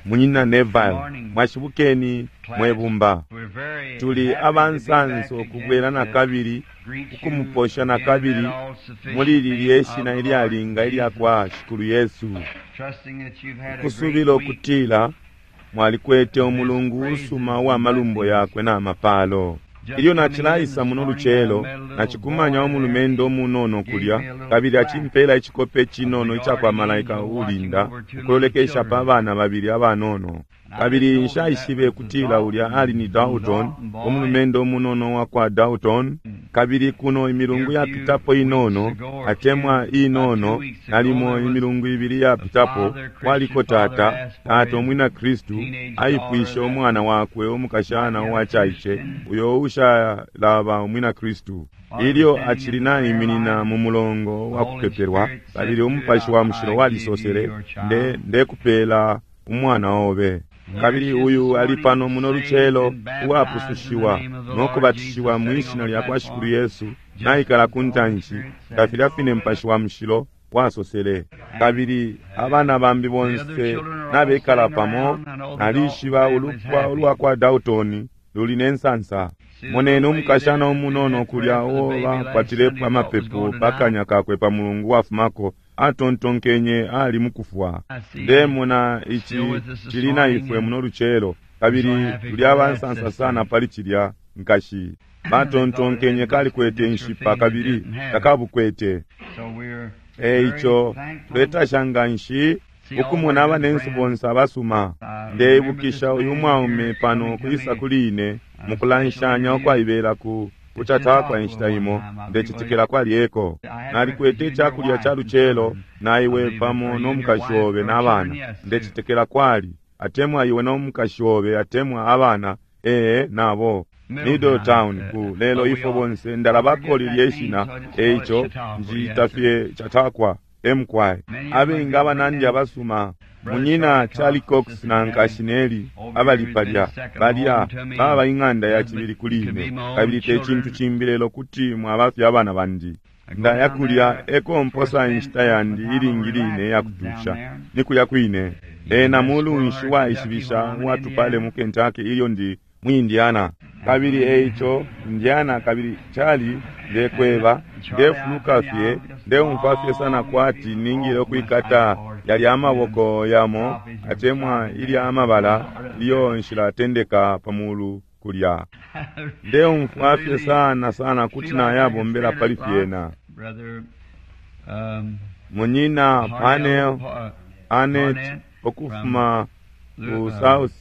Munyina Neville, mwashibukeni mwebumba. Tuli abansansa ukubwela nakabili ukumuposha nakabili muli lilye shina ilyalinga ilya kwa Shikulu Yesu. Ukusubila ukutila mwalikwete umulungu usuma uwa malumbo yakwe na mapalo. Ilyo nacilaisa muno lucelo, nacikumanya umulumendo umunono kulya, kabili acimpela icikope cinono ica kwa malaika uulinda ukulolekesha pa bana babili abanono. Kabili nshaishibe kutila ulya ali ni Dalton, umulumendo umunono wa kwa Dalton. Kabili kuno imilungu yapitapo inono, atemwa inono, nalimo imilungu ibili yapitapo, kwaliko tata, tata umwina Kristu, aipwishe umwana wakwe umukashana uwacaice, uyo ushalaba umwina Kristu. Ilyo acili naiminina mu mulongo wa kupepelwa, kabili umupashi wa mushilo walisosele, nde ndekupela umwana obe. Kabili uyu ali pano muno lucelo uwapusushiwa no kubatishiwa mwi shina lya kwa Shikulu Yesu, naikala ku ntanshi nga filya fine Mupashi wa Mushilo wasosele. Kabili abana bambi bonse nabekala pamo, nalishiba ulupwa ulwa kwa Dalton luli ne nsansa. Moneni umukashana umunono kulya uo bakwatilepo amapepo pa kanya kakwe pa mulungu wafumako, atontonkenye ali mukufwa. Ndemona ici cili na ifwe muno lucelo, kabili tuli abansansa sana pali cilya nkashi. Batontonkenye kalikwete inshipa kabili takabukwete. Eico tuletasha nganshi ukumona abanensu bonse abasuma. Ndeibukisha uyu mwaume pano kwisa kuli ine mukulanshanya ukwaibela ku kuchatakwa inshita imo, ndecetekela kwali eko. Nalikwete icakulya ca lucelo na iwe pamo no mukashi obe n'abana, ndecetekela kwali atemwa iwe no mukashi obe atemwa abana, ee nabo Middletown ku lelo ifwe bonse ndalabako lilye shina, eico njiita fye Chautauqua emkwai. Abengi abanandi abasuma, munyina Charlie Cox na nkashi Nellie abali palya, balya baba ing'anda ya cibili kuli ine, kabili te cintu cimbi lelo kuti mwabafye abana bandi. Ndaya kulya eko mposa inshita yandi ilingi line iyakutusha, ni kulya kwine. Ena mulunshi waishibisha uwatupale mu Kentucky ilyo ndi mu Indiana. Kabili eico Indiana, kabili Charlie, ndekweba, ndefuluka fye, ndeumfwa fye sana kwati ningile ukwikata yalya amaboko yamo atemwa ilya amabala ilyo nshilatendeka pa mulu kulya. Ndeumfwa fye sana sana kuti nayabombela pali fyena. Munyina Panel Arnett ukufuma ku South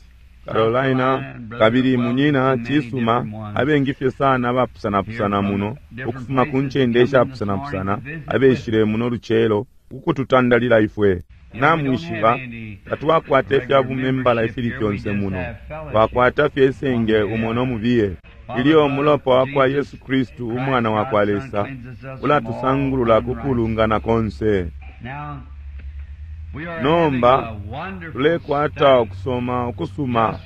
Carolina, kabili munyina cisuma, abengi fye sana abapusanapusana muno ukufuma ku ncende ishapusanapusana abeshile muno lucelo ukututandalila ifwe. Namwishiba tatwakwata ifya bumembala ifili fyonse muno, twakwata fye isenge umo no mubiye. Ilyo umulopa wa kwa Yesu Kristu umwana wa kwa Lesa ulatusangulula ku kulungana konse. Nomba tulekwata ukusoma ukusuma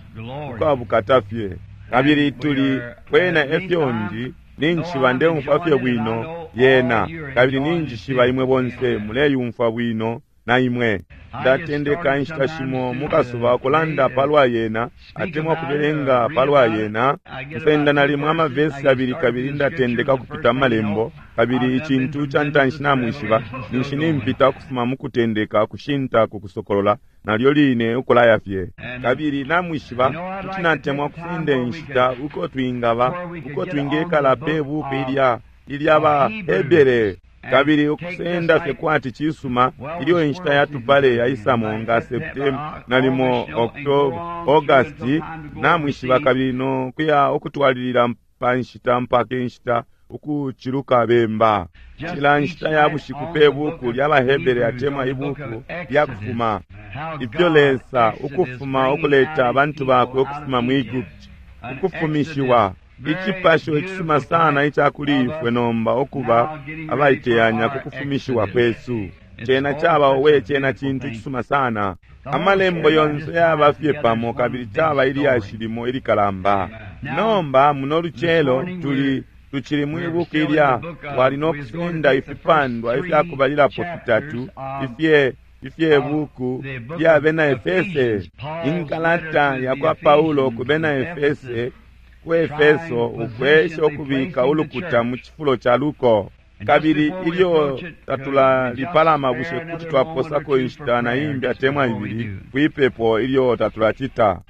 ukwabukata fye, kabili tuli kwena efyo ndi ninjishiba ndeumfwa fye bwino yena, kabili ninjishiba imwe bonse muleyumfwa bwino na imwe. Ndatendeka inshita shimo mukasuba ukulanda palwa yena atemwa kubelenga palwa yena. Nsenda nalimo amavesi abili kabili ndatendeka kupita malembo, kabili icintu ca ntanshi namwishiba ninshi nimpita ukufuma mukutendeka kushinta ku kusokolola, nalyo line ukulaya fye. Kabili namwishiba kuti natemwa kusenda inshita uko twingaba uko twingekala pe buku ilya ilya ba Hebere, kabili ukusenda fye kwati cisuma ilyo inshita yatupale yaisamo nga Septemba nalimo October August, namwishiba, kabili no kuya ukutwalilila pa nshita mpaka inshita ukuciluka bemba. Cila nshita ya bushiku pe buku lya baHebere atemwa ibuku lya kufuma, ifyo Lesa ukufuma ukuleta abantu bakwe ukufuma mu Egypt, ukufumishiwa icipasho icisuma sana ica kuli ifwe nomba ukuba abaiteyanya ku kufumishiwa kwesu. Cena caba owe, cena cintu cisuma sana. Amalembo yonse yaba fye pamo kabili caba ilyashi limo ilikalamba. Nomba muno lucelo tuli tucili mwi buku ilya twali no kusenda ifipandwa ifyakubalilapo fitatu ifye ifye buku lya bena Efese, inkalata ya kwa Paulo ku bena Efese, ku Efeso, ukwesha ukubika ulukuta mu cifulo ca luko. Kabili ilyo tatulalipalama, bushe kuti twaposako inshita na imbi atemwa ibili kwipepo ilyo tatulacita?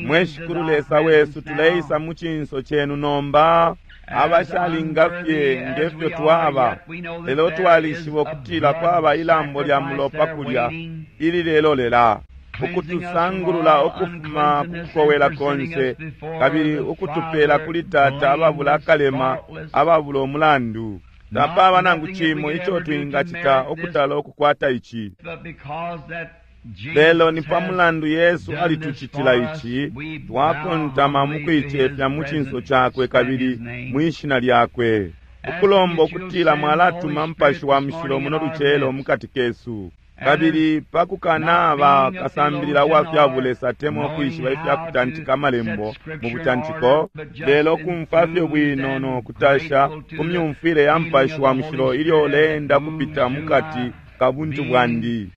Mwe Shikulu Lesa wesu, tuleisa mu cinso cenu nomba, abashalinga fye ngefyo twaba, lelo twalishiba ukutila kwaba ilambo lya mulopa kulya ililelolela ukutusangulula ukufuma kukowela konse, kabili ukutupela kuli Tata ababula akalema, ababula umulandu. Tapaba nangu cimo ico twingacita ukutala ukukwata ici, lelo ni pa mulandu Yesu alitucitila ici, twakontama mukuicefya mu cinso cakwe kabili mwishina lyakwe, ukulomba ukutila mwalatuma Mupashi wa Mushilo muno lucelo mukati kesu. Kabili pakukanaba kasambilila uwa fya bulesa atemwa ukwishiba ifya kutantika amalembo mu butantiko, lelo kumfwa fye bwino no kutasha ku myumfwile ya Mupashi wa Mushilo ilyo uleenda kupita mukati ka buntu bwandi.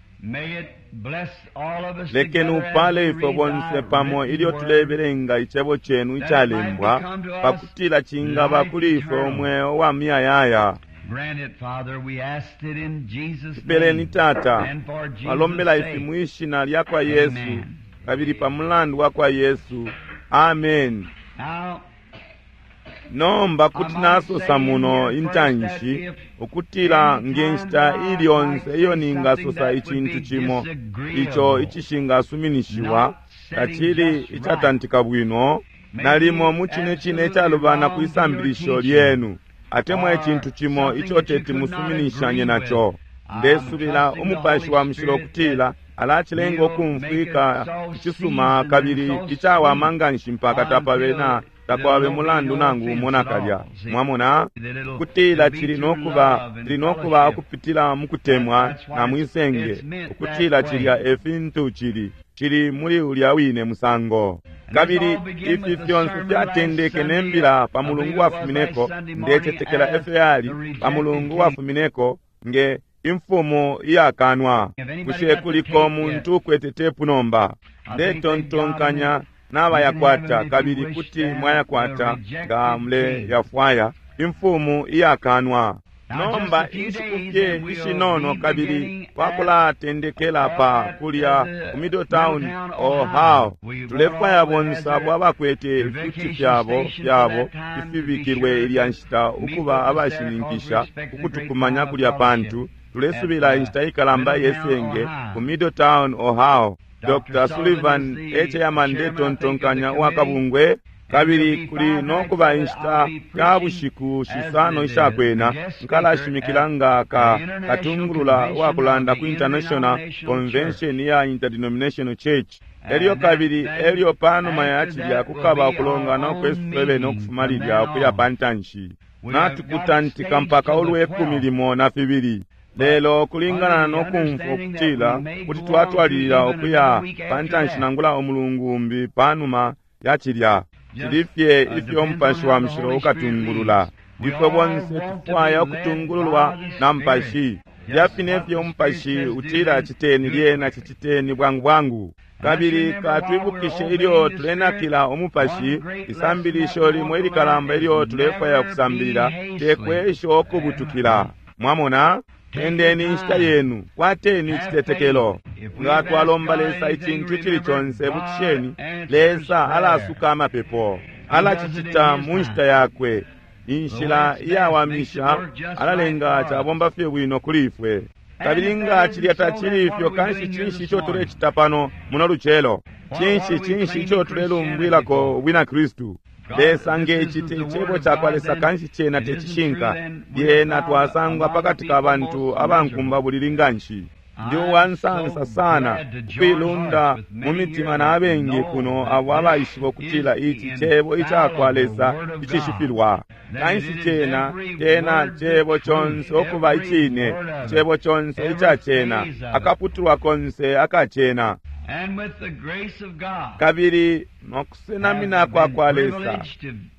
Lekeni upale ifwe bonse pamo ilyo tulebelenga icebo cenu icalembwa, pakutila cingaba kuli ifwe umweo wa muyayaya. Tupeleni, Tata, twalombela ifi mwishina lya kwa Yesu, kabili pa mulandu wa kwa Yesu. Amen. Nomba kuti nasosa muno intanshi ukutila nge nshita ili yonse iyo ningasosa icintu cimo ico icishingasuminishiwa, tacili icatantika bwino, nalimo mu cine cine icalubana kwi sambilisho lyenu, atemwa icintu cimo ico teti musuminishanye naco, ndesubila Umupashi wa Mushilo ukutila alacilenga ukumfwika icisuma kabili icawama nganshi mpaka tapabe na takwabe mulandu nangu umo nakalya. Mwamona kutila cili nokuba, cili nokuba ukupitila mukutemwa na mwisenge, ukutila cilya e fintu cili, cili muli ulya wine musango. Kabili ifi fyonse fyatendeke ne mbila pa mulungu wafumineko, ndecetekela efyo yali pa mulungu wafumineko, nge imfumu iyakanwa. Bushe kuliko muntu ukwete tepu nomba? Ndetontonkanya nabayakwata, kabili kuti mwayakwata nga muleyafwaya. Imfumu iyakanwa. Nomba inshiku fye ishinono kabili twakulatendekela pa kulya ku Middletown, Ohio. Tulefwaya bonse abo abakwete ifiuti fyabo fyabo ifibikilwe ilya nshita ukuba abashininkisha ukutukumanya kulya, pantu tulesubila inshita ikalamba yesenge ku Middletown, Ohio. Dr. Sullivan e chairman, ndetontonkanya, uwa kabungwe, kabili kuli nokuba inshita ya bushiku shisano ishakwena nkalashimikila nga ka katungulula uwakulanda ku International Convention ya Interdenominational Church. Elyo kabili elyo panuma ya cilya kukaba ukulongana ukwesu twebene ukufuma lilya ukuya pa ntanshi. Natukutantika mpaka ulwe 12. Lelo kulingana no kumfwa ukutila kuti twatwalilila ukuya pa ntanshi nangula umulungu umbi panuma ya cilya, cili fye ifyo Mupashi wa Mushilo ukatungulula. Ifwe bonse tufwaya ukutungululwa na Mupashi. Filya fine fye Umupashi utila citeni, lyena ciciteni bwangu bwangu. Kabili katwibukishe ilyo tulenakila Umupashi, isambilisho limo ilikalamba ilyo tulefwaya ukusambilila, tekwesha ukubutukila. Mwamona? Endeni inshita yenu, kwateni icitetekelo. Nga twalomba Lesa icintu icili conse, bukisheni, Lesa alasuka amapepo. Alacicita mu nshita yakwe, inshila iyawamisha, alalenga cabomba fye bwino kuli ifwe. Kabili nga cilya tacili ifyo, kanshi cinshi ico tulecita pano muno lucelo? Cinshi, cinshi ico tulelumbwilako ubwina Kristu? Lesa nge cite icebo cakwa Lesa, kanshi cena tecishinka. Lyena twasangwa pakati ka bantu abankumba bulili nganshi. Ndi uwansansa sana ukuilunda mu mitima na abengi kuno abo abaishiba ukutila ici cebo icakwa Lesa icishifilwa. Kanshi cena cena cebo conse ukuba icine, cebo conse ica cena, akaputulwa konse akacena. Kabili nokusenamina kwa kwa Lesa,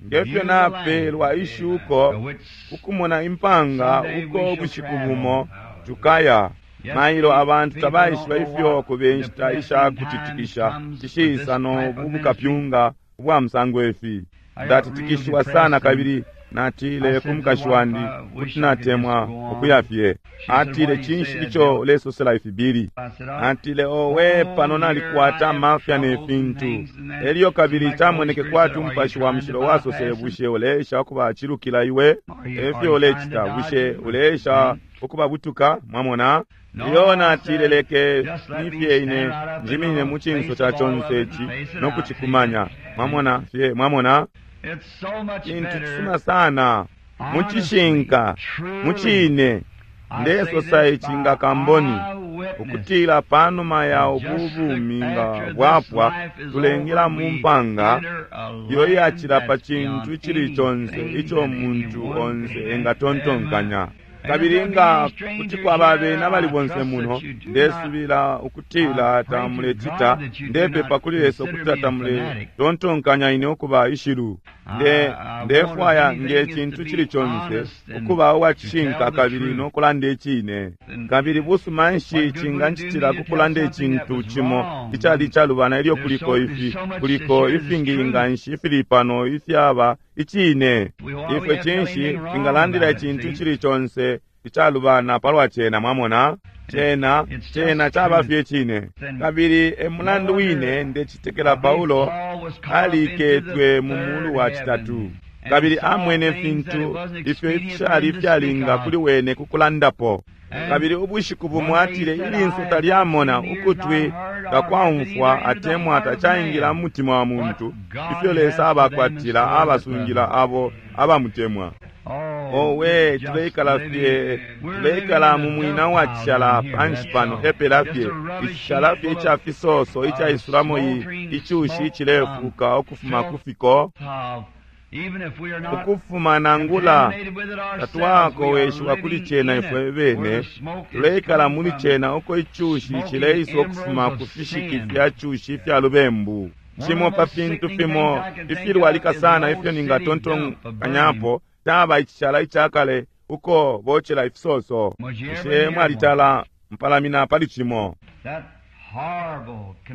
ngefyo napelwa ishuko ukumona impanga uko ubushiku bumo Tukaya. Mailo abantu tabaishiba ifyo kube inshita isha kutitikisha ishiisa no bukapyunga ubwa musango ifi. Ndatitikishiwa sana kabili natile ku mukashi wandi kuti natemwa ukuya fye. Atile, cinshi ico ulesosela ifi, Billy? Atile, owe, pano nalikwata amafya ne fintu. Elyo kabili camoneke kwati Umupashi wa Mushilo wasosele, bushe uleesha ukubacilukila iwe? Efyo ulecita, bushe uleesha ukubabutuka? Mwamona? Iyo, natile, leke nifye ine njiminine mu cinso ca conse ici no kucikumanya. Mwamona fye, mwamona? Cintu cisuma sana mucishinka, mucine. Ndesosa ici nga kamboni, ukutila panuma ya ubu bumi nga bwapwa, tulengela mu mpanga iyo iyacila pa cintu icili conse ico muntu onse engatontonkanya. Kabili nga kuti kwaba bena bali bonse muno, ndesubila ukutila tamulecita, ndepepa kuli Lesa ukutila tamuletontonkanya ine ukuba ishilu. Ndefwaya nge cintu cili conse ukuba uwacishinka kabili no kulanda icine. Kabili busuma nshi cingancitila ku kulanda icintu cimo icali icalubana ilyo kuliko ifi, kuliko ifingi nganshi ifili pano ifyaba icine. Ifwe cinshi twingalandila icintu cili conse icalubana palwa cena? Mwamona? Cena, cena caba fye cine. Kabili e mulandu wine ndecitekela Paulo aliketwe mu mulu wa citatu, kabili amwene fintu ifyo ifishali ifyalinga kuli wene kukulandapo. Kabili ubushiku bumo atile, ilinso talyamona, ukutwi takwaumfwa, atemwa tacaingila mu mutima wa muntu ifyo Lesa abakwatila abasungila abo abamutemwa. Owe, tuleikala fye, tuleikala mu mwina wa cishala panshi pano, epela fye icishala fye ica fisoso icaisulamo icushi icilefuka ukufuma ku fiko, ukufuma nangula tatwakoweshiwa kuli cena ifwe bene, tuleikala muli cena uko icushi cileisa ukufuma ku fishiki fya cushi ifya lubembu. Cimo pa fintu fimo ifilwalika sana ifyo ningatontonkanyapo caba icishala icakale uko bocela ifisoso. Bushe mwalitala mpalamina pali cimo?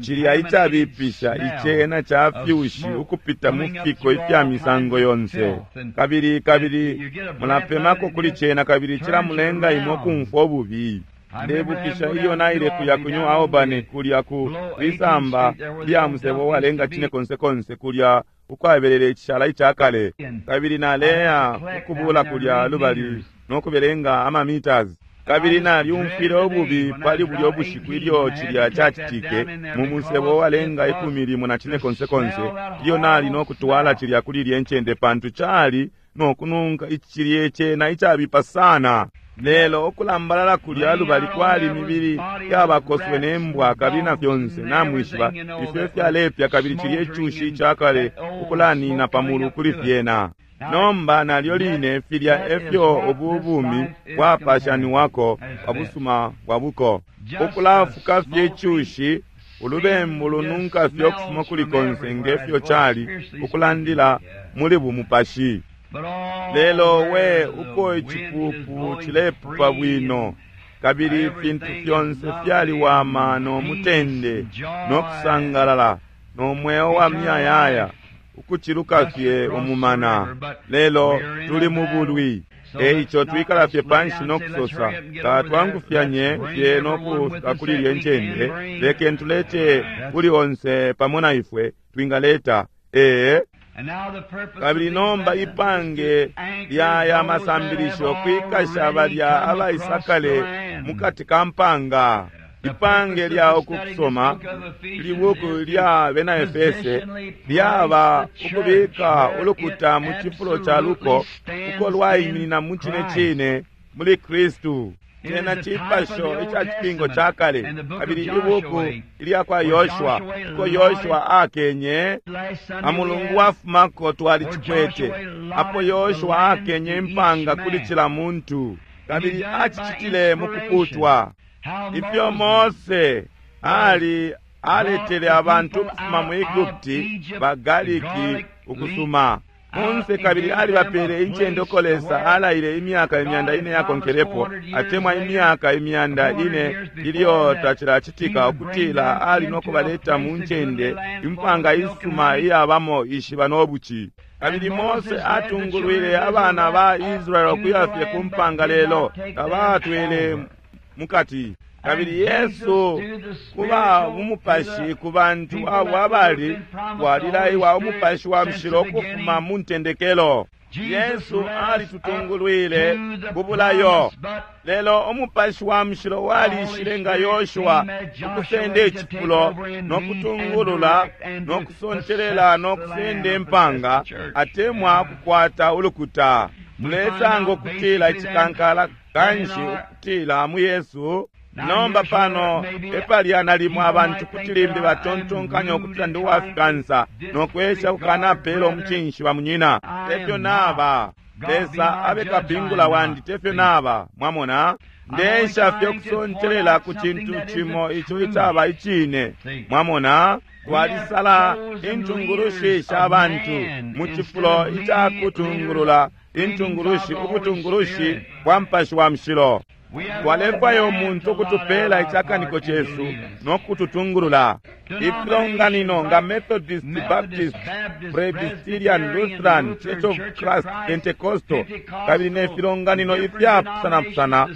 Cilya icabipisha icena ca fyushi ukupita mu fiko ifya misango yonse, kabili kabili mulapemako kuli cena, kabili cilamulenga imwe ukumfwa ububi. Ndebukisha ilyo naile kuya ku New Albany, kulya ku lisamba lya musebo walenga cine konse konse, kulya ukwabelele icishala icakale, kabili naleya ukubula kulya lubali no kubelenga ama meters. Kabili nalyumfwile ububi pali bulyo bushiku ilyo cilya cacitike mu musebo walenga 14 konse konse, ilyo nali no kutwala cilya kuli ilye ncende, pantu cali no kununka icilye cena icabipa sana. Lelo ukulambalala kulya lubali kwali mibili yabakoswe ne mbwa kabili na fyonse, namwishiba ifyo ifyalepya, kabili cilye icushi icakale ukulanina pamulu kuli fyena. Nomba nalyo line filya efyo ubu bumi bwapashaniwako pa busuma bwa buko, ukulafuka fye icushi, ulubembu lununka fye ukufuma kuli konse ngefyo cali ukulandila muli bumupashi. Lelo we uko icipupu cilepupa bwino, kabili ifintu fyonse fyaliwama no mutende no kusangalala no mweo wa muyayaya ukuciluka fye umumana. Lelo tuli mu bulwi, eico twikala fye panshi no kusosa, tatwangufyanye fye no kufika kuli ilye ncende, lekeni tulete kuli onse pamo na ifwe twingaleta. Ee. Kabili nomba ipange lya ya masambilisho kwikasha balya abaisakale mukati ka mpanga. Ipange lya ukusoma libuku lya bena Efese lyaba ukubika ulukuta mu cifulo ca luko uko lwaiminina mu cine cine muli Kristu. Cena cipasho ica cipingo ca kale, kabili ibuku ilya kwa Yoshua, uko Yoshua akenye amulungu wafumako twalicikwete, apo Yoshua akenye impanga kuli cila muntu, kabili acicitile mu kuputwa. Ifyo Mose ali aletele abantu ukufuma mu Egupti bagaliki ukusuma. Kunse kabili alibapele incende uko Lesa alaile imyaka 400 yakonkelepo, atemwa imyaka 400 ilyo tacilacitika, ukutila ali no kubaleta mu ncende impanga isuma iyabamo ishiba no buci. Kabili Mose atungulwile abana ba Israeli ukuya fye ku mpanga, lelo tabatwele mukati. Kabili Yesu kuba umupashi ku bantu abo abali walilaiwa umupashi wa mushilo ukufuma mu ntendekelo. Yesu alitutungulwile ku bulayo, lelo umupashi wa mushilo walishile nga Yoshua ukusenda icifulo no kutungulula no kusontelela no kusenda impanga atemwa kukwata ulukuta. Tulesanga ukutila icikankala kanshi ukutila mu Yesu. Nomba pano epali nalimo abantu kuti limbi batontonkanya ukutila ndi uwafikansa no kwesha kukanapela umucinshi wa munyina. Tefyo naba. Lesa abe kapingula wandi, tefyo naba. Mwamona, ndesha fye kusontelela ku cintu cimo ico icaba icine. Mwamona, twalisala intungulushi sha bantu mu cifulo icakutungulula intungulushi, ubutungulushi bwa Mupashi wa Mushilo. Twalefwaya umuntu ukutupela icakaniko cesu no kututungulula. Ifilonganino nga Methodist, Baptist, Presbyterian, Lutheran, Church of Christ, Pentecostal, kabili ne filonganino ifyapusanapusana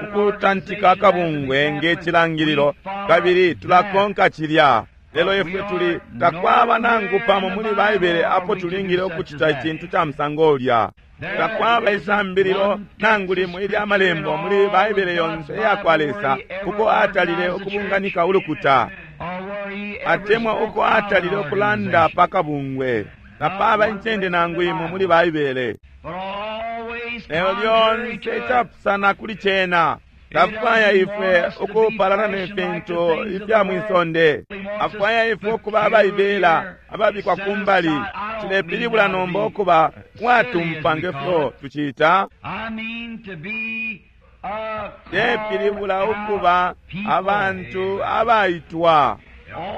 ukutantika akabungwe nge cilangililo, kabili tulakonka cilya. Lelo ifwe tuli takwaba nangu pamo muli Baibele apo tulingile ukucita icintu ca musango ulya. Takwaba isambililo nangu limo ilya malembo muli Baibele yonse iyakwa Lesa uko atalile ukubunganika ulukuta, atemwa uko atalile ukulanda pa kabungwe. Tapaba incende nangu imo muli Baibele. Lelo lyonse icapusana kuli cena. Tafwaya ifwe ukupalana ne fintu ifya mwisonde. Afwaya ifwe ukuba abaibela, ababikwa kumbali. Cilepilibula nomba ukuba mwatumpa nge fyo tucita. Lepilibula ukuba abantu abaitwa,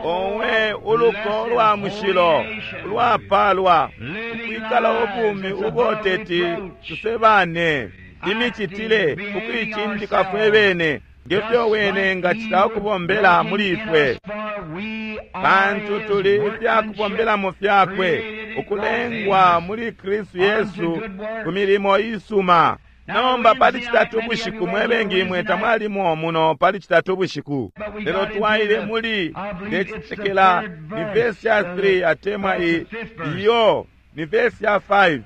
owe uluko lwa mushilo ulwapalwa, ukwikala ubumi ubo teti tusebane, imicitile ukuicindika fwe bene ngefyo wene ngacita ukubombela muli ifwe, pantu tuli ifyakubombelamo fyakwe, ukulengwa muli Kristu Yesu ku milimo isuma. Nomba pali citatu ubushiku, mwebengi imwe tamwalimo muno pali citatu ubushiku, lelo twaile muli ndecitekela ni vesi ya 3 atemwa iyo ni vesi ya 5,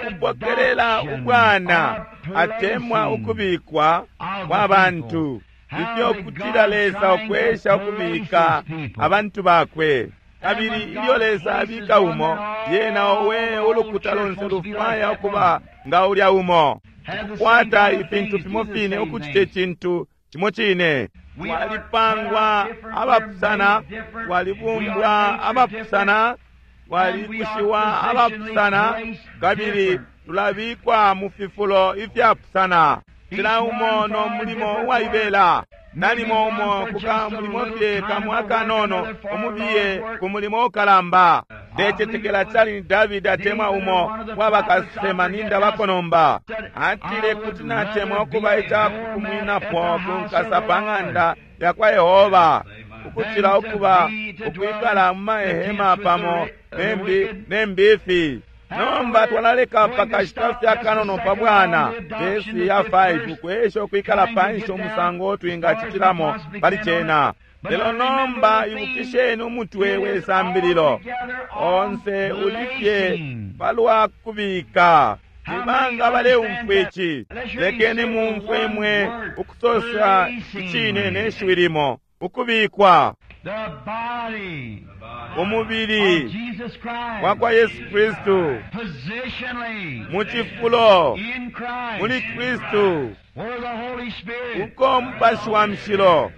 ukupokelela ubwana atemwa ukubikwa kwa bantu, ifyo kutila Lesa ukwesha ukubika abantu bakwe. Kabili ilyo Lesa abika umo, yena owe ulukuta lonse lufwaya ukuba nga ulya umo, ukukwata ifintu fimo fine, ukucita icintu cimo cine. Twalipangwa abapusana, twalibumbwa abapusana, twalikushiwa abapusana, kabili tulabikwa mu fifulo ifyapusana, cila umo no mulimo uwaibela. Nalimo umo kuka mulimo fye kamwe akanono, umubiye ku mulimo ukalamba. Ndecetekela cali ni Davidi atemwa umo wabakasema ninda bakonomba, atile kuti natemwa ukuba icakukumwinapo ku nkasa pa ng'anda yakwa Yehova, ukucila ukuba ukwikala mu mahema pamo ne mbifi. Nomba twalaleka pakashita fye akanono pa bwana vesi ya 5 ukwesha ukwikala panshi umusango twingacitilamo pali cena. Lelo nomba ibukisheni umutwe we sambililo onse ulifye palwa kubika. Nibanga baleumfwa ici? Lekeni mumfwe mwe ukusosa icine ne shiwi limo, ukubikwa. Umubili wakwa Yesu Kristu mu cifulo muli Kristu, uko Mupashi wa Mushilo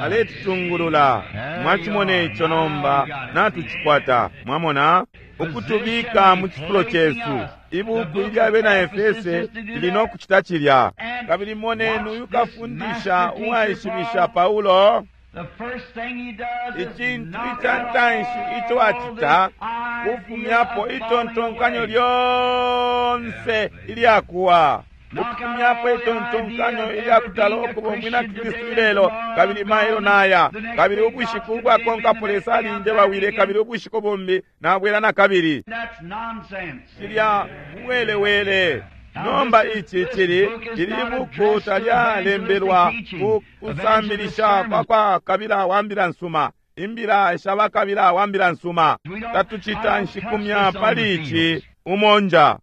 aletutungulula. Mwacimona ico nomba, natucikwata. Mwamona, ukutubika mu cifulo cesu. Ibuku ilya bena Efese lili no kucita cilya. Kabili moneni uyu kafundisha uwaishibisha Paulo. Icintu ica ntanshi ico acita kufumyapo itontonkanyo lyonse ilyakuwa, ukufumyapo itontonkanyo ilyakutala ukuba umwina Kristu ilelo, kabili mailo naya, kabili ubushiku ubwakonkapo Lesa alinje bawile, kabili ubushiku bumbi nabwela na kabili. Cilya muwelewele. Nomba ici cili ili buku talyalembelwa ku kusambilisha kwa kwa kabila wa mbila nsuma, imbila sha bakabila wa mbila nsuma. Tatucita nshikumya pali ici umonja.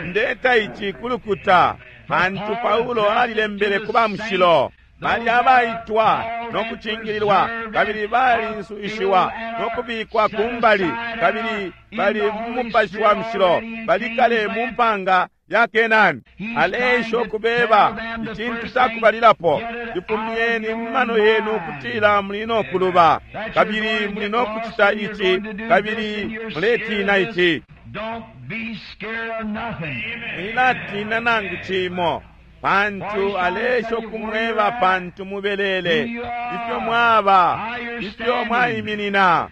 Ndeta ici kulukuta pantu Paulo alilembele ku ba mushilo bali abaitwa no kucingililwa, kabili balisuishiwa no kubikwa kumbali, kabili bali mu mupashi wa mushilo, bali kale mu mpanga ya Kenani. Aleesha ukubeba icintu cakubalilapo, ifumyeni mu mano yenu kutila muli no kuluba, kabili muli no kucita ici, kabili muletina ici. Mwilatina nangu cimo, pantu aleesha ukumweba pantu mubelele ifyo mwaba, ifyo mwaiminina.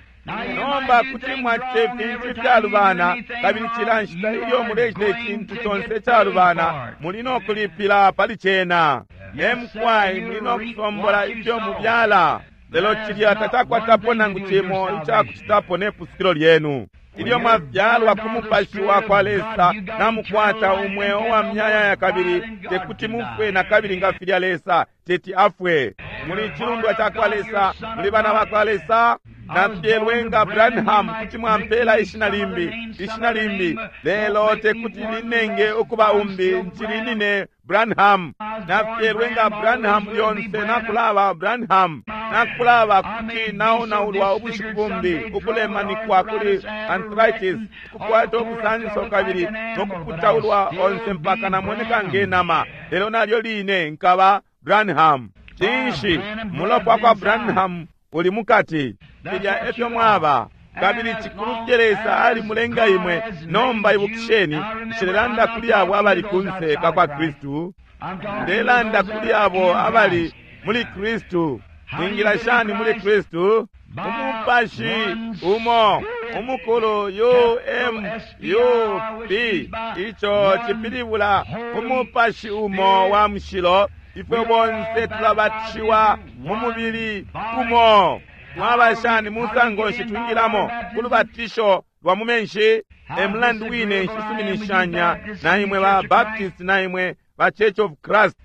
Nomba kuti mwacita ifintu ifyalubana, kabili cila nshita ilyo mulecita icintu conse icalubana, muli no kulipila pali cena. Emkwai muli no kusombola ifyo mubyala, lelo cilya tacakwatapo nangu cimo icakucitapo ne pusukilo lyenu. Ilyo mwabyalwa ku mupashi wa kwa Lesa, namukwata umweo wa myayaya, kabili tekuti mufwe na kabili nga filya Lesa teti afwe. Muli cilundwa ca kwa Lesa, muli bana ba kwa Lesa. Nafyelwe nga Branham, kuti mwampela ishina limbi, ishina limbi, lelo tekuti linenge ukuba umbi, ncili nine Branham. Nafyelwe nga Branham lyonse nakulaba Branham, nakulaba kuti naonaulwa ubushiku bumbi, ukulemanikwa kuli arthritis, ukukwata ubusanso kabili nokuputaulwa onse mpaka namoneka nge nama, lelo nalyo line nkaba Branham. Cinshi? Mulopa kwa Branham uli mukati. Filya efyo mwaba, kabili cikulu fye Lesa ali mulenga imwe. Nomba ibukisheni, nshilelanda kuli abo abali kunse ka kwa Kristu, ndelanda kuli abo abali muli Kristu. Mwingila shani muli Kristu? Umupashi umo umukulu UMUP, ico cipilibula umupashi umo wa mushilo. Ifwe bonse tulabatishiwa mu mubili umo. Mwaba shani musango nshi twingilamo ku lubatisho lwa mu menshi? E mulandu wine nshisuminishanya na imwe ba Baptist na imwe ba Church of Christ.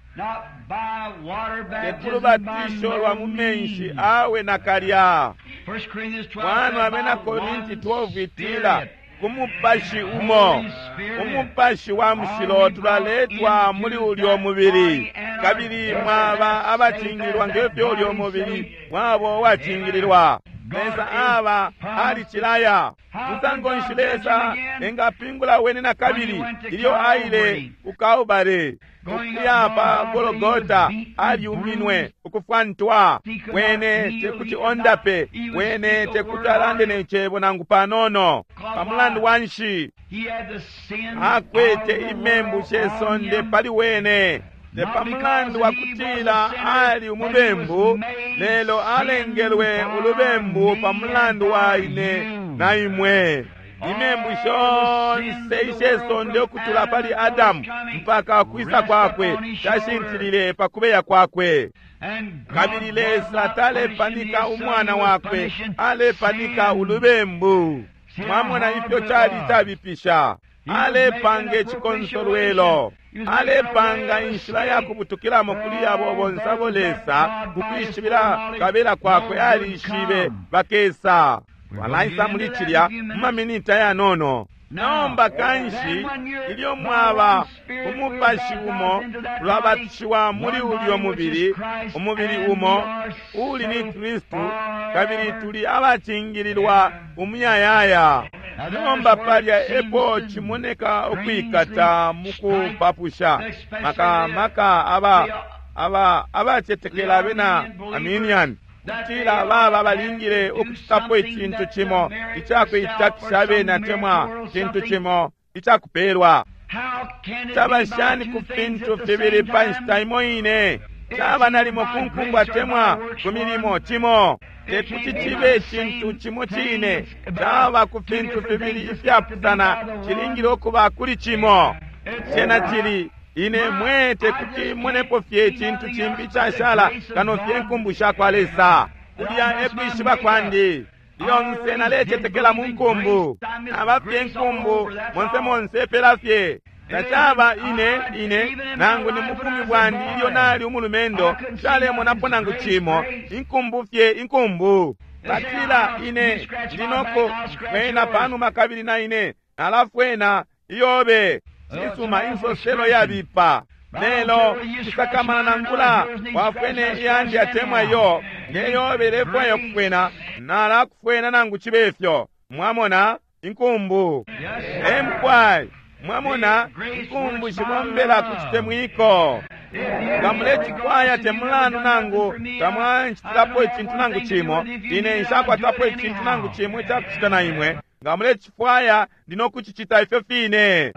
Te ku lubatisho lwa mu menshi awe nakalya. Mwana abena Korinti 12 itila ku mupashi umo, umupashi wa mushilo, tulaletwa muli ulyo mubili, kabili mwaba abacingililwa ngefyo ulyo mubili mwabo wacingililwa. Lesa aba alicilaya. Musango nshi Lesa engapingula wene na kabili ilyo aile ku Kalbale, ukuya pa Golgota, aliuminwe ukufwantwa. Wene tekuti ondape, wene tekuti alande ne cebo nangu panono. Pamulandu wa nshi? Akwete imembu she sonde pali wene. Te pamulandu wa kutila ali umubembu, lelo alengelwe ulubembu pamulandu wa ine na imwe. Imembu shonse ishe sonde ukutula pali Adamu mpaka kwisa kwakwe tashintilile pa kubeya kwakwe. Kabili Lesa talepanika umwana wakwe, alepanika ulubembu. Mwamona ifyo cali cabipisha. Alepanga icikonsolwelo, alepanga inshila ya kubutukilamo kuli abo bonse abo Lesa kukwishibila kabela kwakwe alishibe bakesa. Twalaisa muli cilya mu maminiti ayanono. Nomba kanshi ilyo mwaba umupashi umo, tulabatishiwa muli ulyo mubili, umubili umo uli ni Kristu, kabili tuli abacingililwa umuyayaya. Nomba palya epo cimoneka ukwikata mukupapusha, maka maka aba abacetekela abena Arminian, kutila baba balingile ukucitapo icintu cimo icakuitakisha abena temwa cintu cimo icakupelwa. Caba shani ku fintu fibili pa nshita imo ine? Caba nalimo ku nkumbu atemwa ku milimo cimo. Tekuti cibe icintu cimo cine. Caba ku fintu fibili ifyapusana, cilingile ukuba kuli cimo. Cena cili ine mwe tekuti monepo fye icintu cimbi icashala kano fye inkumbu sha kwa Lesa. Kulya e kwishiba kwandi. Lyonse nalecetekela mu nkumbu. Naba fye inkumbu monse monse pela fye. Tacaba ine ine nangu ni mubumi bwandi ilyo nali umulumendo nshalemonapo nangu cimo, inkumbu fye inkumbu. Batila ine ndi no kufwena panuma kabili na ine nalafwena iyobe. Cisuma, insoselo yabipa. Lelo nshisakamana nangula wafwene iyandi atemwa iyo, nge yobe ilefwaya ukufwena, nalakufwena nangu cibe fyo. Mwamona? Inkumbu. E mukwai. Mwamona, inkumbu shibombela ku citemwiko. Nga mulecifwaya te mulandu nangu tamwancitilapo icintu nangu cimo, ine nshakwatapo icintu nangu cimo ica kucita na imwe. Nga mulecifwaya, ndi no kucicita ifyo fine.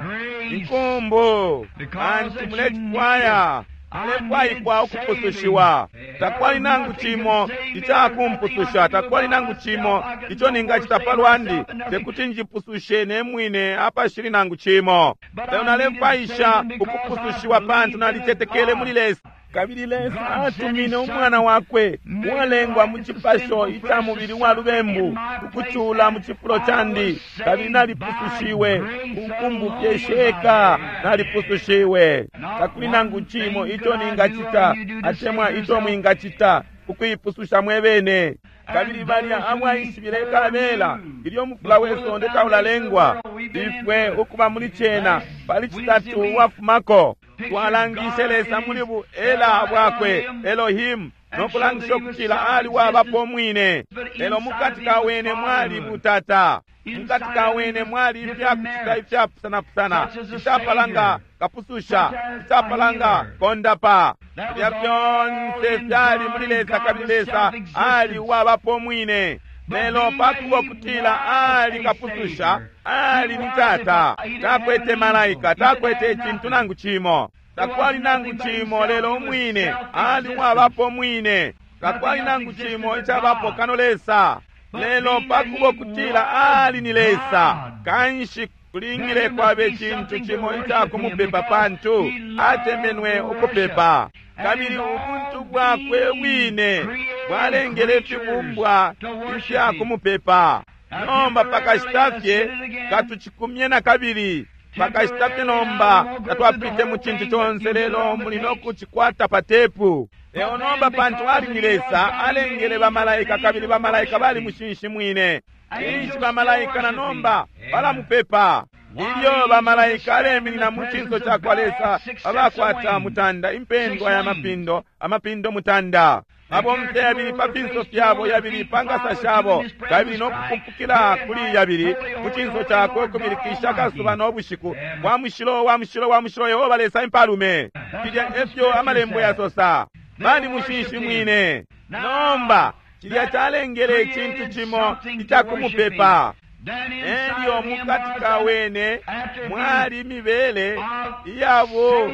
Inkumbu, pantu mulecifwaya. Mulefwaikwa ukupusushiwa. Takwali nangu cimo icakumpususha, takwali nangu cimo ico ningacita pa lwandi, tekuti njipusushe ne mwine apashili nangu cimo. Lelo nalefwaisha ukupusushiwa pantu nalicetekele muli Lesa. Kabili Lesa atumine Umwana wakwe uwalengwa mu cipasho ica mubili wa lubembu ukucula mu cifulo candi, kabili nalipusushiwe ku nkumbu fye sheka, nalipusushiwe. Takuli nangu cimo ico ningacita atemwa ico mwingacita ukuipususha mwe bene. Kabili balya abwaishibile kabela ilyo umufula we sonde taulalengwa, ifwe ukuba muli cena pali Citatu uwafumako, twalangishe Lesa muli bu Ela bwakwe Elohimu, no kulangisha ukutila ali wabapo umwine. Lelo mukati ka wene mwali butata, mukati ka wene mwali ifyakucita ifyapusanapusana, icapala nga kapususha, icapala nga kondapa. Filya fyonse fyali muli Lesa, kabili Lesa ali uwabapo umwine. Lelo pakuba ukutila ali kapususha, ali ni Tata, takwete malaika, takwete icintu nangu cimo. Takwali nangu cimo lelo umwine, ali uwabapo umwine. Takwali nangu cimo icabapo kano Lesa. Lelo pakuba ukutila ali ni Lesa, kanshi kulingile kwabe cintu cimo ica kumupepa pantu atemenwe ukupepa. Kabili ubuntu bwakwe bwine bwalengele ifibumbwa ifya kumupepa. Nomba pakashita fye katucikumye na kabili. Pakashita fye nomba tatwapite mu cintu conse, lelo muli no kucikwata pa tepu. Lelo nomba pantu ali ni Lesa, alengele bamalaika, kabili bamalaika balimushinshimwine. Ninshi bamalaika na nomba balamupepa. Ilyo bamalaika aleminina mu cinso ca kwa Lesa, abakwata mutanda impendwa ya mapindo, amapindo mutanda. Mabomfya yabili pa finso fyabo, yabili pa nkasa shabo, kabili no kupumpukila kuli yabili mu cinso cakwe, ukubilikisha akasuba no bushiku, wa mushilo, wa mushilo, wa mushilo, Yehova Lesa impalume. Filya efyo amalembo yasosa. Bali mushinshimwine. Nomba cilya calengele icintu cimo ica kumupepa. Elyo mukati ka wene mwali imibele iyabo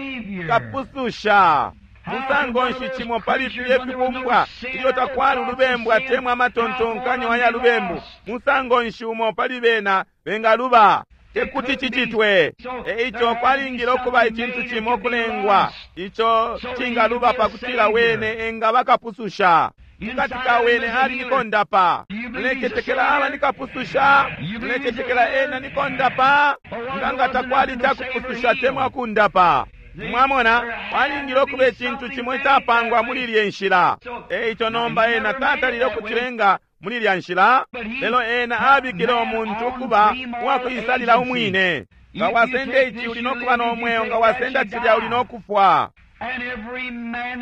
kapususha. Musango nshi cimo pali filye fibumbwa ilyo takwali ulubembu atemwa amatontonkanyo aya lubembu? Musango nshi umo pali bena bengaluba? Tekuti cicitwe. E ico kwalingile ukuba icintu cimo kulengwa ico cingaluba pakutila wene engaba kapususha. Mukati ka wene ali ni kondapa. Mulecetekela aba ni kapususha? Mulecetekela ena ni kondapa? Nga takwali ca kupususha atemwa kundapa. Mwamona, kwalingile ukuba icintu cimo icapangwa muli ilye nshila. E ico nomba ena tatalile ukucilenga muli ilya nshila, lelo ena abikile umuntu ukuba uwakuisalila umwine. Nga wasenda ici uli no kuba no mweo, nga wasenda cilya uli no kufwa.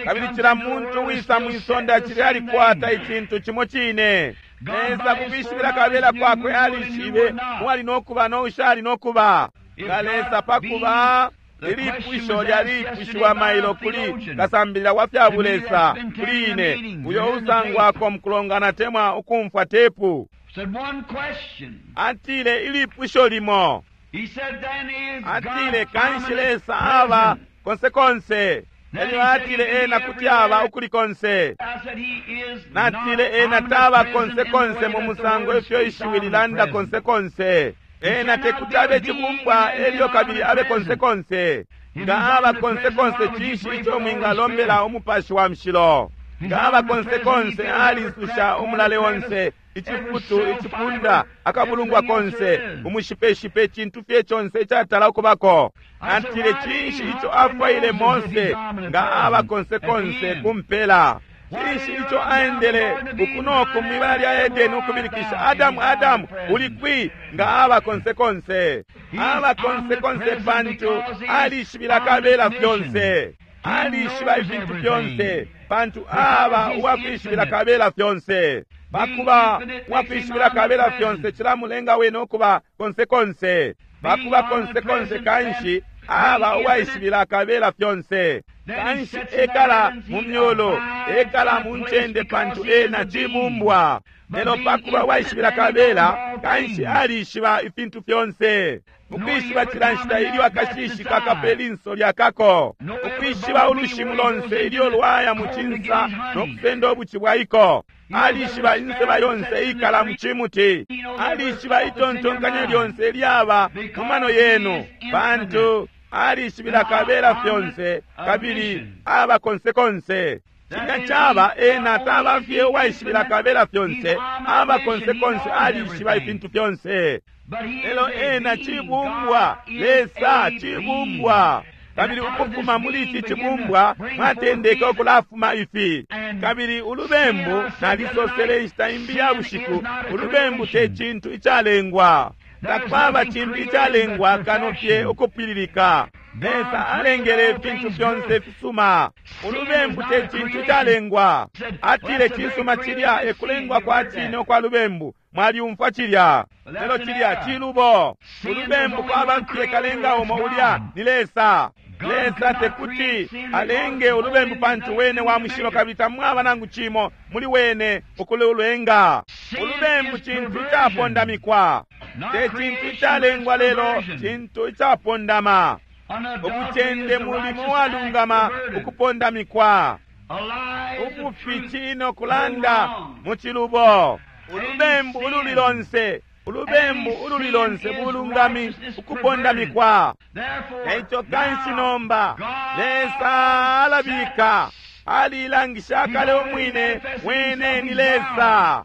Kabili cila muntu uwisa mwi sonde acili alikwata icintu cimo cine. Lesa kukwishibila kabela kwakwe alishibe uwali no kuba no ushali no kuba. Nga Lesa pakuba ilipusho lyalipushiwa mailo kuli kasambilila wa fya bulesa kuli ine, uyo usangwako mukulongana temwa ukumfwa tepu. Atile ilipusho limo. Atile kanshi Lesa aba konse konse. Elyo atile ena kuti aba ukuli konse. Natile ena taba konse konse mu musango ifyo ishiwi lilanda konse konse. Ena tekuti abe cibumbwa elyo kabili abe konse konse. Nga aba konse konse, cinshi ico mwingalombela Umupashi wa Mushilo? Nga aba konse konse, alisusha umulale onse, icifutu, icipunda, akabulungwa konse, umushipeshipe, icintu fye conse icatala ukubako. Atile, cinshi ico afwaile Mose nga aba konse konse kumpela? Cinshi ico aendele uku noku mwibala lya Edeni ukubilikisha, Adamu, Adamu, uli kwi? Nga aba konse konse. Aba konse konse pantu alishibila kabela fyonse. Alishiba ifintu fyonse pantu aba uwakwishibila kabela fyonse. Pakuba uwakwishibila kabela fyonse cilamulenga wene ukuba konse konse. Pakuba konse konse kanshi aba uwaishibila kabela fyonse. Kanshi ekala mu myulu, ekala mu ncende pantu ena cibumbwa. Lelo pakuba uwaishibila kabela, kanshi alishiba ifintu fyonse. Ukwishiba cila nshita ilyo akashishi kakape linso lyakako, ukwishiba ulushimu lonse ilyo lwaya mu cinsa no kusenda ubuci bwaiko. Alishiba inseba yonse ikala mu cimuti. Alishiba itontonkanyo lyonse lyaba mu mano yenu, pantu alishibila kabela fyonse kabili aba konse konse. Cilya caba ena taba fye uwaishibila kabela fyonse, aba konse konse, alishiba ifintu fyonse. Lelo ena cibumbwa, Lesa cibumbwa. Kabili ukufuma muli ici cibumbwa mwatendeke ukulafuma ifi. Kabili ulubembu, nalisosele inshita imbi ya bushiku, ulubembu te cintu icalengwa. Takwaba cintu icalengwa kano fye ukupwililika. Lesa alengele ifintu fyonse fisuma. Ulubembu te cintu icalengwa. Atile cisuma cilya ekulengwa kwa cine ukwa lubembu. Mwaliumfwa cilya. Lelo cilya cilubo. Ulubembu kwaba fye kalenga umo, ulya ni Lesa. Lesa tekuti alenge ulubembu pantu wene wa mushilo kabili tamwaba nangu cimo muli wene ukululenga. Ulubembu cintu icapondamikwa. Te cintu icalengwa lelo cintu icapondama. Ubucende mulimo walungama ukupondamikwa. Ubufi cino kulanda mu cilubo. Ulubembu ululi lonse, ulubembu ululi lonse bulungami ukupondamikwa. Eico kanshi nomba Lesa alabika, alilangisha kale umwine wene ni Lesa.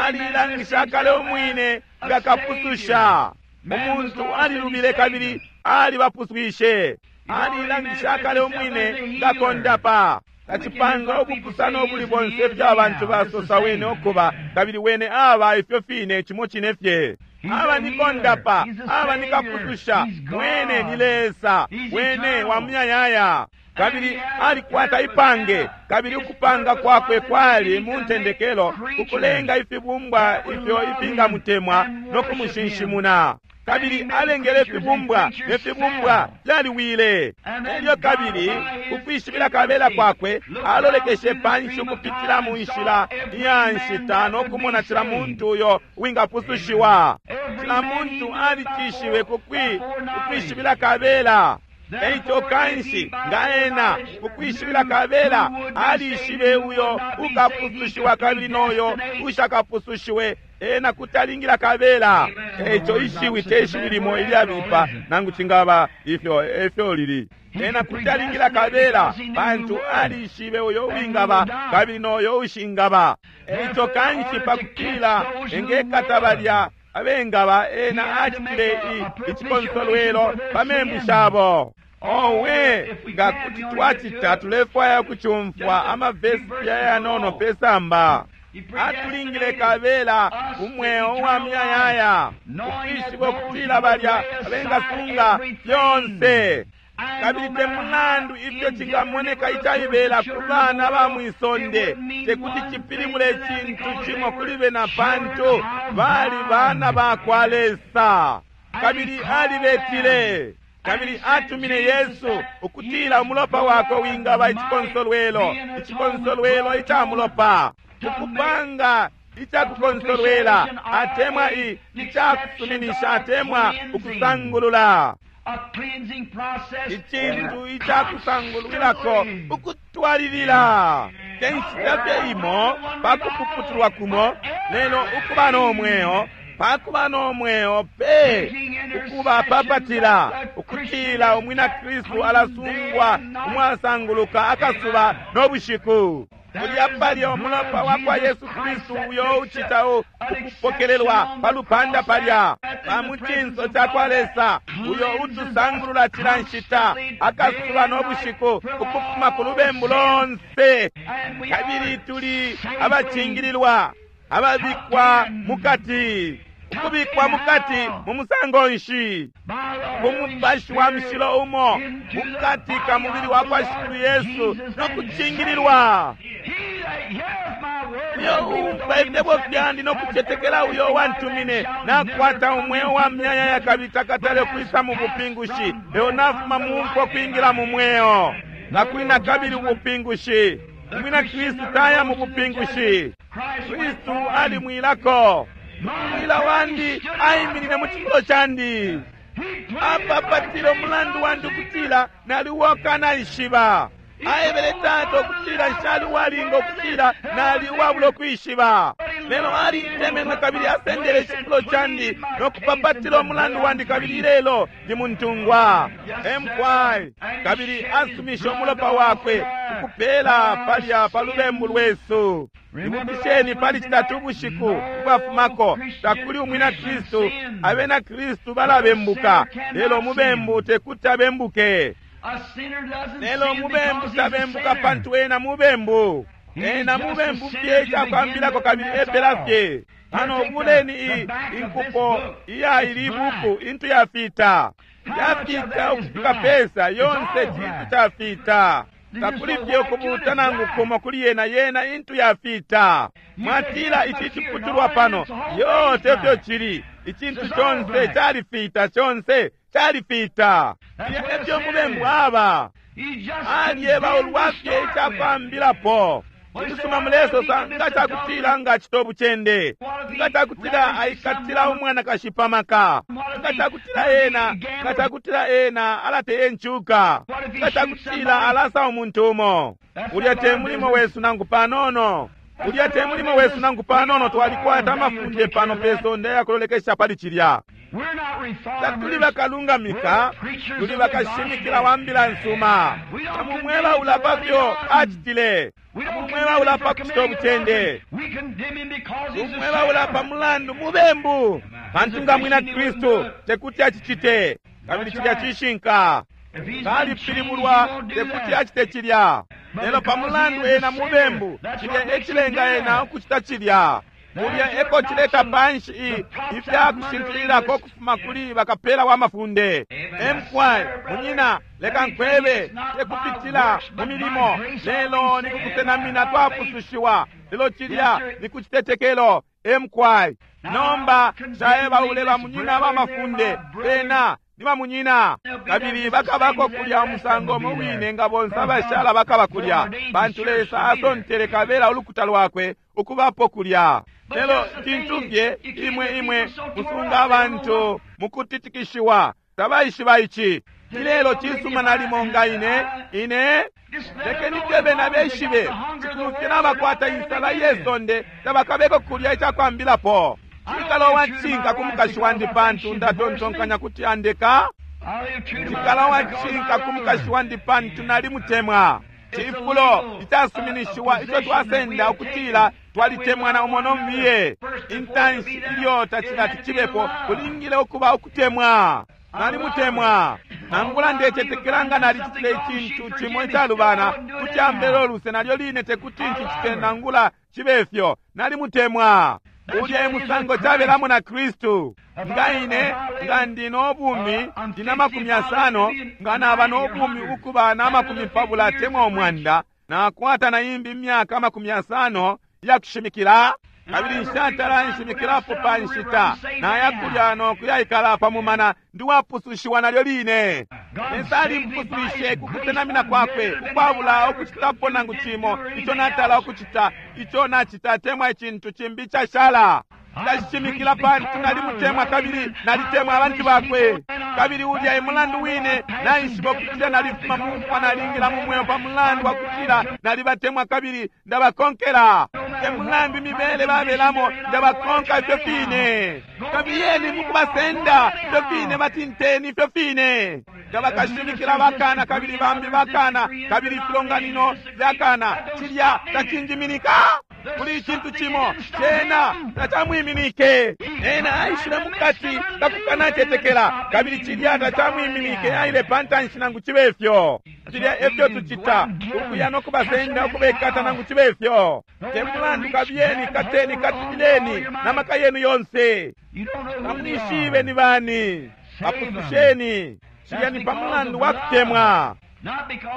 Alilangisha kale umwine nga kapususha. Umuntu alilubile kabili alibapuswishe. Alilangisha kale umwine nga kondapa. Tacipanga ubupusano ubuli bonse ifyo abantu basosa wene ukuba, kabili wene aba ifyo fine cimo cine fye. Aba ni kondapa, aba ni kapususha, wene ni Lesa, wene wa muyayaya. Kabili alikwata ipange, kabili ukupanga kwakwe kwali mu ntendekelo ukulenga ifibumbwa ifyo ifingamutemwa no kumushinshimuna. Kabili alengele ifibumbwa, ne fibumbwa fyaliwile. Elyo kabili ukwishibila kabela kwakwe alolekeshe panshi ukupitila mu nshila iya nshita no kumona cila muntu uyo wingapusushiwa. Cila muntu alicishiwe kukwishibila kabela. Eico kanshi nga ena ukwishibila kabela alishibe uyo ukapusushiwa kabili noyo ushakapusushiwe, ena kutalingila kabela. Eico ishiwi te shiwi limo ilyabipa nangu cingaba ifyo efyo lili. Ena kutalingila kabela pantu alishibe uyo uwingaba kabili noyo ushingaba. Eico kanshi pakutila engekata balya abengaba, ena acitile icikonsolwelo pa membu shabo. Owe, nga kuti twacita, tulefwaya ukucumfwa amavesi yanono pesamba. Atulingile kabela umweo wa muyayaya, ukwishiba ukutila balya abengasunga fyonse. Kabili te mulandu ifyo cingamoneka icaibela ku bana ba mwisonde, tekuti cipilimule cintu cimo kuli bena pantu bali bana ba kwa Lesa. Kabili alibetile, kabili atumine Yesu ukutila umulopa wakwe wingaba icikonsolwelo, icikonsolwelo ica mulopa, ukupanga icakukonsolwela atemwa icakusuminisha atemwa ukusangulula. Icintu icakusangulwilako ukutwalilila, te nshita fye imo pa kupuputulwa kumo, lelo ukuba no mweo, pakuba no mweo pe, ukuba papatila ukutila umwina Kristu alasungwa umwasanguluka akasuba no bushiku. Kulya palya umulopa wa kwa Yesu Kristu uyo ucita ukupokelelwa pa lupanda palya pa mucinso ca kwa Lesa, uyo utusangulula cila nshita akasuba no bushiku ukufuma ku lubembu lonse, kabili tuli abacingililwa, ababikwa mukati, ukubikwa mukati mu musango nshi? Ku Mupashi wa Mushilo umo mukati ka mubili wa kwa Shikulu Yesu no kucingililwa. Uyo uumfwa ifyebo fyandi no kucetekela uyo wantumine nakwata umweo wa myayaya kabili takatale ukwisa mu bupingushi, lelo nafuma mu mfwa kwingila mu mweo. Takuli na kabili ubupingushi. Umwina Kristu taya mu bupingushi. Kristu alimwilako. Mwila wandi aiminine mu cifulo candi, apapatile umulandu wandi ukutila naliwoka naishiba. Aebele Tata ukutila nshali uwalinga, ukutila nali uwabula ukwishiba, lelo alintemenwe kabili asendele icifulo candi no kupapatila umulandu wandi, kabili ilelo ndi muntungwa. Mky kabili asumishe umulopa wakwe ukupela palya pa lubembu lwesu. Ibukisheni pali citatu ubushiku ubwafumako, takuli umwina Kristu. Abena Kristu balabembuka, lelo umubembu tekuti abembuke. Lelo umubembu tabembuka pantu ena mubembu. Ena mubembu fye icakwambilako kabili epela fye. Pano buleni inkupo iya ili buku intu yafita. Yafita ukufika pesa yonse cintu cafita. Takuli fye ukubuta nangu kumo kuli yena, yena intu yafita. Mwatila ici ciputulwa pano, yote fyo cili. Icintu conse califita, conse califita. Efyo mubembu aba. Alyeba ulwafye icakwambilapo. Icisuma mulesosa nga cakutila nga acita ubucende, nga cakutila aikatila umwanakashi pamaka, nga cakutila ena, nga cakutila ena alateye ncuka, nga cakutila alasa umuntu umo. Ulya te mulimo wesu nangu panono. Ulya te mulimo wesu nangu panono. Twalikwata amafunde pano pe sonde yakulolekesha pali cilya. Tatuli bakalungamika, tuli bakashimikila wa mbila nsuma. Tamumweba ulapa fyo acitile, tamumweba ulapa kucita ubucende, tumweba ulapa mulandu mubembu, pantu nga mwina Kristu tekuti acicite. Kabili cilya cishinka. Kalipilibulwa tekuti acite cilya, lelo pa mulandu ena mubembu, cilya ecilenga ena ukucita cilya. Kulya eko cileta panshi ifya kushintililako kufuma kuli bakapela wa mafunde. Mky munyina, leka nkwebe, tekupitila mu milimo, lelo ni kukusenamina twapusushiwa, lelo cilya ni kucitetekelo. Mky nomba caeba ule bamunyina ba mafunde, bena ni bamunyina, kabili bakabako kulya umusango umo wine nga bonse abashala bakaba kulya, pantu Lesa asontele kabela ulukuta lwakwe ukubapo kulya. Lelo cintu fye imwe imwe musunga abantu mukutitikishiwa, tabaishiba ici. Ilelo cisuma nalimo nga ine ine lekeni fye bena beshibe, cikulu fye nabakwata insala ye sonde tabakabeko kulya icakwambilapo. Cikala uwacinka ku mukashi wandi pantu ndatontonkanya kuti andeka. Cikala uwacinka ku mukashi wandi pantu nalimutemwa. Cifulo icasuminishiwa ico twasenda ukutila twalitemwana umo no mubiye. Intanshi ilyo tacilati cibepo, kulingile ukuba ukutemwa. Nalimutemwa. Nangula ndecetekela nga nalicitile icintu cimo icalubana, kuti ambele uluse nalyo line tekuti ncicite nangula cibe fyo. Nalimutemwa. Ulya emusango cabelamo na Kristu. Nga ine nga ndi no bumi ndina 50, nga naba no bumi ukuba na 20 temwa 100, nakwata na imbi imyaka 50 yakushimikila, kabili nshatala nshimikilapo pa nshita naya kulya no kuyaikala pa mumana, ndi wapusushiwa nalyo line. Lesa alimpuswishe ku kusenamina kwakwe ukwabula ukucitapo nangu cimo ico natala ukucita, ico nacita temwa icintu cimbi icashala. Ndashimikila pantu nalimutemwa kabili nalitemwa abantu bakwe. Kabili ulya e mulandu wine naishiba ukutila nalifuma mu mfwa nalingila mu mweo pa mulandu wa kutila nalibatemwa kabili ndabakonkela. Te mulandu imibele babelamo, ndabakonka ifyo fine. Kabiyeni mukubasenda ifyo fine, batinteni ifyo fine. Nga bakashimikila bakana kabili bambi bakana kabili ifilonganino fyakana, cilya tacinjiminika. Kuli icintu cimo cena tacamwiminike. Ena aishile mukati kakukanacetekela kabili cilya tacamwiminike, aile pantanshi nangu cibe fyo. Cilya efyo tucita, ukuya no kubasenda ukubekata nangu cibe fyo. Te mulandu, kabiyeni, kateni, katileni na maka yenu yonse. Tamwishibe ni bani, bapususheni. Cilya ni pa mulandu wa kutemwa,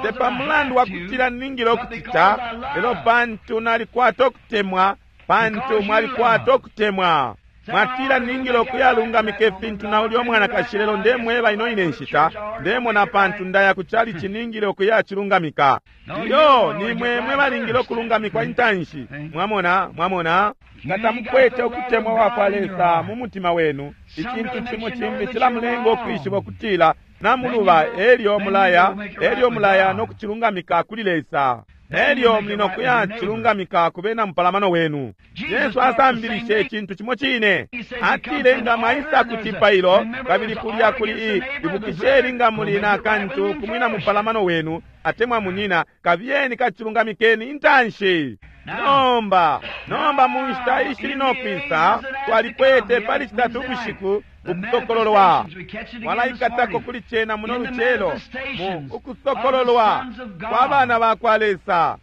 te pa mulandu wa kutila ningile ukucita, lelo pantu nalikwata ukutemwa, pantu mwalikwata ukutemwa. Mwatila ningile ukuyalungamika ifintu na ulya mwanakashi, lelo ndemweba ino ine nshita ndemona pantu ndaya ku chalichi ningile ukuyacilungamika. Iyo nimwe mwe balingile ukulungamikwa intanshi. Mwamona, mwamona nga tamukwete ukutemwa kwa kwa Lesa mu mutima wenu, icintu cimo cimbi cilamulenga ukwishiba ukutila namuluba, elyo mulaya, elyo mulaya no kucilungamika kuli Lesa, elyo muli no kuyacilungamika ku bena mupalamano wenu. Yesu asambilishe icintu cimo cine. Atile nga mwaisa ku cipailo kabili kulya kuli i ibukisheni nga muli na kantu ku mwina mupalamano wenu atemwa munyina, kabiyeni kacilungamikeni intanshi. Nomba, nomba mu nshita ishili no kwisa, twalikwete pali citatu ubushiku ukusokololwa. Mwalaikatako kuli cena muno lucelo, mu ukusokololwa kwa bana ba kwa Lesa.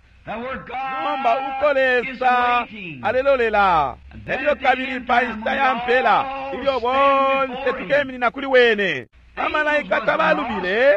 Nomba uko Lesa alelolela, elyo kabili pa nshita ya mpela ilyo bonse tukeminina kuli wene. Bamalaika tabalubile,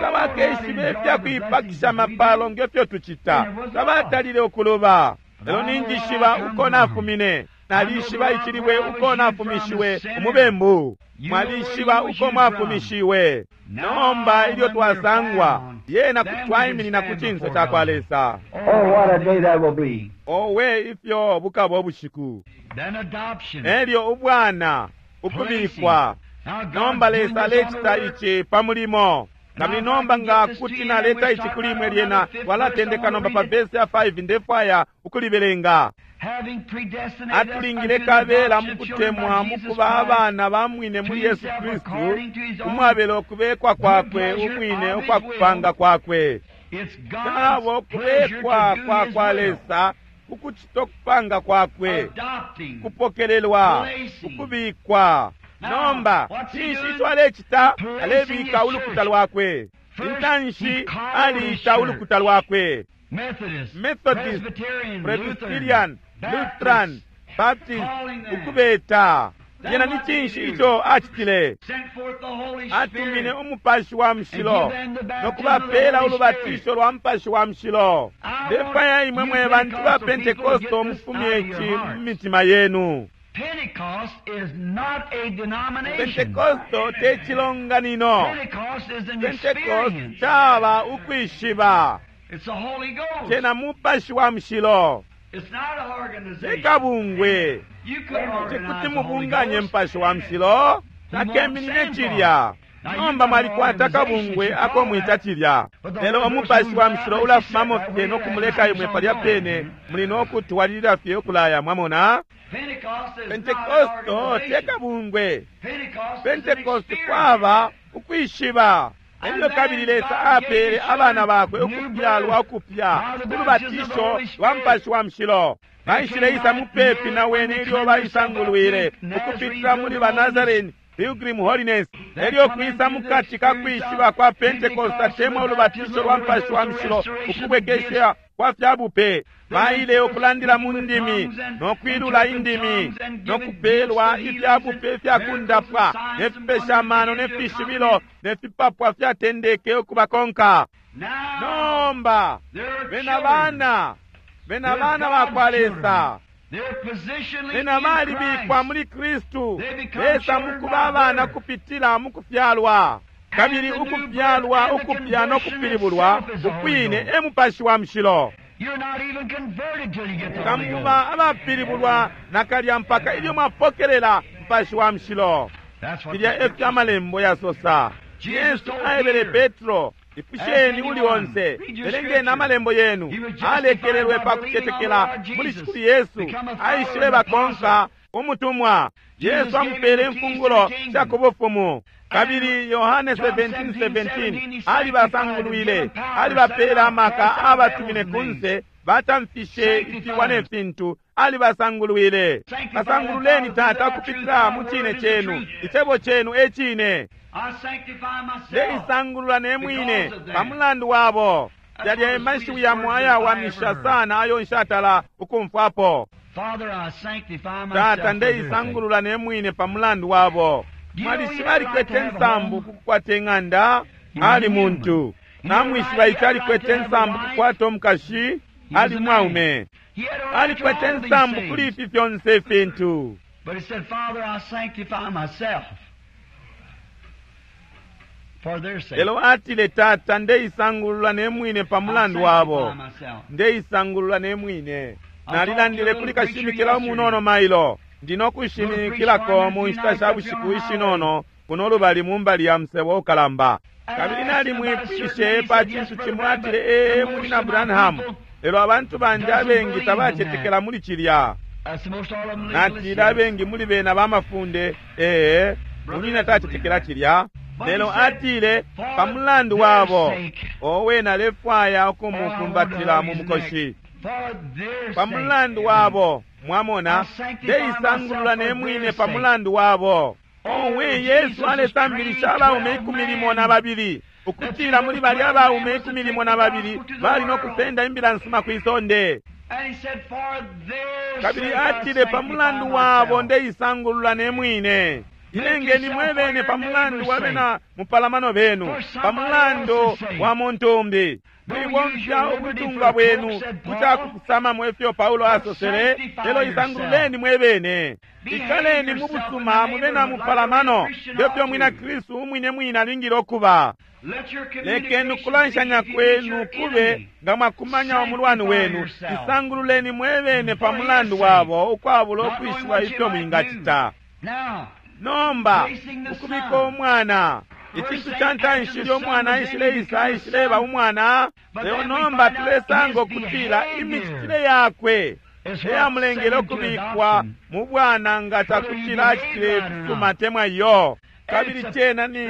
tabakeshibe ifya kuipakisha mapalo ngefyo tucita, tabatalile ukuluba. Lelo ninjishiba uko nafumine, nalishiba icilibwe uko nafumishiwe umubembu. Mwalishiba uko mwafumishiwe. Nomba ilyo twasangwa, yena twaiminina ku cinso ca kwa Lesa. Oh, what a day that will be. Owe ifyo bukaba ubushiku. Then adoption. Elyo ubwana ukubikwa. Now God's Nomba doing Lesa this on the alecita work. ici pa mulimo. Kabili nomba nga kuti naleta ici kuli imwe lyena, twalatendeka nomba pa vesi ya 5 ndefwaya ukulibelenga. Having predestinated us Atulingile unto the kabela adoption mu of children kutemwa by mu Jesus kuba Christ, abana ba mwine to muli Yesu himself Kristu, according to his own umwabela ukubekwa kwakwe umwine ukwakupanga kwakwe. It's Nabo God's pleasure to kubekwa do kwa his kwa will. Lesa kukucita ukupanga kwakwe, Adopting. kupokelelwa, ukubikwa. Nomba cinshi ico alecita? Alebika ulukuta lwakwe. Intanshi aliita ulukuta lwakwe. Methodist, Methodist, Presbyterian, Presbyterian, Lutheran, Lutheran, Baptist, ukubeta. Yena ni cinshi ico acitile? Sent forth the Holy Atumine Spirit. umupashi wa mushilo no kubapela ulubatisho lwa mupashi wa mushilo. Ndefwaya imwe mwe bantu ba Pentekosto mufumye ici mu mitima yenu. Pentecost is not a denomination. Pentekosto te cilonganino. Pentecost is an Pentecost experience. caba ukwishiba. It's the Holy Ghost. Cena mupashi wa mushilo. It's not an Te organization. kabungwe. You couldn't organize Tekuti the Holy mubunganye Ghost. mupashi wa mushilo. Takeminine cilya. Nomba mwalikwata kabungwe ako mwita cilya. Lelo umupashi wa mushilo ulafumamo fye no kumuleka imwe palya pene, muli no kutwalilila fye ukulaya, mwamona. Pentecost is not an Pentekosto te organization. kabungwe. Pentecost is an Pentekoste experience. kwaba ukwishiba. Elyo kabili Lesa apele abana bakwe ukufyalwa ukupya ulubatisho lwa mupashi wa mushilo. Baishileisa mupepi na wene ilyo baisangulwile ukupitila muli ba Nazarene Pilgrim Holiness. Elyo kwisa mukati ka kwishiba kwa Pentecost atemwa ulubatisho lwa mupashi wa mushilo ukubwekesha kwa fyabupe. Baile ukulandila mu ndimi no kwilula indimi no kupelwa ifyabupe fyakundapwa ne fipesha amano ne fishibilo ne fipapwa fyatendeke ukubakonka. Now, Nomba they're bena children. bana bena bana ba kwa Lesa, They're positionally bena in balibikwa Christ. muli Kristu. Lesa mukuba abana kupitila mukufyalwa, kabili ukufyalwa ukupya no kupilibulwa ukwine e mupashi wa mushilo. Tamuba abapilibulwa nakalya mpaka ilyo mwapokelela Mupashi wa Mushilo. Filya efyo Amalembo yasosa. Yesu aebele Petro, Ipusheni uli onse, belengeni Amalembo yenu. Alekelelwe pa kucetekela muli Shikulu Yesu, aishilebakonka umutumwa. Yesu amupele imfungulo sha ku bufumu. Kabili Yohane 17:17 alibasangulwile, alibapele amaka, abatumine kunse, batamfishe ifiwa ne fintu, alibasangulwile. Basangululeni, Tata, ukupitila mu cine cenu. Icebo cenu e cine. Ndeisangulula ne mwine pa mulandu wabo. Yalya e mashiwi yamo ayawamisha sana ayo nshatala ukumfwapo. Tata, ndeisangulula ne mwine pa mulandu wabo. Mwalishiba alikwete nsambu kukukwata ing'anda? Ali muntu. Namwishiba ico alikwete nsambu kukwata umukashi? Ali mwaume. Alikwete nsambu kuli ifi fyonse ifintu. Lelo atile, Tata, ndeisangulula ne mwine pa mulandu wabo. Ndeisangulula ne mwine. Nalilandile kuli kashimikila umunono mailo. Ndi no kushimikilako mu nshita sha bushiku ishinono kuno lubali mu mbali ya musebo ukalamba. Kabili nalimwipwishe pa cintu cimo, atile, Ee, Munyina Branham, lelo abantu bandi abengi tabacetekela muli cilya. Natile, Abengi muli bena bamafunde, ee, munyina tacetekela cilya. Lelo atile, pa mulandu wabo, owe, nalefwaya ukumukumbatila mu mukoshi. Pa mulandu wabo, mwamona, ndeisangulula ne mwine pa mulandu wabo. Owe, Yesu alesambilisha abaume 12 ukutila muli balya abaume 12 bali no kusenda imbila nsuma kwi sonde. Kabili atile, pa mulandu wabo ndeisangulula ne mwine. Ilengeni mwebene pa mulandu wa bena mupalamano benu, pa mulandu wa muntu umbi. Mwibomfya ubutungwa bwenu ku ca kufusamamo ifyo Paulo asosele, lelo isangululeni mwebene. Ikaleni mu busuma mu bena mupalamano, ngefyo mwina Kristu umwine mwine alingile ukuba. Lekeni ukulanshanya kwenu kube nga mwakumanya umulwani wenu. Isangululeni mwebene pa mulandu wabo, ukwabula ukwishiba ifyo mwingacita. Nomba, ukubika umwana, icintu ca ntanshi ilyo umwana aishileisa, aishileba umwana. Lelo nomba tulesanga ukutila imicitile yakwe eyamulengele ukubikwa mu bwana nga cakutila acitile ifisuma temwa iyo. Kabili cena ni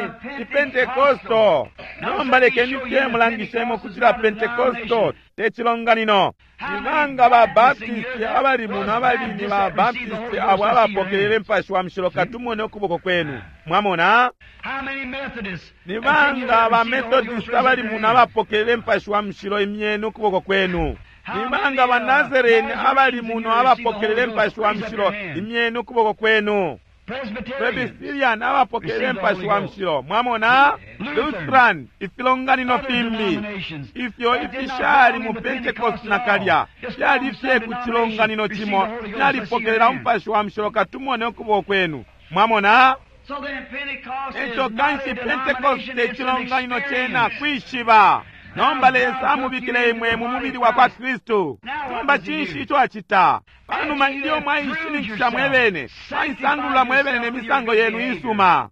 Pentekosto. Nomba lekeni fye mulangishemo ukutila Pentekosto te cilonganino. Ni banga ba Baptisti abali muno abali ni ba Baptisti abo abapokelele Mupashi wa Mushilo? Katumone ukuboko kwenu. Mwamona? Ni banga ba Methodist abali muno abapokelele Mupashi wa Mushilo? Imyeni ukuboko kwenu. Ni banga ba Nazarene abali muno abapokelele Mupashi wa Mushilo? Imyeni ukuboko kwenu. Presbyterian abapokelele Mupashi wa Mushilo. Mwamona? Lutheran, ifilonganino fimbi ifyo ifishali mu Pentecost nakalya fyali fye ku cilonganino cimo fyalipokelela Umupashi wa Mushilo. Katumone ukuboko kwenu. Mwamona? Eco kanshi Pentecost te cilonganino cena kwishiba. Nomba Lesa amubikile imwe mu mubili wa kwa Kristu. Nomba cinshi ico acita? Panuma ilyo mwaishininkisha mwebene, mwaisangulula mwebene ne misango yenu isuma,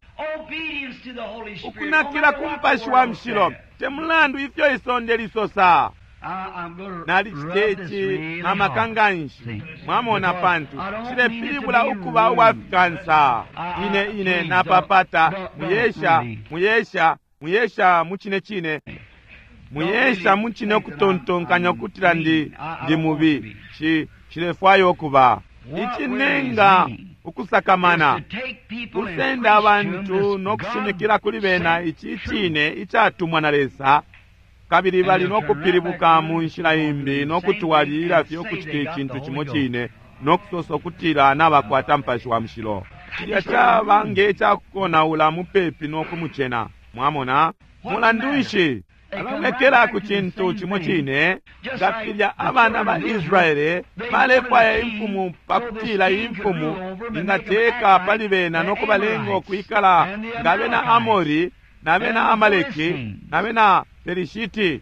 ukunakila ku Mupashi wa Mushilo, te mulandu ifyo isonde lisosa. Nalicite ici na maka nganshi, mwamona, pantu cilepilibula ukuba uwafikansa. Ine ine napapata, muyesha, muyesha, muyesha mu cine cine. Muyesha mucine ukutontonkanya ukutila ndi mubi. Nshilefwaya ukuba. Icinenga ukusakamana kusenda abantu no kushimikila kuli bena ici cine icatumwa na Lesa, kabili bali no kupilibuka mu nshila imbi no kutwalilila fye ukucita icintu cimo cine no kusosa ukutila nabakwata Mupashi wa Mushilo. Cilya caba nge cakonaula mupepi no kumucena. Mwamona? Mulandu nshi abalekela ku cintu cimo cine? Nga filya abana ba Israele balefwaya imfumu pakutila imfumu ingateka pali bena no kubalenga ukwikala nga bena Amori na bena Amaleki na bena Pelishiti.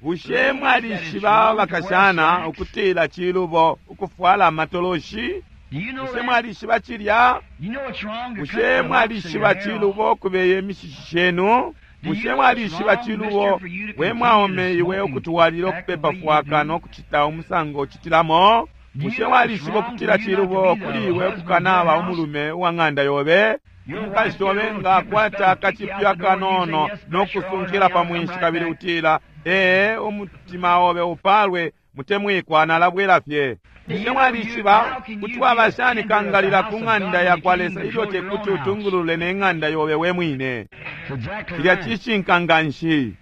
Bushe mwalishiba bakashana ukutila cilubo ukufwala amatoloshi? Bushe mwalishiba cilya? Bushe mwalishiba cilubo ukubeye imishishi shenu? Bushe mwalishiba cilubo we mwaume iwe ukutwalila ukupepa fwaka no kucita umusango ucitilamo? Bushe mwalishiba ukutila cilubo kuli iwe ukukanaba umulume uwa ng'anda yobe? Umukashi obe nga akwata akacipyu akanono no kusunkila pa mwinshi kabili utila, ee, umutima obe upalwe, mutemwikwa, nalabwela fye. Bushe mwalishiba kuti waba shani kangalila ku ng'anda ya kwa Lesa ilyo tekuti utungulule ne ng'anda yobe we mwine? Cilya cishinka nga nshi.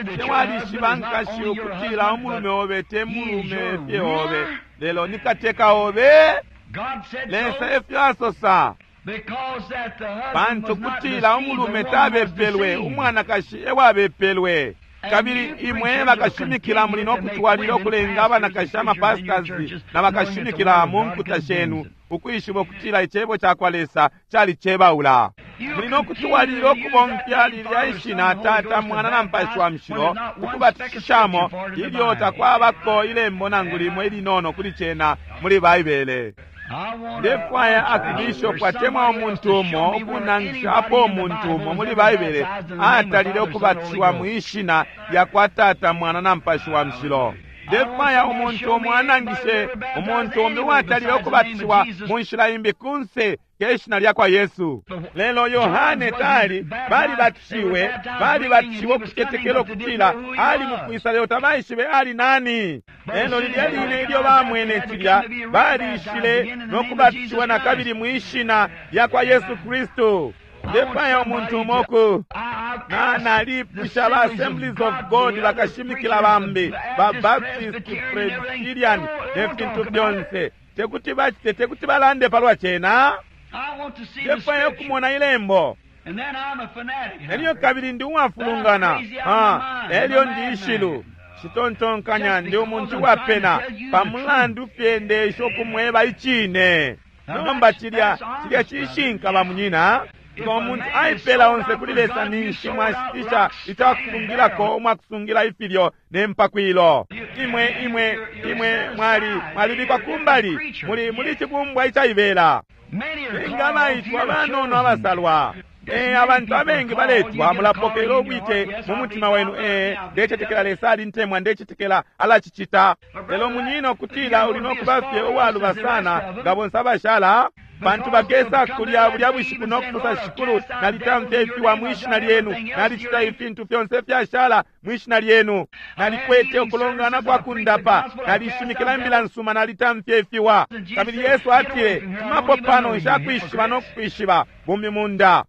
Bushe mwalishiba nkashi ukutila umulume obe te mulume fye obe, lelo ni kateka obe? Lesa efyo asosa. Pantu kutila umulume tabepelwe, umwanakashi ewabepelwe. Kabili imwe bakashimikila muli no kutwalila ukulenga abanakashi amapastors na bakashimikila mu nkuta shenu ukwishiba ukutila icebo ca kwa Lesa calicebaula. Muli no kutwalila ukubomfya lilya ishina Tata, Mwana na Mupashi wa Mushilo ukubatishishamo ilyo takwabako ilembo nangu limo ilinono kuli cena muli Baibele. Ndefwaya akibishopu atemwa umuntu umo ukunangisha apo umuntu umo muli Baibele atalile ukubatishiwa mwishina lya kwa Tata, Mwana na Mupashi wa Mushilo. Ndefwaya umuntu umo anangishe umuntu umbi uwatalile ukubatishiwa mu nshila imbi kunse ke shina lya kwa Yesu. Lelo Yohane tali balibatishiwe, balibatishiwe ukucetekela ukutila ali mukwisa, lelo tabaishibe ali nani. Lelo lilya line ilyo bamwene cilya, balishile no kubatishiwa na kabili mwishina lya kwa Yesu Kristu. Ndefwaya umuntu umo ku na nalipusha ba Assemblies of God, bakashimikila bambi ba Baptist, Presbyterian ne fintu fyonse, tekuti bacite, tekuti balande palwa cena. Ndefwaya ukumona ilembo. Elyo kabili ndi uwafulungana, elyo ndi ishilu citontonkanya ndi umuntu uwapena pamulandu fye ndesha ukumweba icine. Nomba cilya cilya cishinka bamunyina. Nga umuntu aipela onse kuli Lesa, ninshi mwashitisha icakusungilako umwakusungila ifilyo ne mpakwilo. Imwe imwe imwe mwali mwalibikwa kumbali, muli muli cibumbwa icaibela. Nga baitwa banono abasalwa. Abantu abengi baletwa, mulapokelela ubwite mu mutima wenu. Ndecetekela Lesa alintemwa, ndecetekela alacicita. Lelo munyina ukutila uli no kuba fye uwaluba sana nga bonse abashala, pantu bakesa kulya bulya bushiku no kusosa, Shikulu, nalitamfya ifiwa mwishina lyenu, nalicita ifintu fyonse fyashala mwishina lyenu, nalikwete ukulongana kwa kundapa, nalishimikila imbila nsuma, nalitamfya ifiwa. Kabili Yesu atile, tumapo pano, nshakwishiba no kukwishiba, bumi munda.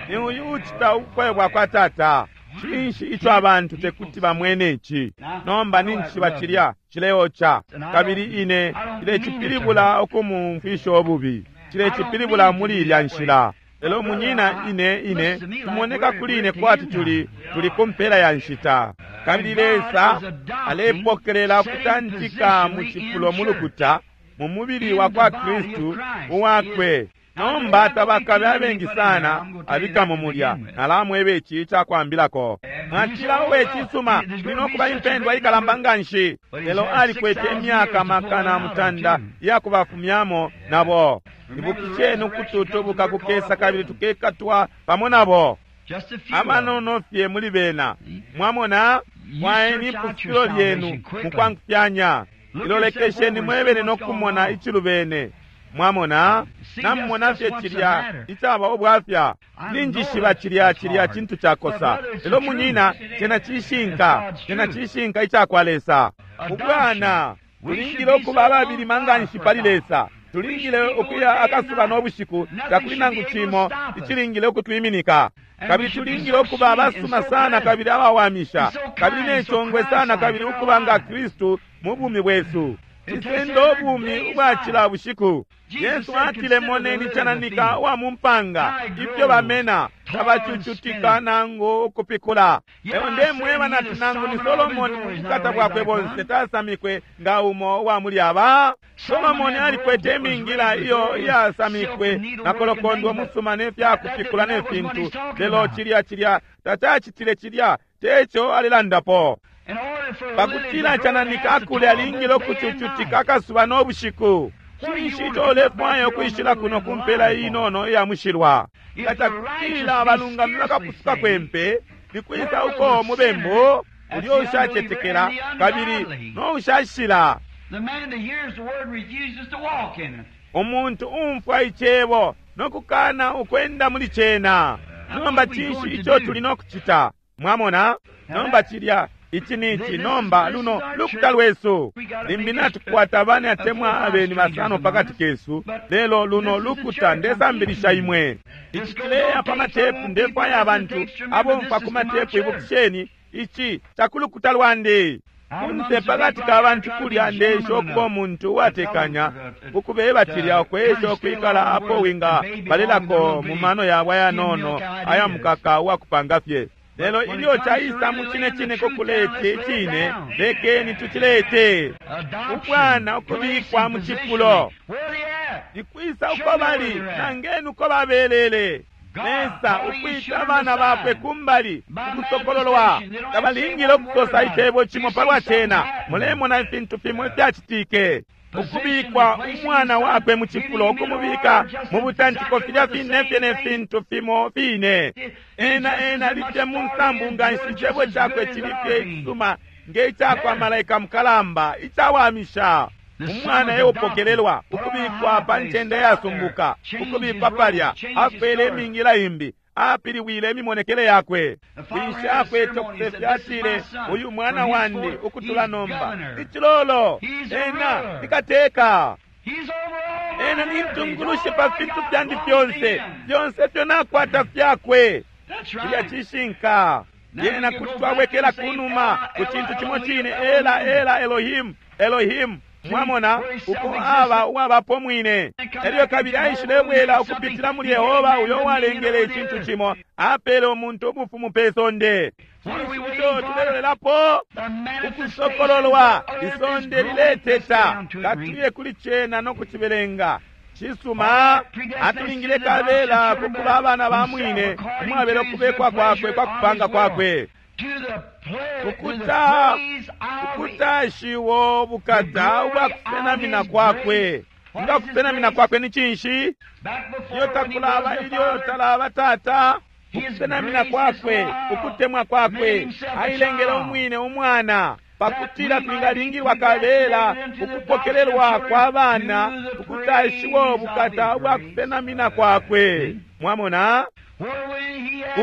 Ni uyu ucita ubufwayo bwa kwa Tata. Cinshi ico abantu tekuti bamwene ici? Nomba ninjishiba cilya cileoca, kabili ine cilecipilibula ukumumfwisha ububi, cilecipilibula muli ilya nshila. Lelo munyina, ine ine tumoneka kuli ine kwati tuli tuli ku mpela ya nshita, kabili Lesa alepokelela ukutantika mu cifulo mu lukuta mu mubili wa kwa Kristu uwakwe. Nomba tabakabe abengi sana abikamo mulya. Nalamweba ici icakwambilako. Mwatila, uwe cisuma, kuli no kuba impendwa ikalamba nganshi. Lelo alikwete imyaka makana mutanda iyakubafumyamo nabo. Ibukisheni ukututubuka kukesa kabili tukekatwa pamo nabo. Abanono fye muli bena. Mwamona, fwayeni ipusukilo lyenu mukwangufyanya. Ilolekesheni mwebene no kumona icilubene. Mwamona, namumona fye cilya icaba ubwafya. Ninjishiba cilya cilya cintu cakosa, lelo munyina, cena cishinka, cena cishinka icakwa Lesa. Ubwana tulingile ukuba ababilima nganshi pali Lesa. Tulingile ukuya akasuba no bushiku, takuli nangu cimo icilingile ukutwiminika. Kabili tulingile ukuba abasuma sana kabili abawamisha, kabili ne congwe sana, kabili ukuba nga Kristu mu bumi bwesu. Cisenda ubumi ubwa cila bushiku. Yesu atile, moneni cananika wa mu mpanga, ifyo bamena, tabacucutika nangu ukupikula. Lelo ndemweba nati nangu ni Solomoni mu bukata bwakwe bonse tasamikwe nga umo uwa muli aba. Solomoni alikwete imingila iyo iyasamikwe na kolokondwe musuma ne fya kupikula ne fintu, lelo cilya cilya tacacitile cilya teco alilandapo. Pakutila cananika akule alingile ukucucutika akasuba no bushiku. Cinshi ico ulefwaya ukwishila kuno ku mpela inono iya mushilwa? Nga cakutila abalungami bakapusuka kwempe, ni kwisa uko mubembu ulyo ushacetekela kabili no ushashila? Umuntu umfwa icebo no kukana ukwenda muli cena. Nomba cinshi ico tuli no kucita? Mwamona? Nomba cilya ici ni ici. Nomba luno lukuta lwesu. Limbi natukwata abana atemwa abeni basano pakati kesu, lelo luno lukuta ndesambilisha imwe. Ici cileya pa matepu, ndefwaya abantu abomfwa ku matepu, ibukisheni ici cakulukuta lwandi. Kunse pakati ka bantu kulya ndesha ukuba umuntu uwatekanya, ukubeba cilya ukwesha ukwikala apo winga balelako mu mano yabo ayanono aya mukaka uwakupanga fye. Lelo ilyo caisa mu cine cine kukulete icine, lekeni tucilete. Ubwana ukubikwa mu cifulo. Nikwisa uko bali, nangeni uko babelele. Lesa ukwita abana bakwe kumbali ukusokololwa. Tabalingile ukusosa icebo cimo palwa cena. Mulemona ifintu fimo ifyacitike. Ukubikwa umwana wakwe mu cifulo, ukumubika mu butantiko filya fine fye ne fintu fimo fine. Ena ena alifye mu nsambu nganshi, icebo cakwe cili fye icisuma nge icakwa malaika mukalamba icawamisha. Umwana eupokelelwa ukubikwa pa ncende yasumbuka, ukubikwa palya, afwele imingila imbi, apiliwile imimonekele yakwe. Wishi akwete ukusefya, atile, uyu mwana wandi ukutula nomba icilolo, ena ni kateka, ena ni ntungulushi pa fintu fyandi fyonse, fyonse ifyo nakwata fyakwe. Cilya cishinka. Yena kuti twabwekela kunuma ku cintu cimo cine, ela ela Elohim, Elohim. Mwamona uko aba uwabapo mwine. Elyo kabili aishilebwela ukupitila muli Yehova uyo uwalengele icintu cimo, apele umuntu ubufumu pe sonde. Cinshi ico tulelolelapo? Ukusokololwa. Isonde lileteta. Katuye kuli cena no kucibelenga. Cisuma, atulingile kabela kukuba abana ba mwine, umwabela ukubekwa kwakwe kwa kupanga kwakwe. Ukuta ukutashiwo bukata ubwa kusenamina kwakwe. Nga kusenamina kwakwe ni cinshi? Iyo takulaba ilyo talaba tata, ukusenamina kwakwe, ukutemwa kwakwe, ailengele umwine umwana pakutila twingalingilwa kabela ukupokelelwa kwa bana, ukutashiwo bukata ubwa kusenamina kwakwe. Mwamona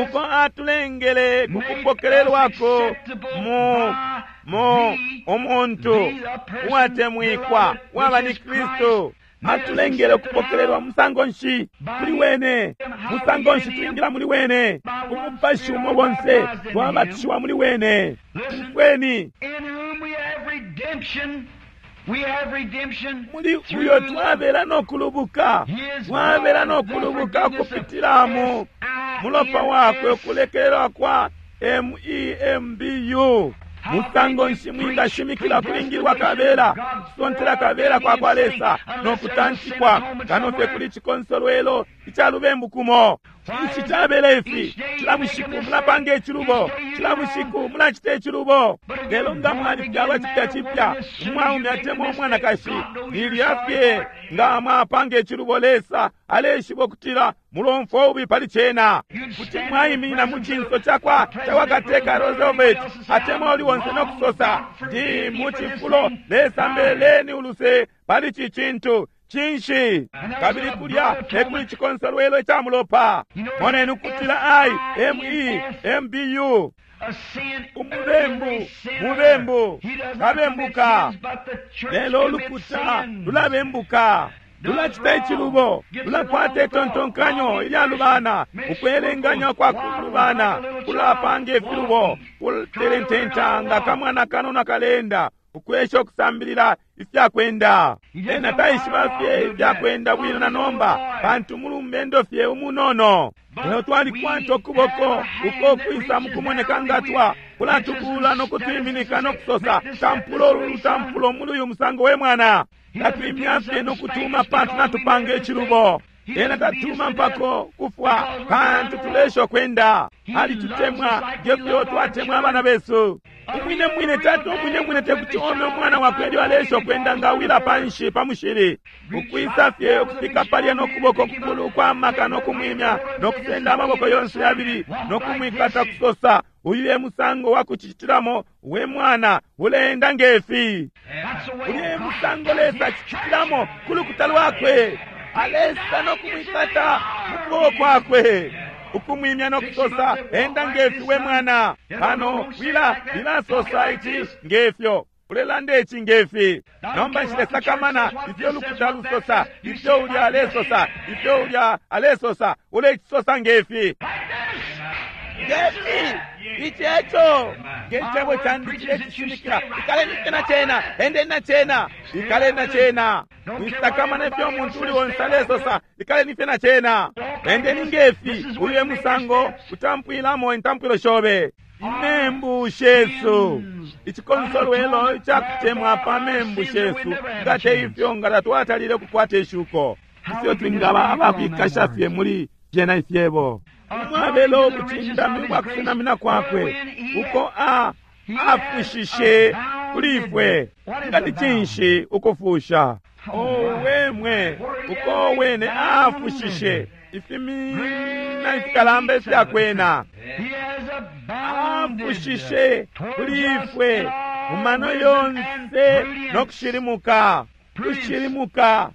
uko atulengele kukupokelelwako mu mu umuntu uwatemwikwa waba ni Kristu. Atulengele ukupokelelwa musango nshi muli wene, musango nshi twingila muli wene, umupashi umo bonse twabatishiwa muli wene. Umfweni, muli uyo twabela no kulubuka, twabela no kulubuka ukupitila mu mulopa wakwe, ukulekelelwa kwa MEMBU. Musango nshi mwingashimikila kulingilwa kabela, kusontela kabela kwa kwa Lesa no kutantikwa kano fye kuli cikonsolwelo ica lubembu kumo. Ici cabela ifi, cila bushiku mulapanga icilubo, cila bushiku mulacita icilubo. Lelo nga mwalifyalwa cipya cipya, umwaume atemwa umwanakashi, lilya fye nga mwapanga icilubo, Lesa aleshiba ukutila mulomfwa ubi pali cena. Kuti mwaiminina mu cinso cakwa kateka Roosevelt atemwa uli wonse no kusosa, ndi mu cifulo, Lesa mbeleni uluse pali ci cintu. Cinshi? Kabili kulya ekuli cikonsolwelo ica mulopa. Moneni ukutila I M E M B U. Umubembu, mubembu, kabembuka. Lelo ulukuta lulabembuka, lulacita icilubo, lulakwata itontonkanyo ilyalubana, ukwelenganya kwa kulubana, kulapanga ifilubo, kutelententa nga kamwana kanono kalenda, Ukwesha ukusambilila ifyakwenda. Ena taishiba fye ifyakwenda bwino na nomba, pantu mulumendo fye umunono. Lelo twalikwata ukuboko uko kwisa mukumoneka ngatwa kulatukula nokutwiminika nokusosa, tampulo ulu lutampulo muli uyu musango we mwana. Tatwimya fye nokutuma pantu natupanga icilubo. Ena tatuma mpako kufwa pantu tulesha kwenda. Alitutemwa ngefyo twatemwa abana besu. Umwine mwine tata umwine mwine tekuti ome umwana wakwe elyo alesha kwenda nga awila panshi pa mushili. Ukwisa fye ukufika palya nokuboko kukulu kwa maka nokumwimya nokusenda amaboko yonse yabili nokumwikata kusosa, uyu e musango wa kucitilamo we mwana uleenda ngefi. Uyu e musango Lesa acicitilamo ku lukuta lwakwe. Alesa nokumwikata mu kuboko kwakwe, ukumwimya nokusosa, enda ngefi we mwana. Pano wila lilasosa ici ngefyo, ulelanda ici ngefi. Nomba nshilesakamana ifyo lukuta lusosa, ifyo ulya alesosa, ifyo ulya alesosa, ulecisosa ngefi. Ngefi ici eco ngecebo candi cilecishimikila. Ikaleni fye na cena, endeni na cena, ikaleni na cena. Mwisakamana ifyo umuntu uli onse alesosa, ikaleni fye na cena, endeni ngefi. Uyu e musango utampwilamo intampwilo shobe. Imembu shesu, icikonsolwelo icakutemwa pa membu shesu, nga te ifyo nga tatwatalile kukwata ishuko. Ifyo twingaba abakwikasha fye muli fyena ifyebo. Umwabelo ubucindami bwa kusenamina kwakwe uko afushishe kuli ifwe. Nga ni cinshi ukufusha? Owemwe, uko wene afushishe ifimina ifikalamba ifyakwena. Afushishe kuli ifwe mu mano yonse nokushilimuka, kushilimuka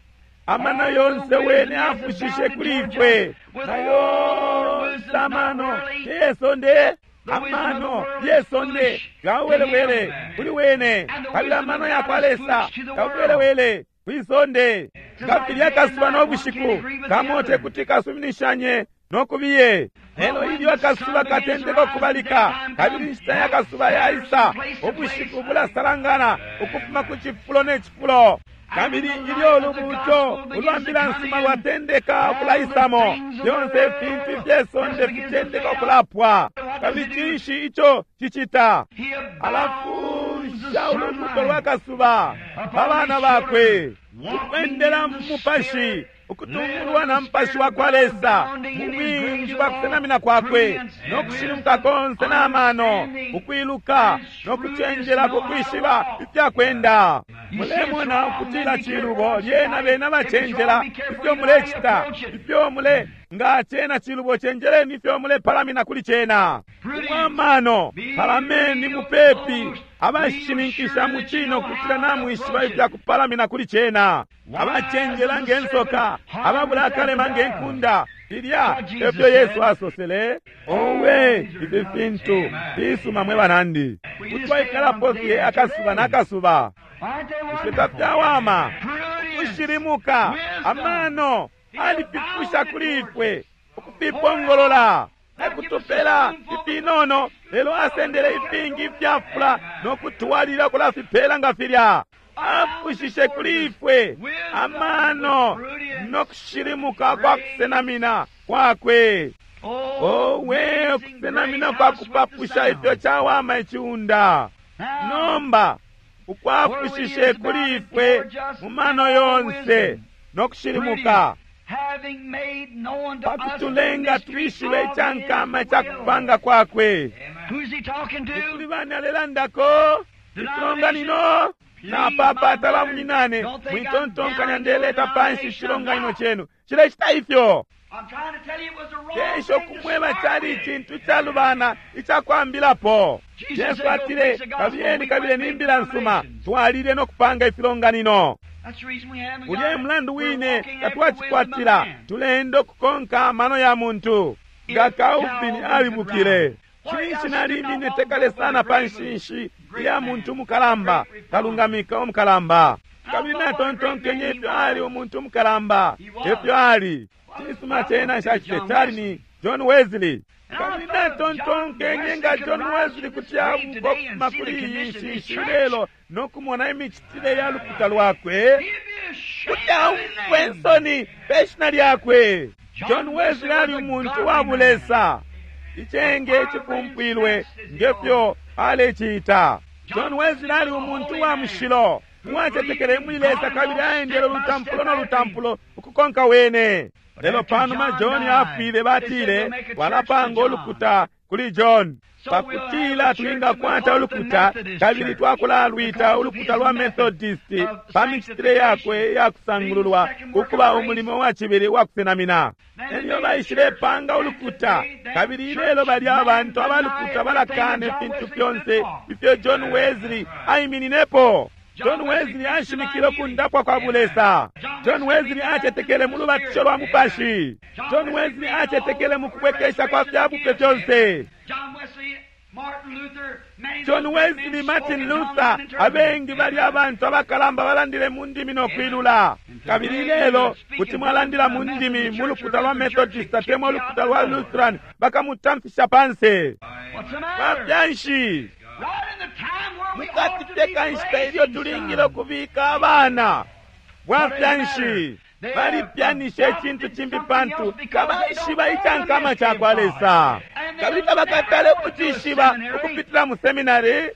amano yonse wene afushishe kuli ifwe. Nayonse amano yesonde, amano yesonde gawelewele kuli wene, kabili amano yakwa Lesa gawelewele kwisonde. Nga akasuba no bushiku kamo tekuti kasuminishanye nokubiye. Lelo ilyo akasuba katendeka okubalika, kabili inshita yakasuba yaisa, ubushiku bulasalangana ukufuma ku cifulo ne cifulo. Kabili ilyo ulubuuto ulwa mbila nsuma lwatendeka ukulaisamo, fyonse ifintu ifyesonde fitendeka ukulapwa. Kabili cinshi ico cicita? Alafusha ulubuuto lwa kasuba pa bana bakwe, ukwendela mu mupashi, ukutungulwa na mupashi wa kwa Lesa mu bwingi bwa kusenamina kwakwe nokushilimuka konse na mano, ukwiluka nokucenjela kukwishiba ifyakwenda. Mulemona ukutila cilubo lyena bena bacenjela ifyo mulecita, ifyo mule nga cena cilubo cenjeleni ifyo mulepalamina kuli cena. Umwamano palameni mupepi, abashininkisha mu cino kutila namwishiba ifyakupalamina kuli cena. Abacenjela nge nsoka, ababula akalema nge nkunda. Filya efyo Yesu asosele. Owe, ifi fintu fisuma mwe banandi. Kutwaikalapo fye akasuba n'akasuba. Bushe tafyawama ukushilimuka amano alififusha kuli ifwe, ukufipongolola ekutupela ifinono, lelo asendele ifingi ifyafula nokutwalila kulafipela nga filya. Afushishe kuli ifwe amano nokushilimuka kwa kusenamina kwakwe. Owe, ukusenamina kwa kupapusha ifyo cawama iciunda. Nomba ukwafushishe kuli ifwe mu mano yonse nokushilimuka, pakutulenga twishibe icankama icakupanga kwakwe. Kuli bani alelandako? Ifilonganino napapata bamunyinane, mwitontonkanya ndeleta panshi icilonganino chenu cilecita ifyo. Kesho kumweba cali icintu icalubana icakwambilapo. Yesu atile, kabiyeni kabile ni mbila nsuma, twalile nokupanga ifilonganino. Ulya e mulandu wine tatwacikwatila, tulenda ukukonka amano ya muntu. Nga Calvin alibukile, cinshi nalimine tekale sana pa nshinshi iya muntu umukalamba, kalungamika umukalamba. Kabili natontonkenye ifyo ali umuntu umukalamba, ifyo ali. Cisuma cena nshacite cali ni John Wesley. Kabili natontonkenye nga John Wesley kuti abuka ukufuma kuli iyi nshishi lelo nokumona imicitile ya lukuta lwakwe, kuti aumfwe nsoni pe shina lyakwe. John Wesley ali umuntu wa bulesa, icenge cipumpwilwe ngefyo alecita. John Wesley ali umuntu wa mushilo uwacetekele muli Lesa kabili aendele ulutampulo no lutampulo ukukonka wene. Lelo panuma John afwile, batile walapanga ulukuta kuli John pakutila twingakwata ulukuta, kabili twakulalwita ulukuta lwa Methodist pa micitile yakwe ya kusangululwa ukuba umulimo wa cibili wa kusenamina. Elyo baishilepanga ulukuta, kabili ilelo bali abantu abalukuta balakana ifintu fyonse ifyo John Wesley aimininepo. John Wesley ashimikile ukundapwa kwa bulesa. John Wesley acetekele mu lubatisho lwa mupashi. John Wesley acetekele mu kubwekesha kwa fyabupe fyonse. John Wesley, Martin Luther, abengi bali abantu abakalamba balandile mu ndimi no kwilula. Kabili lelo kuti mwalandila mu ndimi mu lukuta lwa Methodist atemwa ulukuta lwa Lutheran, bakamutamfisha panse. Bafyanshi mukati fye nshita ilyo tulingile ukubika abana, bwafyanshi balipyanisha icintu cimbi pantu tabaishiba icankama cakwa Lesa, kabili tabakatale ukucishiba ukupitila mu seminary.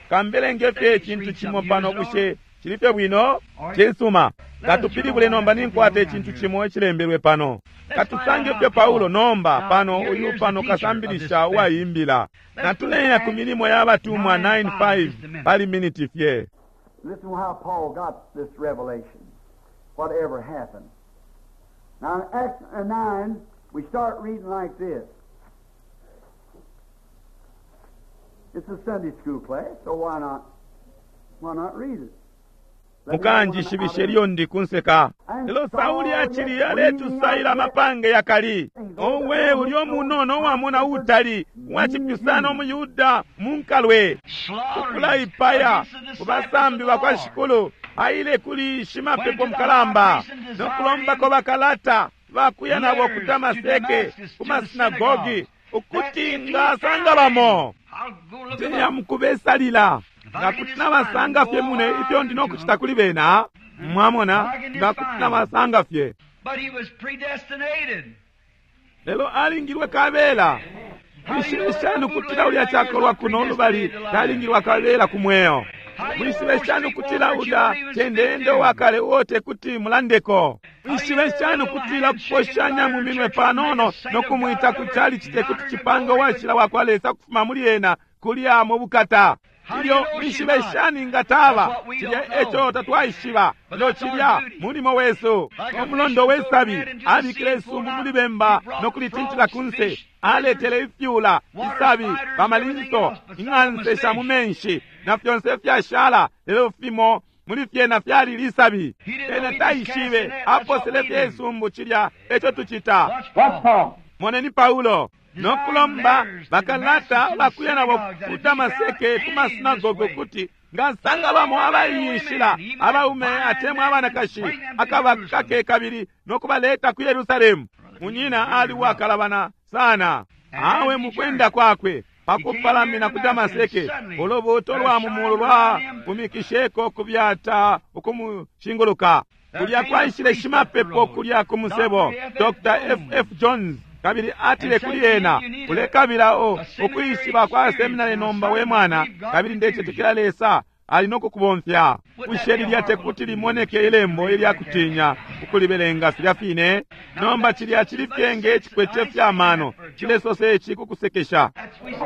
Kambelenge fye icintu cimo pano, bushe cili fye bwino? Cisuma, katupilibule nomba. Ninkwata icintu cimo icilembelwe pano. Katusange fye Paulo nomba pano, uyu pano kasambilisha uwaimbila. Natuleya ku Milimo ya Batumwa 9:5 pali miniti fye. Listen how Paul got this revelation, whatever happened. Now in Acts 9, we start reading like this. It's a Sunday school class, so why not, why not read it? Mukanjishibishe ilyo ndi kunseka. Lelo Sauli acili aletusaila amapange yakali. Owe ulyo munono uwamona utali wacipyusana umuYuda munkalwe ukulaipaya kubasambi bakwa Shikulu, aile kuli shimapepo mukalamba nokulombako bakalata bakuya nabo ku Damaseke ku masinagogi ukuti ngasanga bamo ndeya mukubesalila nga kuti nabasanga fye mune ifyo ndi nokucita kuli bena. Mwamona, nga kuti nabasanga fye. Lelo alingilwe kabela. Mwishibe shani ukutila ulya cakolwa kuno lubali talingilwa kabela ku mweo? Mwishibe shani ukutila ulya cendende wakale uo tekuti mulandeko? Mwishibe shani ukutila kuposhanya mu minwe panono nokumwita ku chalichi tekuti cipange uwashila wakwa Lesa kufuma muli ena kulya mu bukata? Ilyo mwishibe shani nga taba cilya eco tatwaishiba. Lelo cilya mulimo wesu. Umulondo wesabi abikile isumbu muli bemba nokulitintila kunse, aletele ifyula, isabi, pamalinso, ing'anse sha mu menshi na fyonse fyashala, lelo fimo muli fyena fyali lisabi. Ena taishibe, aposele fye isumbu. Cilya eco tucita. Moneni Paulo nokulomba bakalata bakuya nabo ku Damaseke ku masinagoge kuti ngasanga bamo abaiyishila abaume atemwa abanakashi akabakake kabili nokubaleta ku Yerusalemu. Munyina ali uwakalabana sana. Awe mukwenda kwakwe pakupalamina ku Damaseke, ulubuuto lwa mumulu lwapumikisheko kubyata ukumushinguluka. Kulya kwaishile shimapepo kulya ku musebo, Dr. F. F. Jones, kabili atile kuli ena, ulekabila ukwishiba kwa seminari nomba we mwana, kabili ndecetekela Lesa ali nokukubomfya. Bushe lilya tekuti limoneke ilembo ilya kutinya ukulibelenga filya fine? Nomba cilya cili fye nge cikwete fyamano cilesosa ici kukusekesha.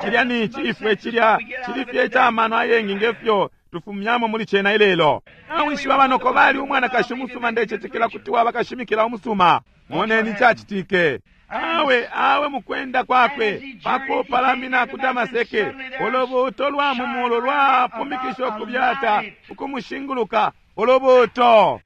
Cilya nici ifwe cilya cili fye icamano ayengi ngefyo tufumyamo muli cena ilelo. Nawishiba banoko bali umwanakashi umusuma, ndecetekela kuti waba kashimikila umusuma. Moneni cacitike. Awe awe mukwenda kwakwe pakupalamina ku Damaseke, ulubuuto lwa mumulu lwapumikisha ukubyata ukumushinguluka. Ulubuuto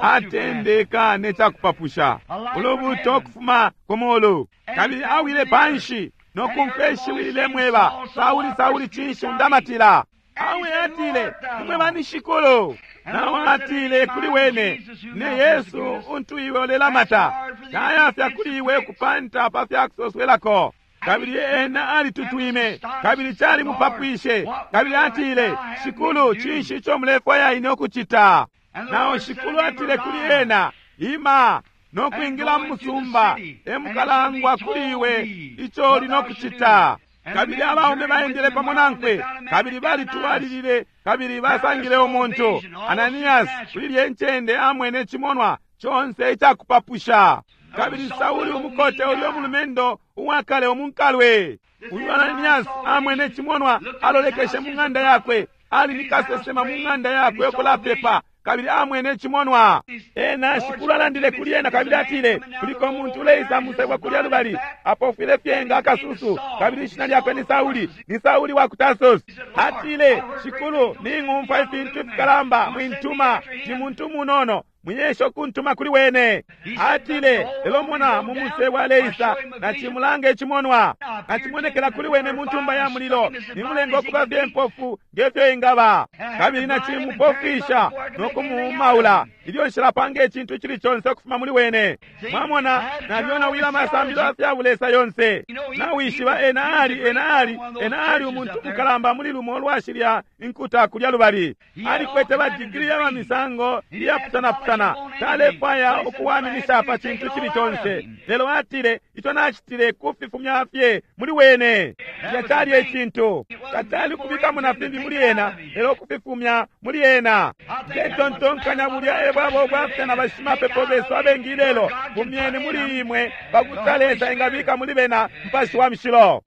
atendeka necakupapusha, ulubuuto ukufuma ku mulu, kabili awile panshi nokumfwa ishiwi lilemweba, Sauli, Sauli, cinshi undamatila? Awe atile, nimwe bani Shikulu? Nawe atile kuli wene, ne Yesu untu iwe ulelamata, tayafya kuli iwe kupanta pa fyakusoswelako. Kabili ena alitutwime, kabili cali mupapwishe. Kabili atile, Shikulu, cinshi ico mulefwaya ine ukucita? Nao Shikulu atile kuli ena, Ima no kwingila mu musumba, emukalangwa kuli iwe ico uli no kucita. Kabili abaume baendele pamo nankwe, kabili balitwalilile, kabili basangile umuntu Ananias kuli lye ncende amwene cimonwa conse icakupapusha. Kabili Sauli umukote ulyo mulumendo uwakale umunkalwe, uyu Ananias amwene cimonwa, alolekeshe mu ng'anda yakwe, ali ni kasesema mu ng'anda yakwe ukulapepa, kabili amwene cimonwa. Ena Shikulu alandile kuli ena kabili atile, kuliko umuntu uleisa musebwa kulya lubali, apofwile fye nga akasusu, kabili ishina lyakwe ni Sauli, ni Sauli wa ku Tarsus. Atile, Shikulu, ning'umfwa ifintu ifikalamba mwintuma, ni muntu munono, mwiyesha ukuntuma kuli wene. Atile, lelo mona mu musebo aleisa, nacimulanga icimonwa, nacimonekela kuli wene mu ntumba ya mulilo, nimulenga ukuba fye mpofu ngefyo ingaba, kabili nacimupofwisha no kumuumaula ilyo nshilapanga icintu icili conse ukufuma muli wene. Mwamona, nalyonawila amasambililo afya bulesa yonse. Nawishiba ena ali, ena ali, ena ali umuntu mukalamba muli lumo lwashilya inkuta kulya lubali. Alikwete ba digiri ya misango iyapusanapusana, talefwaya ukuwaminisha pa cintu cili conse. Lelo atile, ico nacitile kufifumya fye muli wene. Cilya cali ecintu tatali kubikamo na fimbi muli ena, lelo kufifumya muli ena. Ndetontonkanya bulya ebwabo bwafya na bashimapepo besu abengi lelo, fumyeni muli imwe pakuti Lesa engabika muli bena Mupashi wa Mushilo.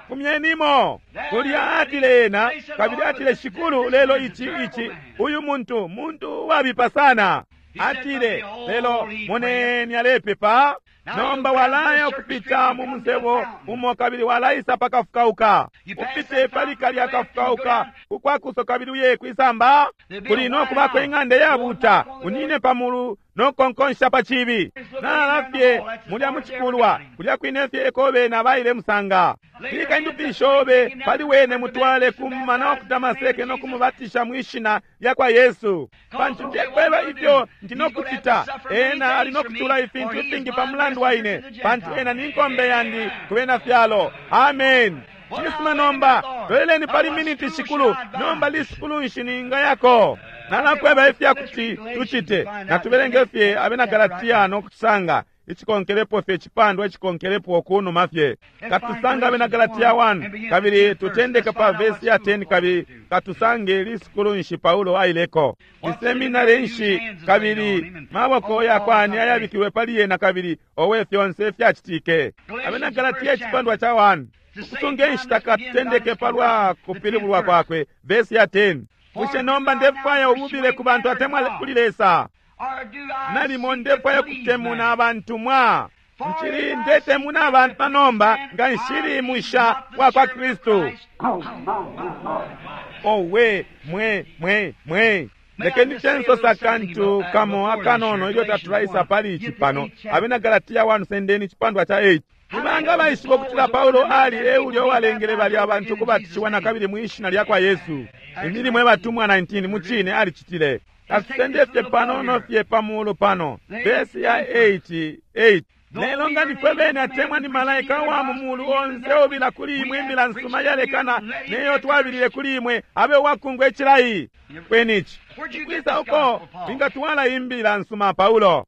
Fumyenimo kulya, atile ena, kabili atile, Shikulu, lelo ici ici uyu muntu muntu uwabipa sana. Atile, lelo moneni alepepa. Nomba walaya ukupita mu musebo umo kabili walaisa pakafukauka, upite pali kalya kafukauka ukwakuso kabili uye kwisamba, kuli no kubako ing'anda yabuta, unine pamulu no konkonsha pa cibi. Nalala fye mulya mucikulwa kulya kwine fye eko bena baile musanga. Bika indupi shobe pali wene, mutwale kumumana wa ku Damaseke no kumubatisha mwishina lya kwa Yesu. Pantu ndekweba ifyo ndi no kucita, ena ali no kucula ifintu ifingi pa mulandu wa ine, pantu ena ni nkombe yandi ku bena fyalo. Amen. Cisuma, nomba loleleni pali miniti, Shikulu. Nomba lisukulu nshi ningayako? Nalakweba ifya kuti tucite. Natubelenge fye Abena Galatia no kutusanga icikonkelepo fye, icipandwa icikonkelepo kunuma fye. Katusanga Abena Galatia 1 kabili tutendeke pa vesi ya 10, kabili katusange lisukulu nshi Paulo aileko, iseminari nshi, kabili maboko yakwani ayabikiwe pali yena, kabili owe fyonse fyacitike. Abena Galatia icipandwa ca 1, ukusunga inshita, katutendeke palwa kupilibulwa kwakwe, vesi ya 10. Bushe nomba ndefwaya ububile ku bantu atemwa kuli Lesa? Nalimo ndefwaya kutemuna abantu mwa nchili ndetemuna abantu panomba nga nshili musha wa kwa Kristu. Owe mwe mwe mwe, lekeni censosa kantu kamo akanono ilyo tatulaisa pali ici pano. Abena Galatia 1, sendeni icipandwa ca 8. Nibanga baishiba ukutila Paulo ali eulyo uwalengele balya abantu kubatishiwa na kabili mwishina lya kwa Yesu? Imilimo yabatumwa 19, mucine alicitile. Katusende fye panono fye pamuulu pano, vesi ya 8 8. Lelo nga nifwe bene atemwa ni malaika wa mu mulu onse ubila kuli imwe imbila nsuma yalekana neyo twabilile kuli imwe, abe uwakungwa icilayi. Kwenici kwisa uko wingatwala imbila nsuma Paulo?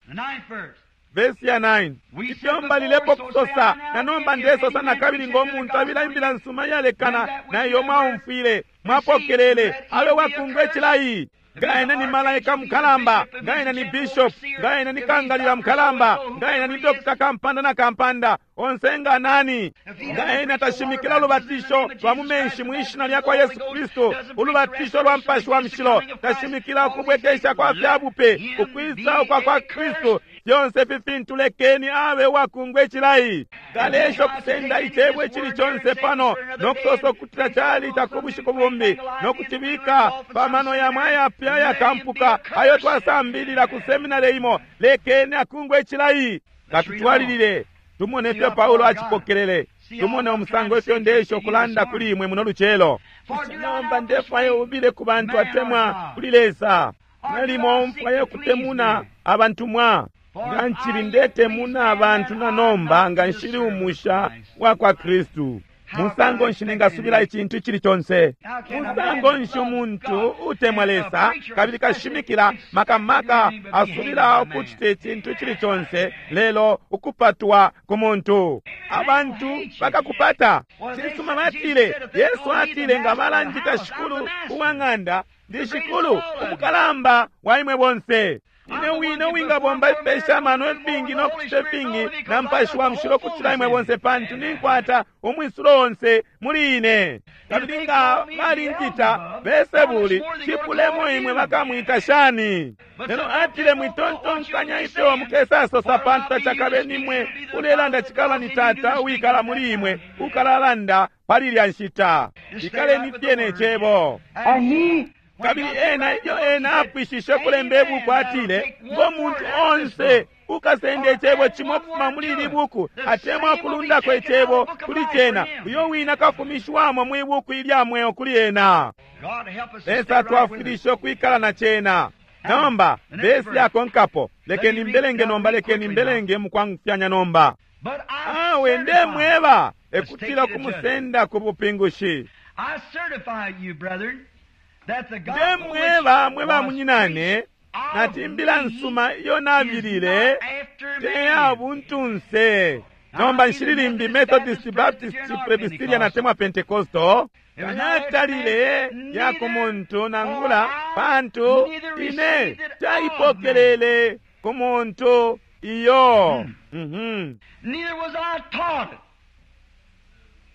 Vesi ya 9, ifyo mbalilepo kusosa na nomba ndesosa na kabili ngo muntu abila imbila nsuma yalekana na iyo mwaumfwile mwapokelele, abe wakungwa icilayi. Nga ena ni malaika mukalamba, nga ena ni bishop, nga ena ni kangalila mukalamba, nga ena ni dokta kampanda na kampanda, onse nga nani, nga ena tashimikila ulubatisho lwa mu menshi mwishina lya kwa Yesu Kristu, ulubatisho lwa Mupashi wa Mushilo, tashimikila ukubwekesha kwa fyabupe, ukwisa ukwa kwa Kristu, fyonse ifi fintu lekeni abe uwakungwa icilayi. Kalesha ukusenda icebo icili conse pano no kusosa ukutila cali cakubushiku bumbi, no kucibika pamano yamwe ayapya ayakampuka ayo twasambilila ku seminari imo, lekeni akungwe icilayi. Katutwalilile tumone ifyo Paulo acipokelele, tumone umusango ifyo ndesha ukulanda kuli imwe muno lucelo. Nomba ndefwaya ubile ku bantu atemwa kuli Lesa, nalimo mfwaya kutemuna abantu mwa. Nga ncili ndetemuna abantu na nomba nga nshili umusha wa kwa Kristu. Musango nshi ningasubila icintu icili conse? Musango nshi umuntu utemwa Lesa kabili kashimikila maka maka asubila ukucita icintu icili conse lelo ukupatwa ku muntu? Abantu bakakupata. Cisuma batile, Yesu atile nga balanjita Shikulu uwa ng'anda, ndi Shikulu umukalamba wa imwe bonse. Ine wine uwingabomba ifipesha amano ifingi no kucita ifingi na Mupashi wa Mushilo kucila imwe bonse, pantu ninkwata umwisulo onse muli ine. Kabili nga balinjita Beelsebuli, cipulemo imwe bakamwita shani? Lelo atile, mwitontonkanya ifyo mukesasosa, pantu tacakabe nimwe ulelanda, cikaba ni Tata uwikala muli imwe ukalalanda pali ilya nshita. Ikaleni fye ne Cebo. Kabili ena ilyo ena apwishishe kulemba ibuku atile, ngo muntu onse ukasenda icebo cimo ukufuma muli ili buku atemwa kulundako icebo kuli cena, uyo wina kafumishiwamo mwi buku ilya mweo kuli ena. Lesa twafwilishe ukwikala na cena. Nomba vesi yakonkapo, lekeni mbelenge nomba, lekeni mbelenge mukwangufyanya nomba. Awe ndemweba, ekutila kumusenda ku bupingushi. Ndemweba mwe bamunyinane, nati imbila nsuma iyo nabilile te ya buntunse. Nomba nshili limbi Methodist, Baptist, Presbyterian atemwa Pentecostal. Natalile ya ku muntu nangula, pantu ine taipokelele ku muntu iyo.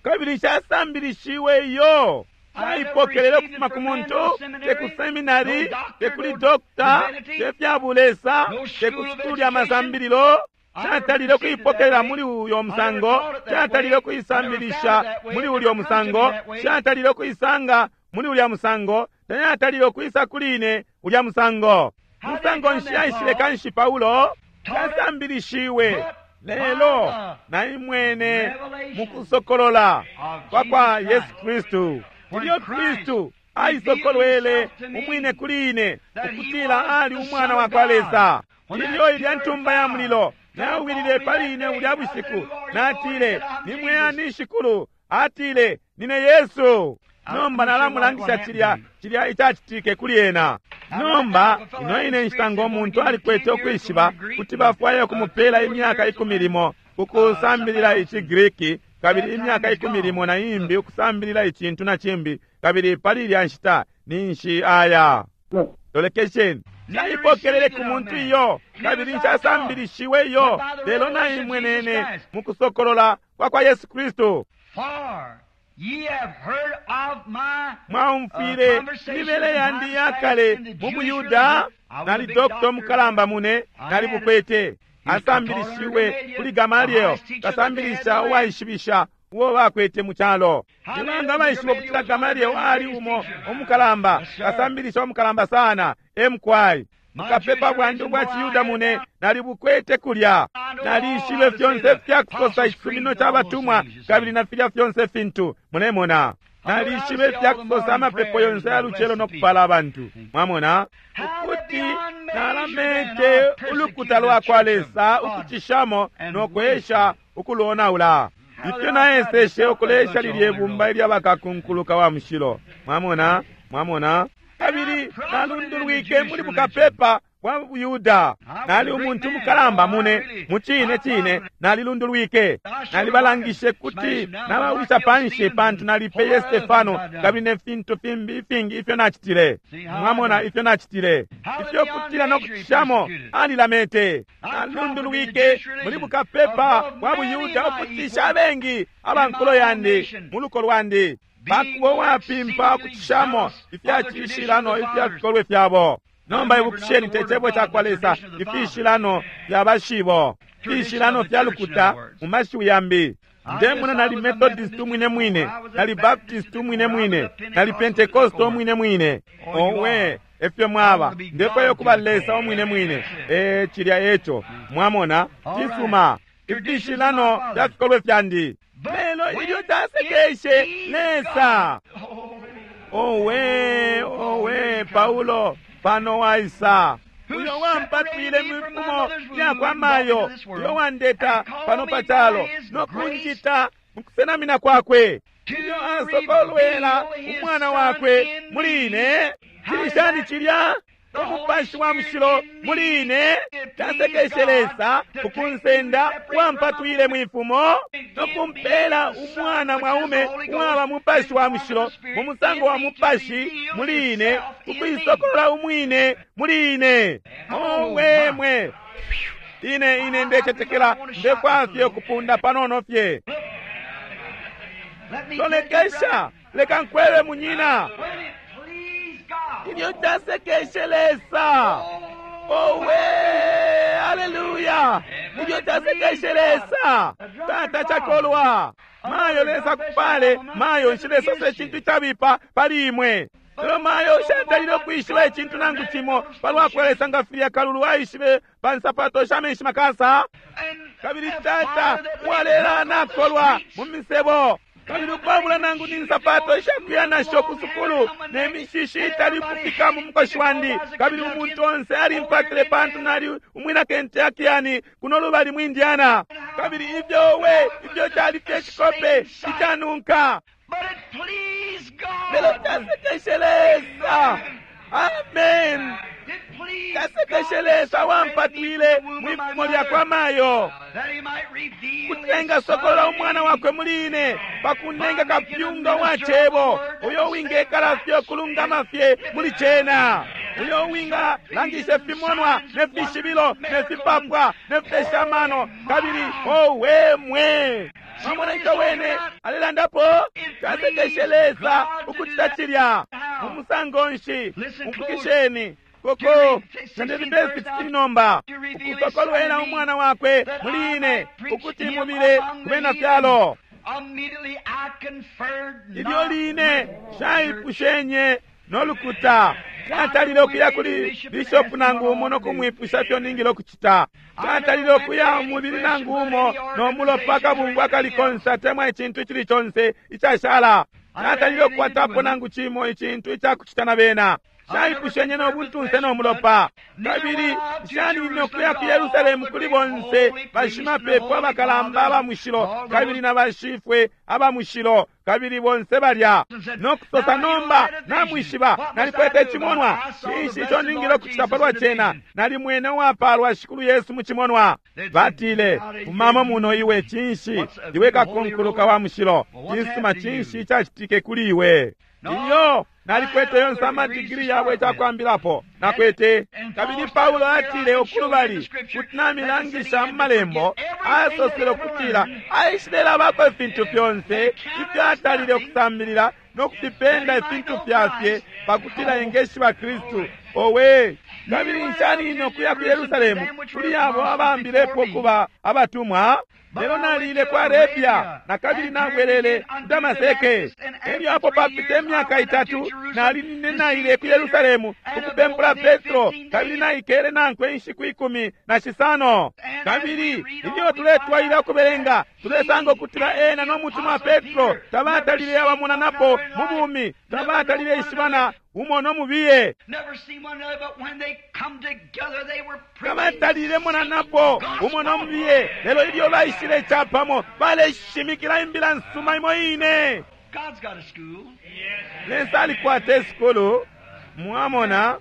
Kabili nshasambilishiwe iyo. Naipokelele ukufuma ku muntu, te ku seminari, te kuli dokta, te fya bulesa, te ku sukulu lya masambililo. Catalile ukuipokelela muli uyo musango, catalile ukuisambilisha muli ulyo musango, catalile ukuisanga muli ulya musango, tayatalile ukuisa kuli ine ulya musango. Musango nshi aishile kanshi Paulo? Casambilishiwe lelo naimwene mukusokolola kwa kwa Yesu Kristu. Ilyo Kristu aisokolwele umwine kuli ine ukutila ali umwana wa kwa Lesa, ilyo ilya ntumba ya mulilo nawilile pali ine ulya bushiku, natile, nimwe ani Shikulu? Atile, nine Yesu. Nomba nalamulangisha cilya cilya icacitike kuli ena. Nomba ino ine nshita ngo muntu alikwete ukwishiba kuti bafwaye ukumupela imyaka 10 limo ukusambilila iciGriki, kabili imyaka 10 limo na imbi ukusambilila icintu na cimbi, kabili pali ilya nshita ninshi aya. Lolekesheni, naipokelele ku muntu iyo, kabili nshasambilishiwe iyo, lelo naimwenene mukusokolola kwa kwa Yesu Kristu. Mwaumfwile imibele yandi yakale mu Buyuda, nali dokta mukalamba mune, nali bukwete. Asambilishiwe kuli Gamaliel, kasambilisha uwaishibisha uwo bakwete mu calo. Nibanga baishiba ukutila Gamaliel ali umo umukalamba, kasambilisha umukalamba sana, emkwai. Bukapepa bwandi ubwa Ciyuda mune nalibukwete kulya. Nalishibe fyonse fyakusosa icisumino ca batumwa kabili na filya fyonse fintu mulemona. Nalishibe fyakusosa amapepo yonse ya lucelo no kupala abantu. Mwamona ukuti nalamete ulukuta lwa kwa Lesa ukucishamo no kwesha ukulonaula. Ifyo naeseshe ukulesha lilye bumba ilya bakakunkuluka wa mushilo. Mwamona, mwamona. Kabili nalundulwike muli bukapepa bwa Buyuda. Nali umuntu mukalamba mune, mucine cine nalilundulwike. Nalibalangishe kuti nabawisha panshi pantu nalipeye Stefano kabili ne fintu fimbi ifingi ifyo nacitile. Mwamona ifyo nacitile. Ifyo kutila no kucishamo alilamete. Nalundulwike muli bukapepa bwa Buyuda ukucisha abengi abankulo yandi mu luko lwandi. Bakubo wapimpa ukucishamo ifyacishilano ifya fikolwe fyabo. Nomba ibukisheni te cebo ca kwa Lesa, ifishilano fya bashibo, ifishilano fya lukuta mu mashiwi yambi. Ndemona nali Methodist umwine mwine, nali Baptist umwine mwine, nali Pentecost umwine mwine. Owe, efyo mwaba. Ndefwayo kuba Lesa umwine mwine. Cilya eco. Mwamona, cisuma. Ifishilano fya fikolwe fyandi. Lelo ilyo tasekeshe Lesa. Owe, owe, Paulo, pano waisa. Uyo wampatwile mwifumo lyakwa mayo, uyo wandeta pano pa calo no kunjita mukusenamina kwakwe, ilyo asokolwela umwana wakwe muli ine. Cili shani cilya? Umupashi wa mushilo muli ine. Tasekeshe Lesa ukunsenda wampatwile mwifumo no kumpela umwana mwaume uwaba mupashi wa mushilo mu musango wa mupashi muli ine, ukuisokolola umwine muli ine. Owe mwe, ine ndecetekela ndekwafye ukupunda panono fye. Lolekesha, leka nkwebe munyina, ilyo tasekeshe Lesa. Owe, haleluya! Ilyo tasekeshe Lesa. Tata chakolwa mayo Lesa kupale mayo nshilesose icintu icabipa pali imwe. Lelo mayo shatalile ukwishiba icintu nangu cimo palwa Lesa nga filya kalulu aishibe pa nsapato sha menshi makasa. Kabili tata uwalela nakolwa mu misebo, kabili ukwabula nangu ni nsapato ishakuya nasho ku sukulu, ne mishishi itali kufika mu mukoshi wandi. Kabili umuntu onse alimpatile pantu nali umwina Kentuckian kuno lubali mu Indiana. Kabili ifyo we ifyo cali fye cikope icanunka, lelo tasekeshe Lesa. Amen. Tasekeshe Lesa wampatwile mwifumo lyakwa mayo, kutenga sokolola umwana wakwe muli ine pakunenga kapyunga wa cebo, uyo wingekala fye okulungama fye muli cena, uyo winga langishe fimonwa ne fishibilo ne fipapwa ne fipeshamano. Kabili owe mwe, mwamona ico wene alelandapo? Tasekeshe Lesa ukucita cilya mu musango nshi? Umfukisheni koko nandebibesi nomba ukusokolwela umwana wakwe muli ine ukuti mubile kubena fyalo. Ilyo line shaipushenye nolukuta, catalile ukuya kuli bishopu nangu umo nokumwipusha fyo ningile ukucita. Catalile ukuya umubili nangu umo nomulopa akabungwe akali konse atemwa icintu icili conse icashala. Catalile ukukwatapo nangu cimo icintu icakucita na bena. Shaipushenye nobuntunse nomulopa. Kabili shaninine ukuya ku Yerusalemu kuli bonse bashimapepo abakalamba aba mushilo kabili na bashifwe aba mushilo, kabili bonse balya nokusosa, nomba namwishiba nalikwete icimonwa. Cinshi ico ningile ukucita palwa cena? Nalimwene uwapalwa Shikulu Yesu mu cimonwa. Batile, fumamo muno iwe, cinshi iwe kakunkuluka wa mushilo? Cisuma, cinshi icacitike kuli iwe? Iyo nalikwete yonse amadigiri yabo ecakwambilapo nakwete. Kabili Paulo atile ukulubali kuti namilangisha mu malembo, asosele ukutila aishilelabako ifintu fyonse ifyo atalile ukusambilila no kufipenda ifintu fyafye pakutila engeshiba Kristu. Owe, kabili nshanine ukuya ku Yerusalemu kuli abo abambilepo kuba abatumwa. Lelo nalile ku Arabia na kabili nabwelele ku Damaseke. Elyo apo papita imyaka itatu nalinine naile ku Yerusalemu ukupempula Petro, kabili naikele nankwe inshiku 15. Kabili ilyo tuletwalila ukubelenga tulesanga ukutila ena no mutumwa Petro tabatalile abamonanapo mu bumi, tabatalile ishibana umo no mubiye, tabatalile monanapo umo no mubiye. Lelo ilyo baishile capamo baleshimikila imbila nsuma imo ine. Lesa alikwata isukulu, mwamona.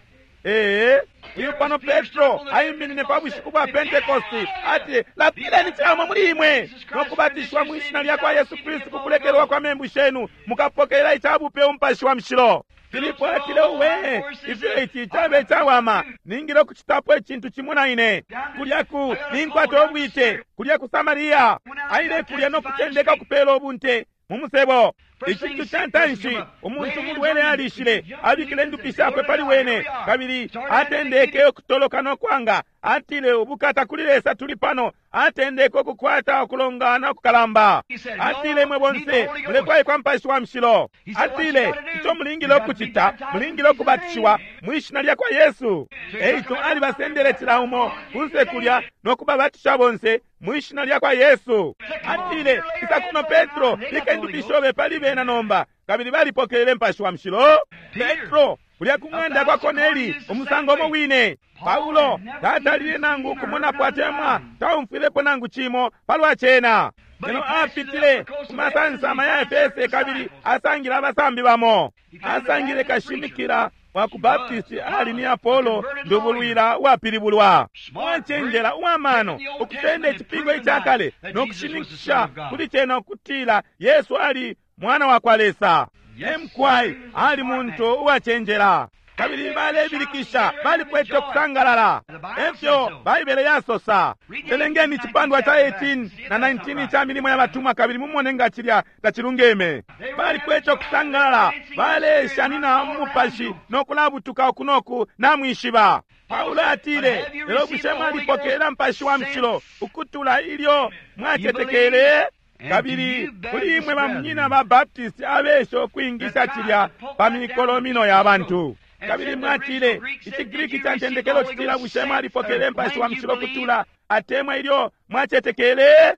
Ee, uyu pano Petro aiminine pa bushiku bwa Pentekosti ati, lapileni camo muli imwe no kubatishiwa mwi shina lya kwa Yesu Kristu kukulekelwa kwa membu shenu, mukapokelela icabupe umupashi wa mushilo. Filipo atile, uwe, ifyo ici cabe cawama, ningile ukucitapo icintu cimo na ine. Kulya ku ninkwata ubwite, kulya ku Samaria. Aile kulya no kutendeka ukupela ubunte mu musebo. Icintu ca ntanshi, umuntu mulwele alishile, abikile ndupi shakwe pali wene, kabili atendeke ukutoloka no kwanga. Atile, ubukata kuli Lesa, tuli pano. Atendeke ukukwata ukulongana kukalamba. Atile, imwe bonse mulefwaikwa Mupashi wa Mushilo. Atile, ico mulingile ukucita, mulingile ukubatishiwa mwi shina lya kwa Yesu. Eico alibasendele cila umo kunse kulya no kubabatisha bonse mwi shina lya kwa Yesu. Atile, isa kuno Petro, bika indupi shobe pali bena nomba. Kabili balipokelele Mupashi wa Mushilo. Petro Kulya ku ng'anda kwa Korneli, umusango umo wine. Paulo tatalile nangu kumonapo atemwa taumfwilepo nangu cimo palwa cena. Lelo apitile ku masansama ya Efese kabili asangile abasambi bamo. Asangile kashimikila wa ku Baptist ali ni Apollo, ndubulwila uwapilibulwa, uwacenjela, uwamano, ukusenda icipingo icakale no kushininkisha kuli cena ukutila Yesu ali mwana wa kwa Lesa. Emkwai ali muntu uwacenjela, kabili balebilikisha, balikwete ukusangalala. Efyo Baibele yasosa. Belengeni icipandwa ca 18 na 19 ca Milimo ya Batumwa kabili mumone nga cilya tacilungeme. Balikwete ukusangalala, baleshanina mu mupashi no kulabutuka uku noku, namwishiba. Paulo atile, lelo bushe mwalipokelela Mupashi wa Mushilo ukutula ilyo mwacetekele? Kabili kuli imwe bamunyina ba Baptist abesha ukwingisha cilya pa mikolomino ya bantu. Kabili mwatile, iciGriki ca ntendekelo citila, bushe mwalipokelela Mupashi wa Mushilo kutula atemwa ilyo mwacetekele?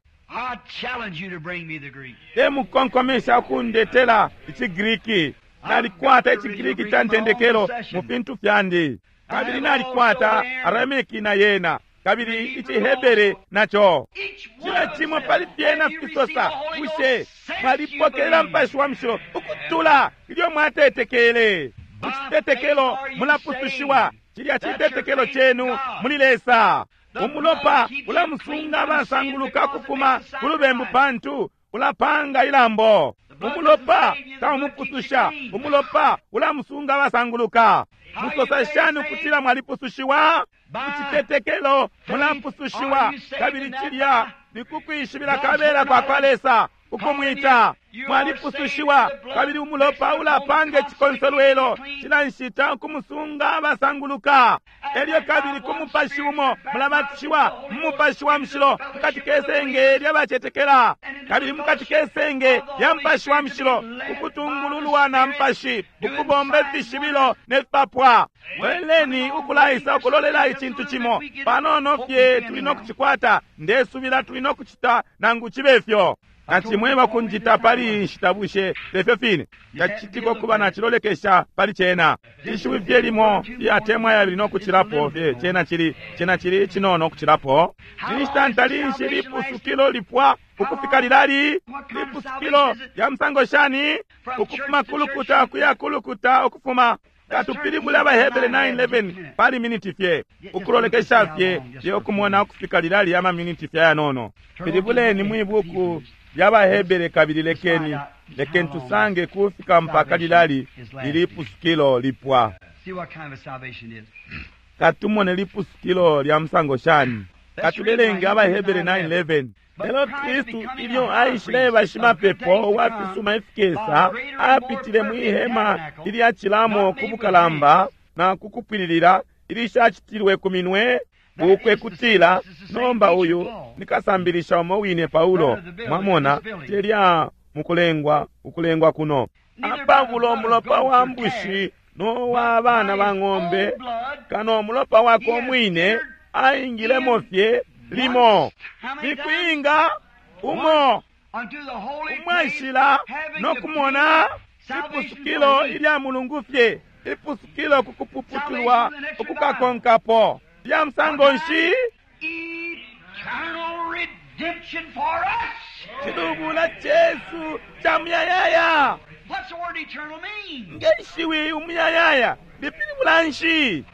Temukonkomesha ukundetela iciGriki. Nalikwata iciGriki ca ntendekelo mu fintu fyandi. Kabili nalikwata Aramiki na yena, kabili iciHebere naco. Cila cimo pali fyena fisosa, bushe mwalipokelela Mupashi wa Mushilo ukutula ilyo mwatetekele? Mu citetekelo mulapusushiwa. Cilya citetekelo cenu muli Lesa. Umulopa ulamusunga abasanguluka ukufuma ku lubembu pantu ulapanga ilambo. Umulopa taumupususha, umulopa ulamusunga abasanguluka. Musosa shani ukutila mwalipusushiwa? Mu citetekelo mulapusushiwa, kabili cilya ni kukwishibila kabela kwa kwa Lesa ukumwita. Mwalipusushiwa, kabili umulopa ulapanga icikonsolwelo cila nshita ukumusunga abasanguluka. Elyo kabili ku mupashi umo mulabatishiwa mu Mupashi wa Mushilo mukati kesenge lyabacetekela, kabili mukati kesenge lya Mupashi wa Mushilo ukutungululwa na Mupashi ukubomba ifishibilo ne fipapwa. Loleleni ukulaisa ukulolela icintu cimo panono fye tuli no kucikwata. Ndesubila tuli no kucita nangu cibe fyo. Nacimweba kunjita pali iyi nshita, bushe tefyo fine? Tacicitika ukuba nacilolekesha pali cena. Ishiwi fye limo lyatemwa yabili no kucilapo fye, cena cili, cena cili icinono ukucilapo. Inshita ntali nshi lipusukilo lipwa ukufika lilali? Lipusukilo lya musango shani? Ukufuma kulukuta kuya kulukuta, ukufuma. Katupilibule AbaHebere 9:11 pali miniti fye, ukulolekesha fye fye ukumona ukufika lilali ama miniti fye ayanono. Pilibuleni mwi buku lya baHebere kabili lekeni, lekeni tusange kufika mpaka lilali lilipusukilo lipwa. Katumone lipusukilo lya musango shani. Katubelenge AbaHebere 9:11. Lelo Kristu ilyo aishileba shimapepo wa fisuma ifikesa, apitile mwi hema ilyacilamo ku bukalamba na ku kupwililila ilishacitilwe ku minwe, ukwe kutila nomba uyu nikasambilisha umo wine Paulo. Mwamona, telya mukulengwa ukulengwa kuno apabulo mulopa wa mbushi no wa bana ba ng'ombe, kano mulopa wako umwine aingilemo fye limo mikwinga umo umwashila no kumona ipusukilo ilya mulungu fye, ipusukilo kukupuputulwa ukukakonkapo lya musango nshi? Cilubula cesu ca muyayaya. Nge shiwi umuyayaya lipilibula nshi?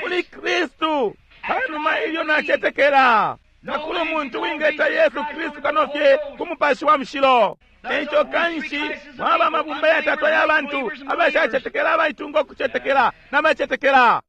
Kuli Kristu panuma ilyo nacetekela. Takuli umuntu wingeta Yesu Kristu kano fye ku Mupashi wa Mushilo. Eico kanshi mwaba amabumba yatatu aya bantu abashacetekela, abaitunga ukucetekela na bacetekela.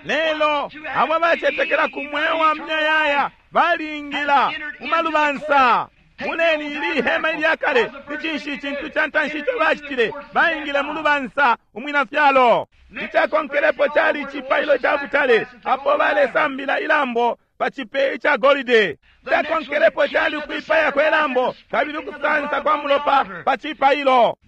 Lelo abo abacetekela ku mweo wa muyayaya balingila mu malubansa. Moneni ili hema ilya kale, ni cinshi icintu ca ntanshi ico bacitile? Baingile mu lubansa umwina fyalo. Icakonkelepo cali icipailo ca butale apo balesambila ilambo pa cipe ica golide. Icakonkelepo cali ukwipaya kwe lambo kabili ukusansa kwa mulopa pa cipailo.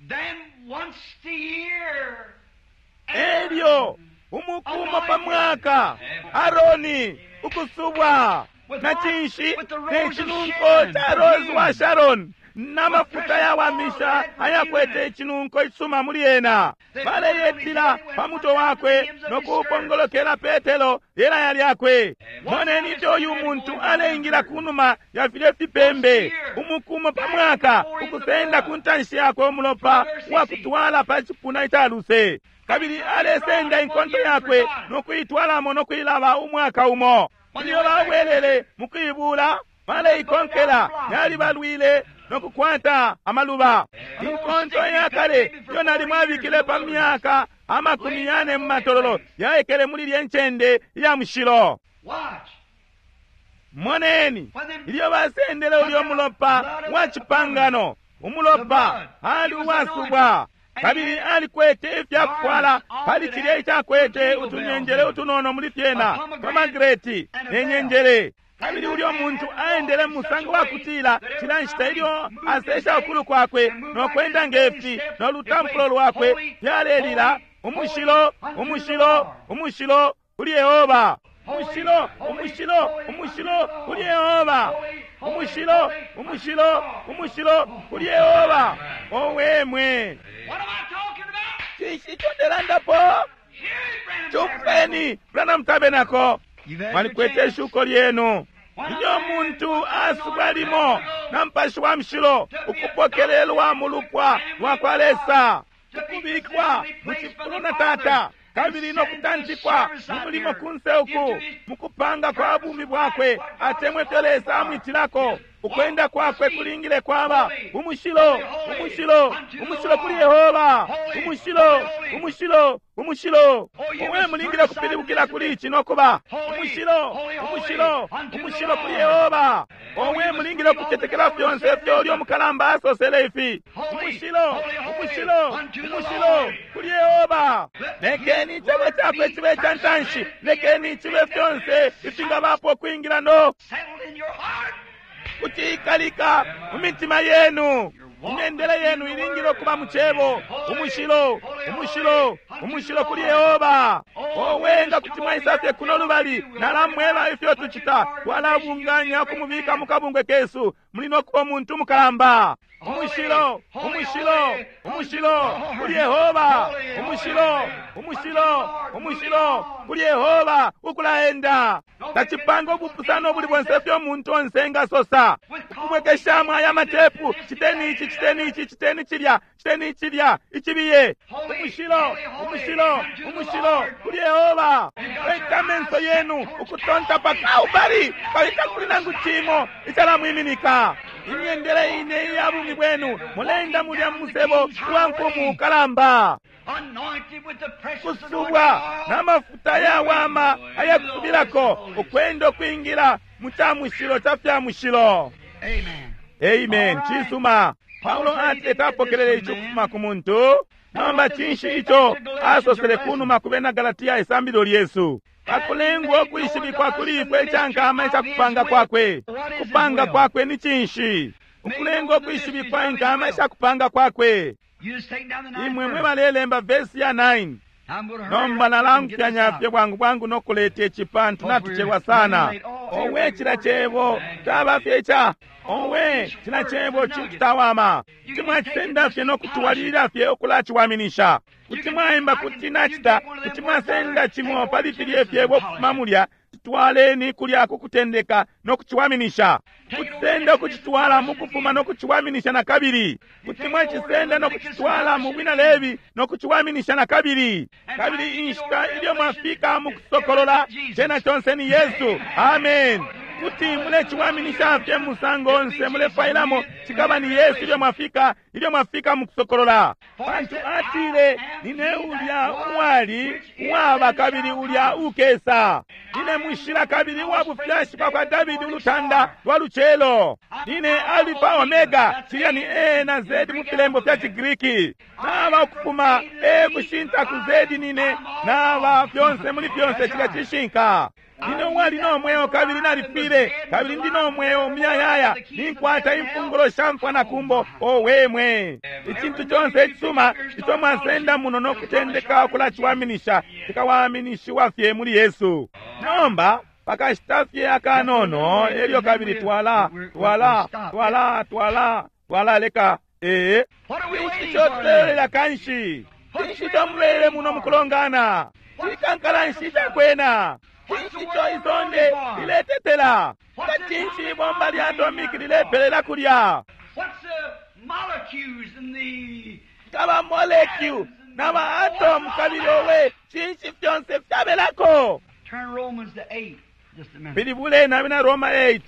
Elyo umuku umo pa mwaka Aroni ukusubwa na cinshi? Ne cinunko ca Rose wa Sharon. Namafuta yawamisha ayakwete icinunko icisuma muli ena. Baleyetila pa mutwe wakwe nokupongolokela Petelo ilaya lyakwe. Moneni ifyo uyu muntu aleingila kunuma ya filye fipembe umukumo pa mwaka, ukusenda ku ntanshi yakwe umulopa wakutwala pa cipuna ica luse, kabili alesenda inkonto yakwe nokuitwalamo nokuilaba umwaka umo. Ilyo babwelele mukuibula, baleikonkela yalibalwile nokukwata amaluba. Inkonto yakale iyo nalimwabikile pa myaka 40 mu matololo yaikele muli lye ncende iya mushilo. Moneni ilyo basendele ulyo mulopa wa cipangano, umulopa ali uwasubwa, kabili alikwete ifyakufwala pali cilya icakwete utunyenjele utunono muli fyena, pomagreti ne nyenjele. Kabili ulyo muntu aendele mu musango wa kutila cila nshita ilyo asesha ukulu kwakwe nokwenda ngefi no lutampulo lwakwe fyalelila umushilo, umushilo, umushilo kuli Yehova. Umushilo, umushilo, umushilo kuli Yehova. Umushilo, umushilo, umushilo kuli Yehova. Owe mwe. Cinshi ico ndelandapo? Cumfweni, Branham Tabernacle. Mwalikwete ishuko lyenu. Ilyo muntu asubwa limo na Mupashi wa Mushilo ukupokelelwa mu lupwa lwa kwa Lesa, ukubikwa mu cifulo na Tata, kabili nokutantikwa mu mulimo kunse uku mukupanga kwa bumi bwakwe, atemwe fyo Lesa amwitilako. Ukwenda kwakwe kulingile kwaba umushilo, umushilo, umushilo kuli Yehova, umushilo, umushilo, umushilo. Owe, mulingile kupilibukila kuli ici nokuba umushilo, umushilo, umushilo kuli Yehova. Owe, mulingile kucetekela fyonse ifyo ulyo mukalamba asosele ifi. Umushilo, umushilo, umushilo kuli Yehova. Lekeni icebo cakwe cibe ca ntanshi, lekeni cibe fyonse ifingabapo kwingila no kutiikalika mu mitima yenu. Imyendele yenu ilingile ukuba mu cebo. Umushilo, umushilo, umushilo kuli Yehova. Owe, nga kuti mwaisa fye kuno lubali, nalamweba ifyo tucita. Twalabunganya ukumubika mu kabungwe kesu. Muli nokuba umuntu mukalamba. Umushilo, umushilo, umushilo kuli Yehova. Umushilo, umushilo, umushilo kuli Yehova. Ukulaenda tacipanga ubupusano ubuli bonse ifyo umuntu onse engasosa. Ukubwekeshamo aya matepu, citeni ici, citeni ici, citeni cilya, citeni cilya, icibiye. Umushilo, umushilo, umushilo kuli Yehova. Leka amenso yenu ukutonta pa Kalbari, kabili takuli nangu cimo icalamwiminika. Imyendele ine iya bumi bwenu, mulenda mulya musebo wa mfumu kalamba, kusubwa n'amafuta yawama ayakusubilako, ukwenda ukwingila mu ca mushilo ca fya mushilo. Amen. Cisuma. Paulo atile tapokelele ico kufuma ku muntu. Nomba cinshi ico asosele kunuma ku bena Galatia isambililo lyesu? Pakulengwa ukwishibikwa kuli ifwe icankama icakupanga kwakwe. Kupanga kwakwe ni cinshi? Ukulengwa ukwishibikwa inkama icakupanga kwakwe. Imwe mwe balelemba vesi ya 9. Nomba nalangufyanya fye bwangu bwangu nokuleta ici pantu natucelwa sana. Owe, cila cebo caba fye ica. Owe, cila cebo cintu tawama. Kuti mwacisenda fye nokutwalilila fye ukulaciwaminisha. Kuti mwaimba kuti nacita, kuti mwasenda cimo pali filye fyebo ukufuma mulya, citwaleni kulya kukutendeka nokuciwaminisha. Kucisenda ukucitwala mukufuma nokuciwaminisha na kabili. Kuti mwacisenda nokucitwala mu bwina Lebi nokuciwaminisha na kabili. Kabili inshita ilyo mwafika mukusokolola, cena conse ni Yesu. Amen. Kuti muleciwaminisha fye musango onse mulefailamo, cikaba ni Yesu ilyo mwafika, ilyo mwafika mukusokolola. Pantu atile, nine ulya uwali, uwaba kabili ulya ukesa. Nine mushila kabili uwa bufyashi bwa kwa Davidi, ulutanda lwa lucelo. Nine Alifa Omega, cilya ni A na Z mu filembo fya Cigriki. Naba ukufuma A kushinta ku Z, nine naba fyonse muli fyonse, cilya cishinka. Nine uwali no mweo kabili nalifwile, kabili ndi no mweo muyayaya, ninkwata imfungulo sha mfwa na kumbo. Owe mwe, icintu conse icisuma ico mwasenda muno nokutendeka ukulaciwaminisha, cikawaminishiwa fye muli Yesu. Nomba pakashita fye akanono, elyo kabili twala twala twala twala. Twalaleka. Ee, cinshi ico tulelolela kanshi? Cinshi ico mubelele muno mukulongana? Cikankala nshi icakwena? Cinshi ico isonde liletetela? Nga cinshi ibomba lya atomiki lilepelela kulya? Kaba molecule na ba atom kabili owe, cinshi fyonse fyabelako? Pilibuleni Abena Roma 8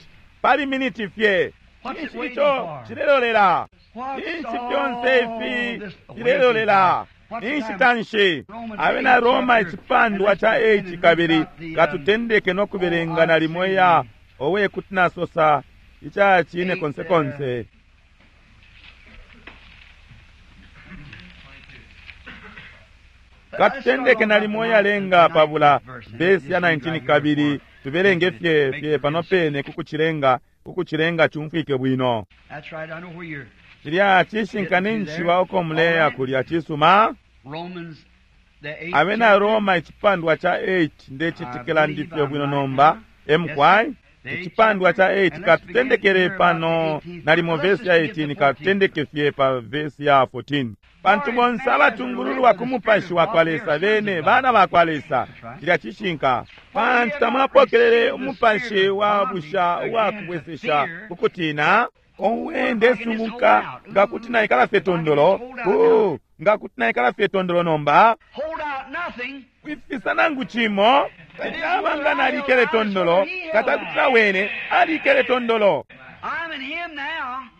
pali miniti fye. Cinshi ico cilelolela? Cinshi fyonse ifi filelolela? Inshita nshi? Abena Roma icipandwa ca 8, kabili katutendeke no kubelenga nalimo iya owe kuti nasosa ica cine konse konse. Katutendeke nalimo iyalenga pabula vesi ya 19, kabili tubelenge fye fye pano pene kukucilenga kukucilenga cumfwike bwino. Cilya cishinka ninjishiba uko muleya kulya. Cisuma. Abena Roma icipandwa ca 8, ndecetekela ndifye bwino nomba. Emkwai icipandwa ca 8, katutendekele pano nalimo vesi ya 18, katutendeke fye pa vesi ya 14. Pantu bonse abatungululwa ku mupashi wa kwa Lesa bene bana ba kwa Lesa. Cilya cishinka. Pantu tamwapokelele umupashi wa busha uwa kubwesesha ukutina. Owe, ndesunguka nga kuti naikala fye tondolo, nga kuti naikala fye tondolo nomba, kwifisa nangu cimo. Tacaba nga nalikele tondolo, katakutila wene alikele tondolo.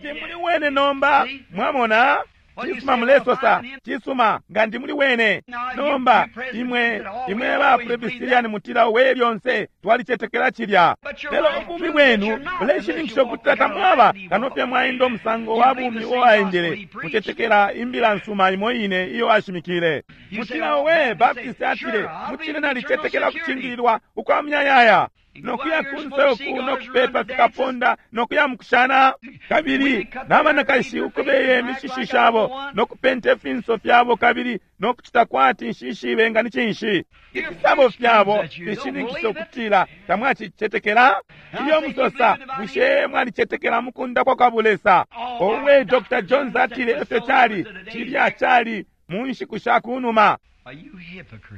Ndi muli wene nomba, mwamona. Cisuma, mulesosa cisuma, nga ndi muli wene nomba. Imwe imwe ba Presbyterian mutila we lyonse twalicetekela cilya, lelo ubumi bwenu buleshininkisha ukutila tamwaba kano fye mwaenda umusango wa bumi uo aendele. Mucetekela imbila nsuma imo ine iyo ashimikile. Mutila we Baptist atile, mucine nalicetekela kucingililwa ukwa muyayaya, nokuya kunse uku nokupepa fikaponda nokuya mukushana, kabili nabanakashi ukubeye imishishi shabo nokupenta ifinso fyabo kabili nokucita kwati nshishibe nga ni cinshi. Ifisabo fyabo fishininkisha ukutila tamwacicetekela. Ilyo musosa, bushe mwalicetekela mukundapwa kwa bulesa? Owe, Dr. Jones atile efyo cali, cilya cali mu nshiku sha kunuma.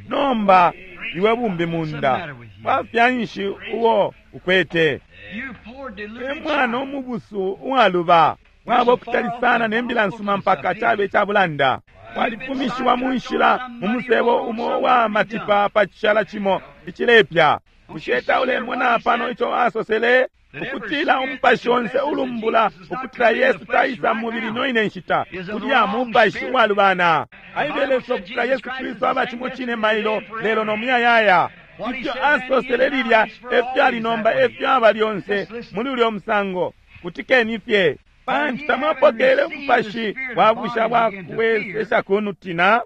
Nomba iwe bumbi munda bwafya nshi uo ukwete? E mwana umubusu uwaluba, mwaba ukutali sana ne mbila nsuma mpaka cabe cabulanda. Walifumishiwa mu nshila mu musebo umo wa matipa pa cishala cimo icilepya. Bushe taulemona pano ico asosele? Ukutila umupashi onse ulumbula ukutila Yesu taisa mubili no ine nshita, kulya mupashi uwalubana. Aibeleso ukutila Yesu Kristu aba cimo cine mailo lelo no muyayaya. Ifyo asosele lilya efyo ali nomba, efyo aba lyonse muli ulyo musango. Kutikeni fye. Pantu tamwapokelele umupashi wa busha bwa kuwesesha kunutina,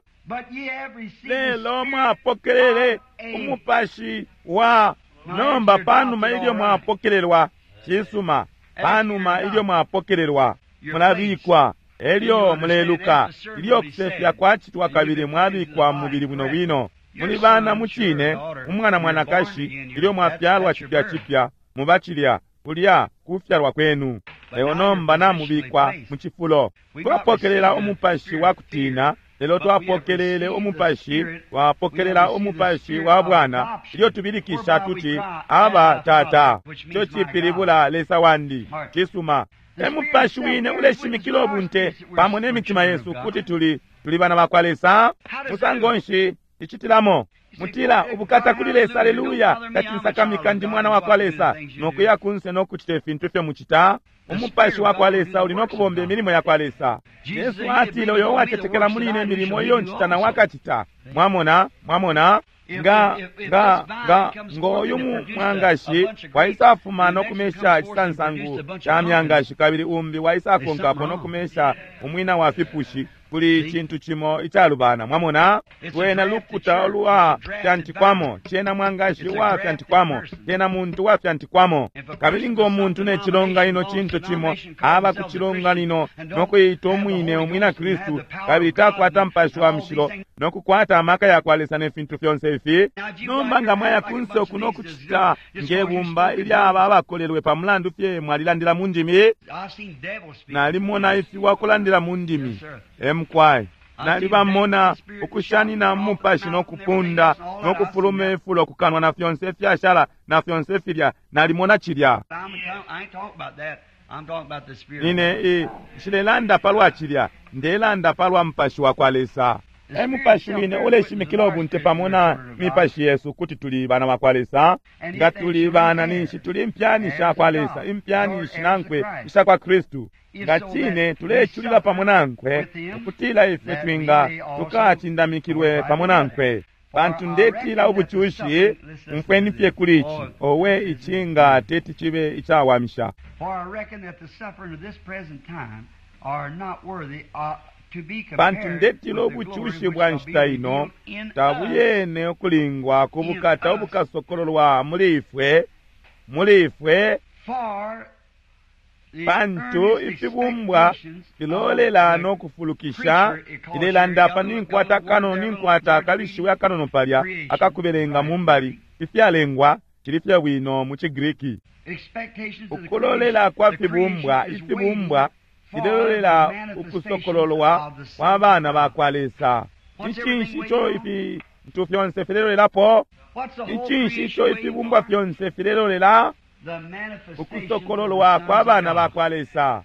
lelo mwapokelele umupashi wa nomba panuma ilyo mwapokelelwa. Cisuma, panuma ilyo mwapokelelwa mulabikwa, elyo muleluka ilyo kusefya kwacitwa kabili mwabikwa mubili bwino bwino. Muli bana mucine, umwana mwanakashi, ilyo mwafyalwa cipya cipya muba cilya kulya kufyalwa kwenu. Lelo nomba namubikwa mu cifulo. Twapokelela umupashi wa kutina, lelo twapokelele umupashi, twapokelela umupashi wa bwana ilyo tubilikisha tuti, Aba Tata, ico cipilibula Lesa wandi. Cisuma. E mupashi wine uleshimikila ubunte pamo ne mitima yesu kuti tuli tuli bana ba kwa Lesa. Musango nshi icitilamo? Mutila, ubukata kuli Lesa, aleluya, tacinsakamika, ndi mwana wa kwa Lesa, nokuya kunse nokucita ifintu ifyo mucita. Umupashi wa kwa Lesa uli nokubomba imilimo ya kwa Lesa. Yesu atile, uyo uwacetekela muli ine, imilimo iyo ncita na wakacita. Mwamona, mwamona, nga nga nga ngoyu mwangashi waisafuma nokumesha icisansangu ca myangashi, kabili umbi waisakonkapo nokumesha umwina wa fipushi. Kuli icintu cimo icalubana, mwamona. Lwena lukuta ulwa fyantikwamo, cena mwangashi uwa fyantikwamo, cena muntu wa fyantikwamo. Kabili ngo muntu ne cilonganino cintu cimo, aba ku cilonganino no kuita umwine umwina Kristu, kabili takwata Mupashi wa Mushilo no kukwata amaka yakwa Lesa ne fintu fyonse ifi. Nomba nga mwaya kunse uku no kucita nge bumba ilyaba abakolelwe pa mulandu fye mwalilandila mu ndimi, nalimona ifiwa kulandila mu ndimi. Emkwai nalibamona ukushanina mu mupashi no kupunda no kufuluma ifulo kukanwa na fyonse fyashala na fyonse filya, nalimona cilya. Ine nshilelanda palwa cilya, ndelanda palwa mupashi wa kwa Lesa. E mupashi wine uleshimikila ubunte pamo na mipashi yesu kuti tuli bana ba kwa Lesa. Nga tuli bana, ninshi tuli impyani sha kwa Lesa, impyani shinankwe isha kwa Kristu. Nga cine tuleculila pamo nankwe, ukutila ifwe twinga tukacindamikilwe pamo nankwe. Pantu ndetila ubucushi, umfweni fye kuli ici, owe ici nga teti cibe icawamisha. Pantu ndetila ubucushi bwa nshita ino tabuyene ukulingwa ku bukata ubukasokololwa muli ifwe, muli ifwe. Pantu ifibumbwa filolela no kufulukisha. Ilelanda pa ninkwata kanono, ninkwata akalishiwi akanono palya akakubelenga mumbali, ifyalengwa cili fye bwino mu ciGriki. Ukulolela kwa fibumbwa, ifibumbwa filelolela ukusokololwa kwa bana ba kwa Lesa. Icinshi ico ifintu fyonse filelolelapo? Icinshi ico ifibumbwa fyonse filelolela? Ukusokololwa kwa bana ba kwa Lesa.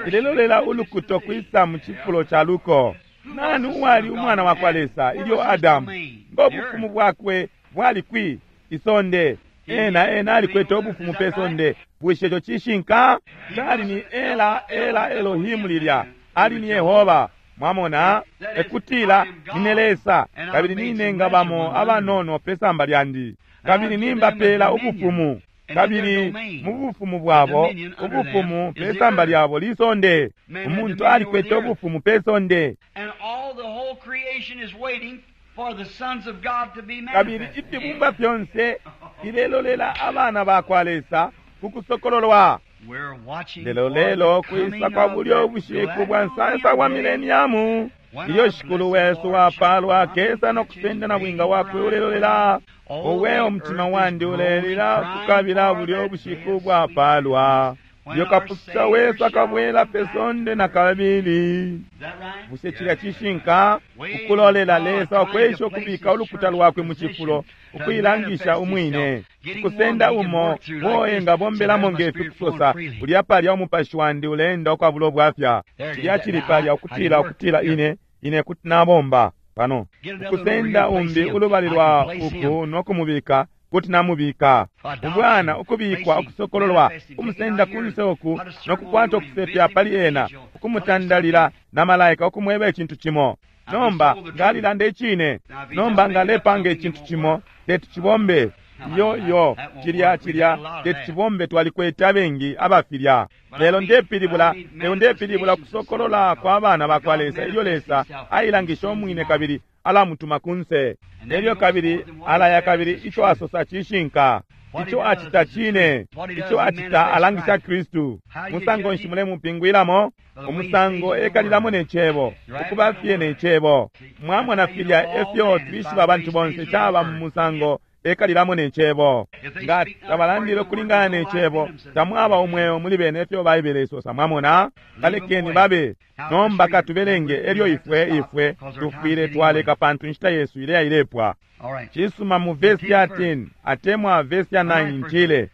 Filelolela ulukuto kwisa mu cifulo ca luko. Nani uwali umwana wa kwa Lesa ilyo Adamu? Ngo bufumu bwakwe bwali kwi? Isonde. Ena ena alikwete ubufumu pe sonde. Bushe ico cishinka? Cali ni Ela, Ela Elohimu lilya. Ali ni Yehova. Mwamona? Ekutila nine Lesa, kabili nine ngabamo abanono pe samba lyandi, kabili nimbapela ubufumu, kabili mu bufumu bwabo, ubufumu pe samba lyabo lisonde. Umuntu alikwete ubufumu pe sonde. Kabili ifibumbwa fyonse filelolela abana ba kwa Lesa ku kusokololwa. Lelo lelo kwisa kwa bulyo bushiku bwa nsansa bwa mileniamu, ilyo Shikulu wesu wapalwa akesa no kusenda na bwinga wakwe ulelolela. Owe umutima wandi ulelila kukabila bulyo bushiku bwapalwa, ilyo Kapususha wesu akabwela pe sonde na kabili. Bushe cilya cishinka? Ukulolela Lesa ukwesha ukubika ulukuta lwakwe mu cifulo, ukuilangisha umwine, ukusenda umo uo engabombelamo nge fi kusosa, ulya palya umupashi wandi uleenda ukwabula ubwafya. Cilya cili palya ukutila, ukutila ine, ine kuti nabomba pano. Ukusenda umbi ulubali lwa uku no kumubika, kuti namubika. Ubwana ukubikwa, ukusokololwa, ukusenda kunse uku no kukwata ukusefya pali ena, ukumutandalila na malaika ukumweba icintu cimo. Nomba ngalilanda icine. Nomba ngalepanga icintu cimo, teti cibombe. Iyo iyo cilya cilya teti cibombe, twalikwete abengi abafilya. Lelo ndepilibula, lelo ndepilibula kusokolola kwa bana ba kwa Lesa ilyo Lesa ailangisha umwine kabili alamutuma kunse. Elyo kabili alaya kabili ico asosa cishinka. Ico acita cine. Ico acita alangisha Kristu. Musango nshi mulemupingwilamo? Umusango ekalilamo ne cebo, ukuba fye ne cebo. Mwamona filya efyo twishiba abantu bonse caba mu musango ekalilamo ne cebo. Nga tabalandile ukulingana ne cebo, tamwaba umweo muli bene efyo Baibele isosa. Mwamona? Balekeni babe. Nomba katubelenge elyo ifwe ifwe tufwile twaleka pantu inshita yesu ileya ilepwa. Cisuma mu verse ya 10 atemwa verse ya 9 ntile,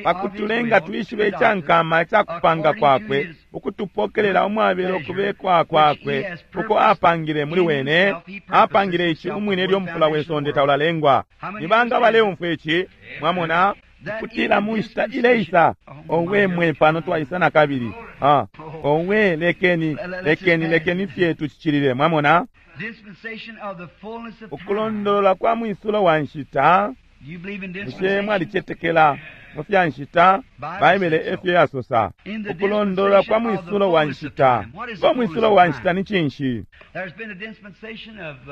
pakutulenga twishibe icankama icakupanga kwakwe, ukutupokelela umwabelo kubekwa kwakwe uko apangile muli wene, apangile ici umwine ilyo mufula we sonde taulalengwa. Ni banga baleumfwa ici? Mwamona? Kutila mu nshita ileisa. Owe mwe, pano twaisa na kabili. Owe, lekeni lekeni lekeni fye tucicilile. Mwamona? Ukulondolola kwa mwisulo wa nshita. Bushe mwalicetekela mu fya nshita? Baibele efyo yasosa. Ukulondolola kwa mwisulo wa nshita. Ngo mwisulo wa nshita ni cinshi?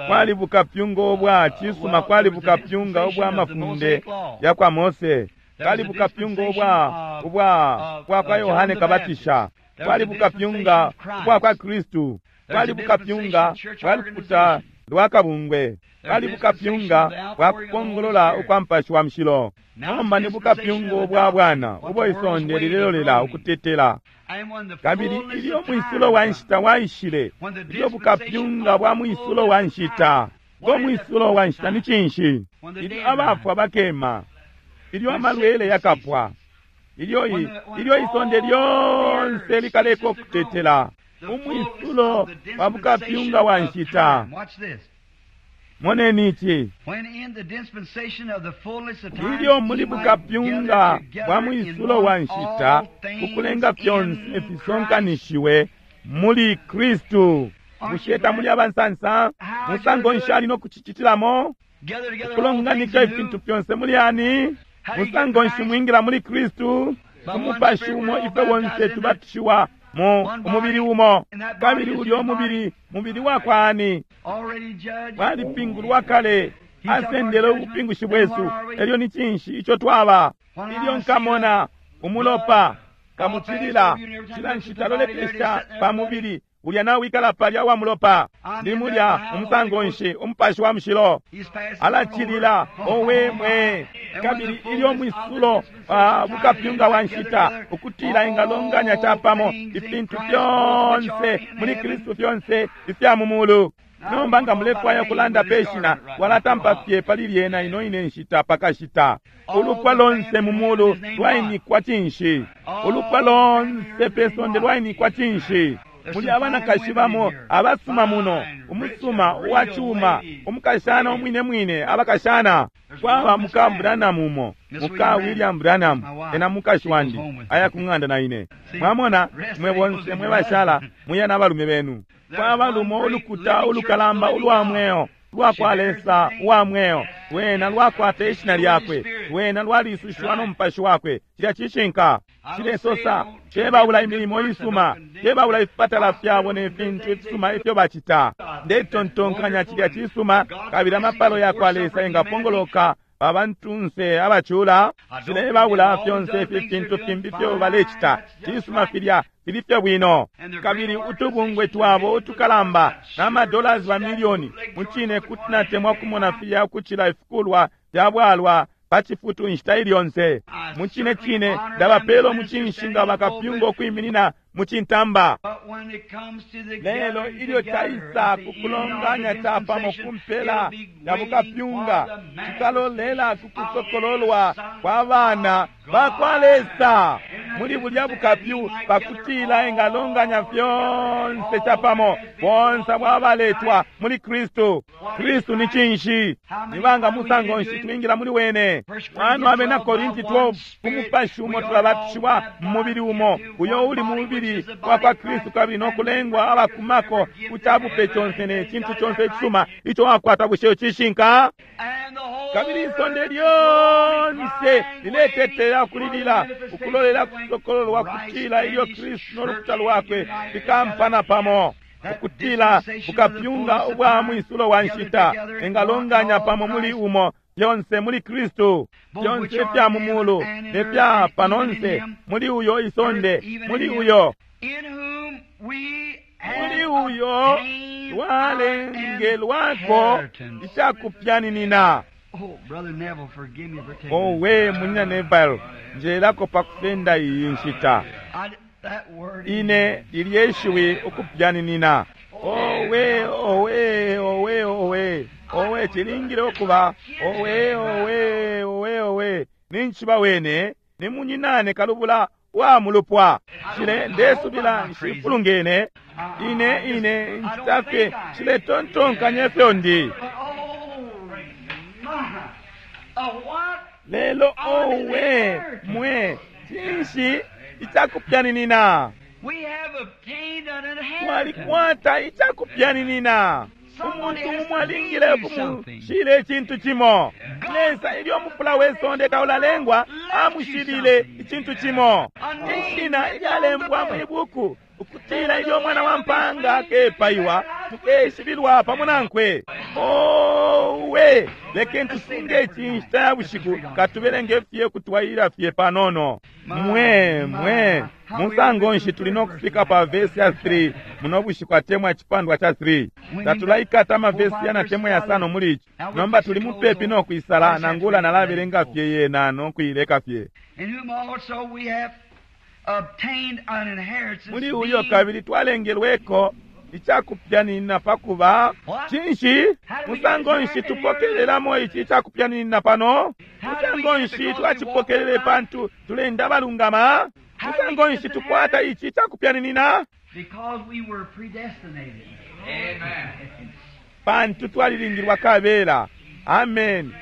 Kwali bukapyunga ubwa cisuma, kwali bukapyunga ubwa mafunde ya kwa Mose, kwali bukapyunga ubwa ubwa bwa kwa Yohane Kabatisha, kwali bukapyunga ubwa kwa Kristu, kwali bukapyunga bwa lukuta lwa kabungwe, kwali bukapyunga bwa kupongolola ukwa Mupashi wa Mushilo. Nomba ni bukapyunga ubwa bwana ubo isonde lilelolela ukutetela. Kabili ilyo mwisulo wa nshita waishile, ilyo bukapyunga bwa mwisulo wa nshita, ngo mwisulo wa nshita ni cinshi? Ilyo abafwa bakema, ilyo amalwele yakapwa, ilyo ilyo isonde lyonse likaleka ukutetela, umwisulo wa bukapyunga wa nshita. Moneni ici. Ilyo muli bukapyunga bwa mwisulo wa nshita, ukulenga fyonse fisonkanishiwe muli Kristu. Bushe tamuli abansansa? Musango nshi ali no kucicitilamo? Ukulonganika ifintu fyonse muli ani? Musango nshi mwingila muli Kristu? Umupashi umo ifwe bonse tubatishiwa mu umubili umo, kabili ulyo mubili mubili wakwa ani? Walipingulwa kale, asendele ubupingushi bwesu. Elyo ni cinshi ico twaba? Ilyo nkamona umulopa kamucilila cila nshita lolekesha pa mubili ulya nawikala palya wa mulopa, ndi mulya umusango nshi Umupashi wa Mushilo alacilila. Owe mwe! Kabili ilyo mwisulo bukapyunga wa nshita ukutila ingalonganya capamo ifintu fyonse muli Kristu, fyonse ifya mu mulu. Nomba nga mulefwaya ukulanda pe shina, walatampa fye pali lyena ino ine nshita pakashita. Ulupwa lonse mu mulu lwainikwa cinshi? Ulupwa lonse pe sonde lwainikwa cinshi? Muli abanakashi bamo abasuma muno, umusuma uwa cuma, umukashana umwine mwine, abakashana. Kwaba muka Branham umo, muka William Branham, ena mukashi wandi, aya ku ng'anda na ine. Mwamona, mwe bonse mwe bashala muya n'abalume benu. Kwaba lumo ulukuta ulukalamba ulwa mweo lwa kwa Lesa uwa mweo, lwena lwakwata ishina lyakwe, lwena lwalisushiwa no Mupashi wakwe. Cilya cishinka. Cilesosa cebaula imilimo isuma, cebaula ifipatala fyabo ne fintu ifisuma ifyo bacita. Ndetontonkanya cilya cisuma, kabili amapalo ya kwa Lesa engapongoloka abantunse abacula. Cilebaula fyonse ifi fintu fimbi fyo balecita. Cisuma filya fili fye bwino. Kabili utubungwe twabo utukalamba na madollars ba milioni, mucine kuti natemwa kumona filya ukucila ifikulwa fya bwalwa pa cifutu inshita ili yonse. Mucine cine ndabapela umucinshi nga bakapyunga ukwiminina mu cintamba. Lelo ilyo caisa ku kulonganya capamo ku mpela ya bukapyunga, cikalolela ku kusokololwa kwa bana ba kwa Lesa muli bulya bukapyu, pakutila engalonganya fyonse capamo, bonse bwabaletwa muli Kristu. Kristu ni cinshi? Ni banga musango nshi twingila muli wene? Mwana abena Korinti 12, ku Mupashi umo tulabatishiwa mu mubili umo, uyo uli mu mubili wa kwa Kristu, kabili no kulengwa abakumako ku cabupe conse ne cintu conse icisuma ico wakwata. Bushe cishinka? Kabili isonde lyonse liletetela kulilila ukulolela kusokololwa kutila ilyo Kristu no lukuta lwakwe fikampana pamo, ukutila bukapyunga ubwa mwisulo wa nshita engalonganya pamo muli umo fyonse muli Kristu, fyonse ifya mu mulu ne fya panonse, muli uyo isonde, muli uyo muli uyo lwalengelwako icakupyaninina. Owe munyina Neville, njelako pa kusenda iyi nshita. Ine lilye shiwi ukupyaninina. Owe owe owe owe owe, cilingile ukuba owe owe owe owe. Ninchiba wene ni munyinane kalubula wa mulupwa. Shile ndesubila nshifulungene ine ine nshita fye shiletontonkanya ifyo ndi. Lelo owe mwe, cinshi icakupyaninina? Twalikwata icakupyaninina. Umuntu umo alingile ukumushila icintu cimo. Lesa ilyo mufula we sonde taulalengwa amushilile icintu cimo, ishina ilyalembwa mwi buku, ukutila ilyo mwana wa mpanga akepaiwa mukeshibilwa pamo nankwe. Owe, lekeni tusunge ici inshita ya bushiku, katubelenge fye kutwaila fye panono. Mwe mwe musango nshi tuli no kufika pa vesi ya 3 muno bushiku atemwa icipandwa ca 3? Tatulaikata amavesi yana temwa yasano muli ici. Nomba tuli mupepi no kwisala, nangula nalabelenga fye yena no kuileka fye. In whom also we have obtained an inheritance. Muli uyo being kabili twalengelweko icakupyanina pakuba cinshi? Musango nshi tupokelelamo ici icakupyanina pano? Musango nshi twacipokelele pantu tulenda balungama? Musango nshi tukwata ici icakupyaninina? Because we were predestinated. Pantu twalilingilwa kabela. Amen.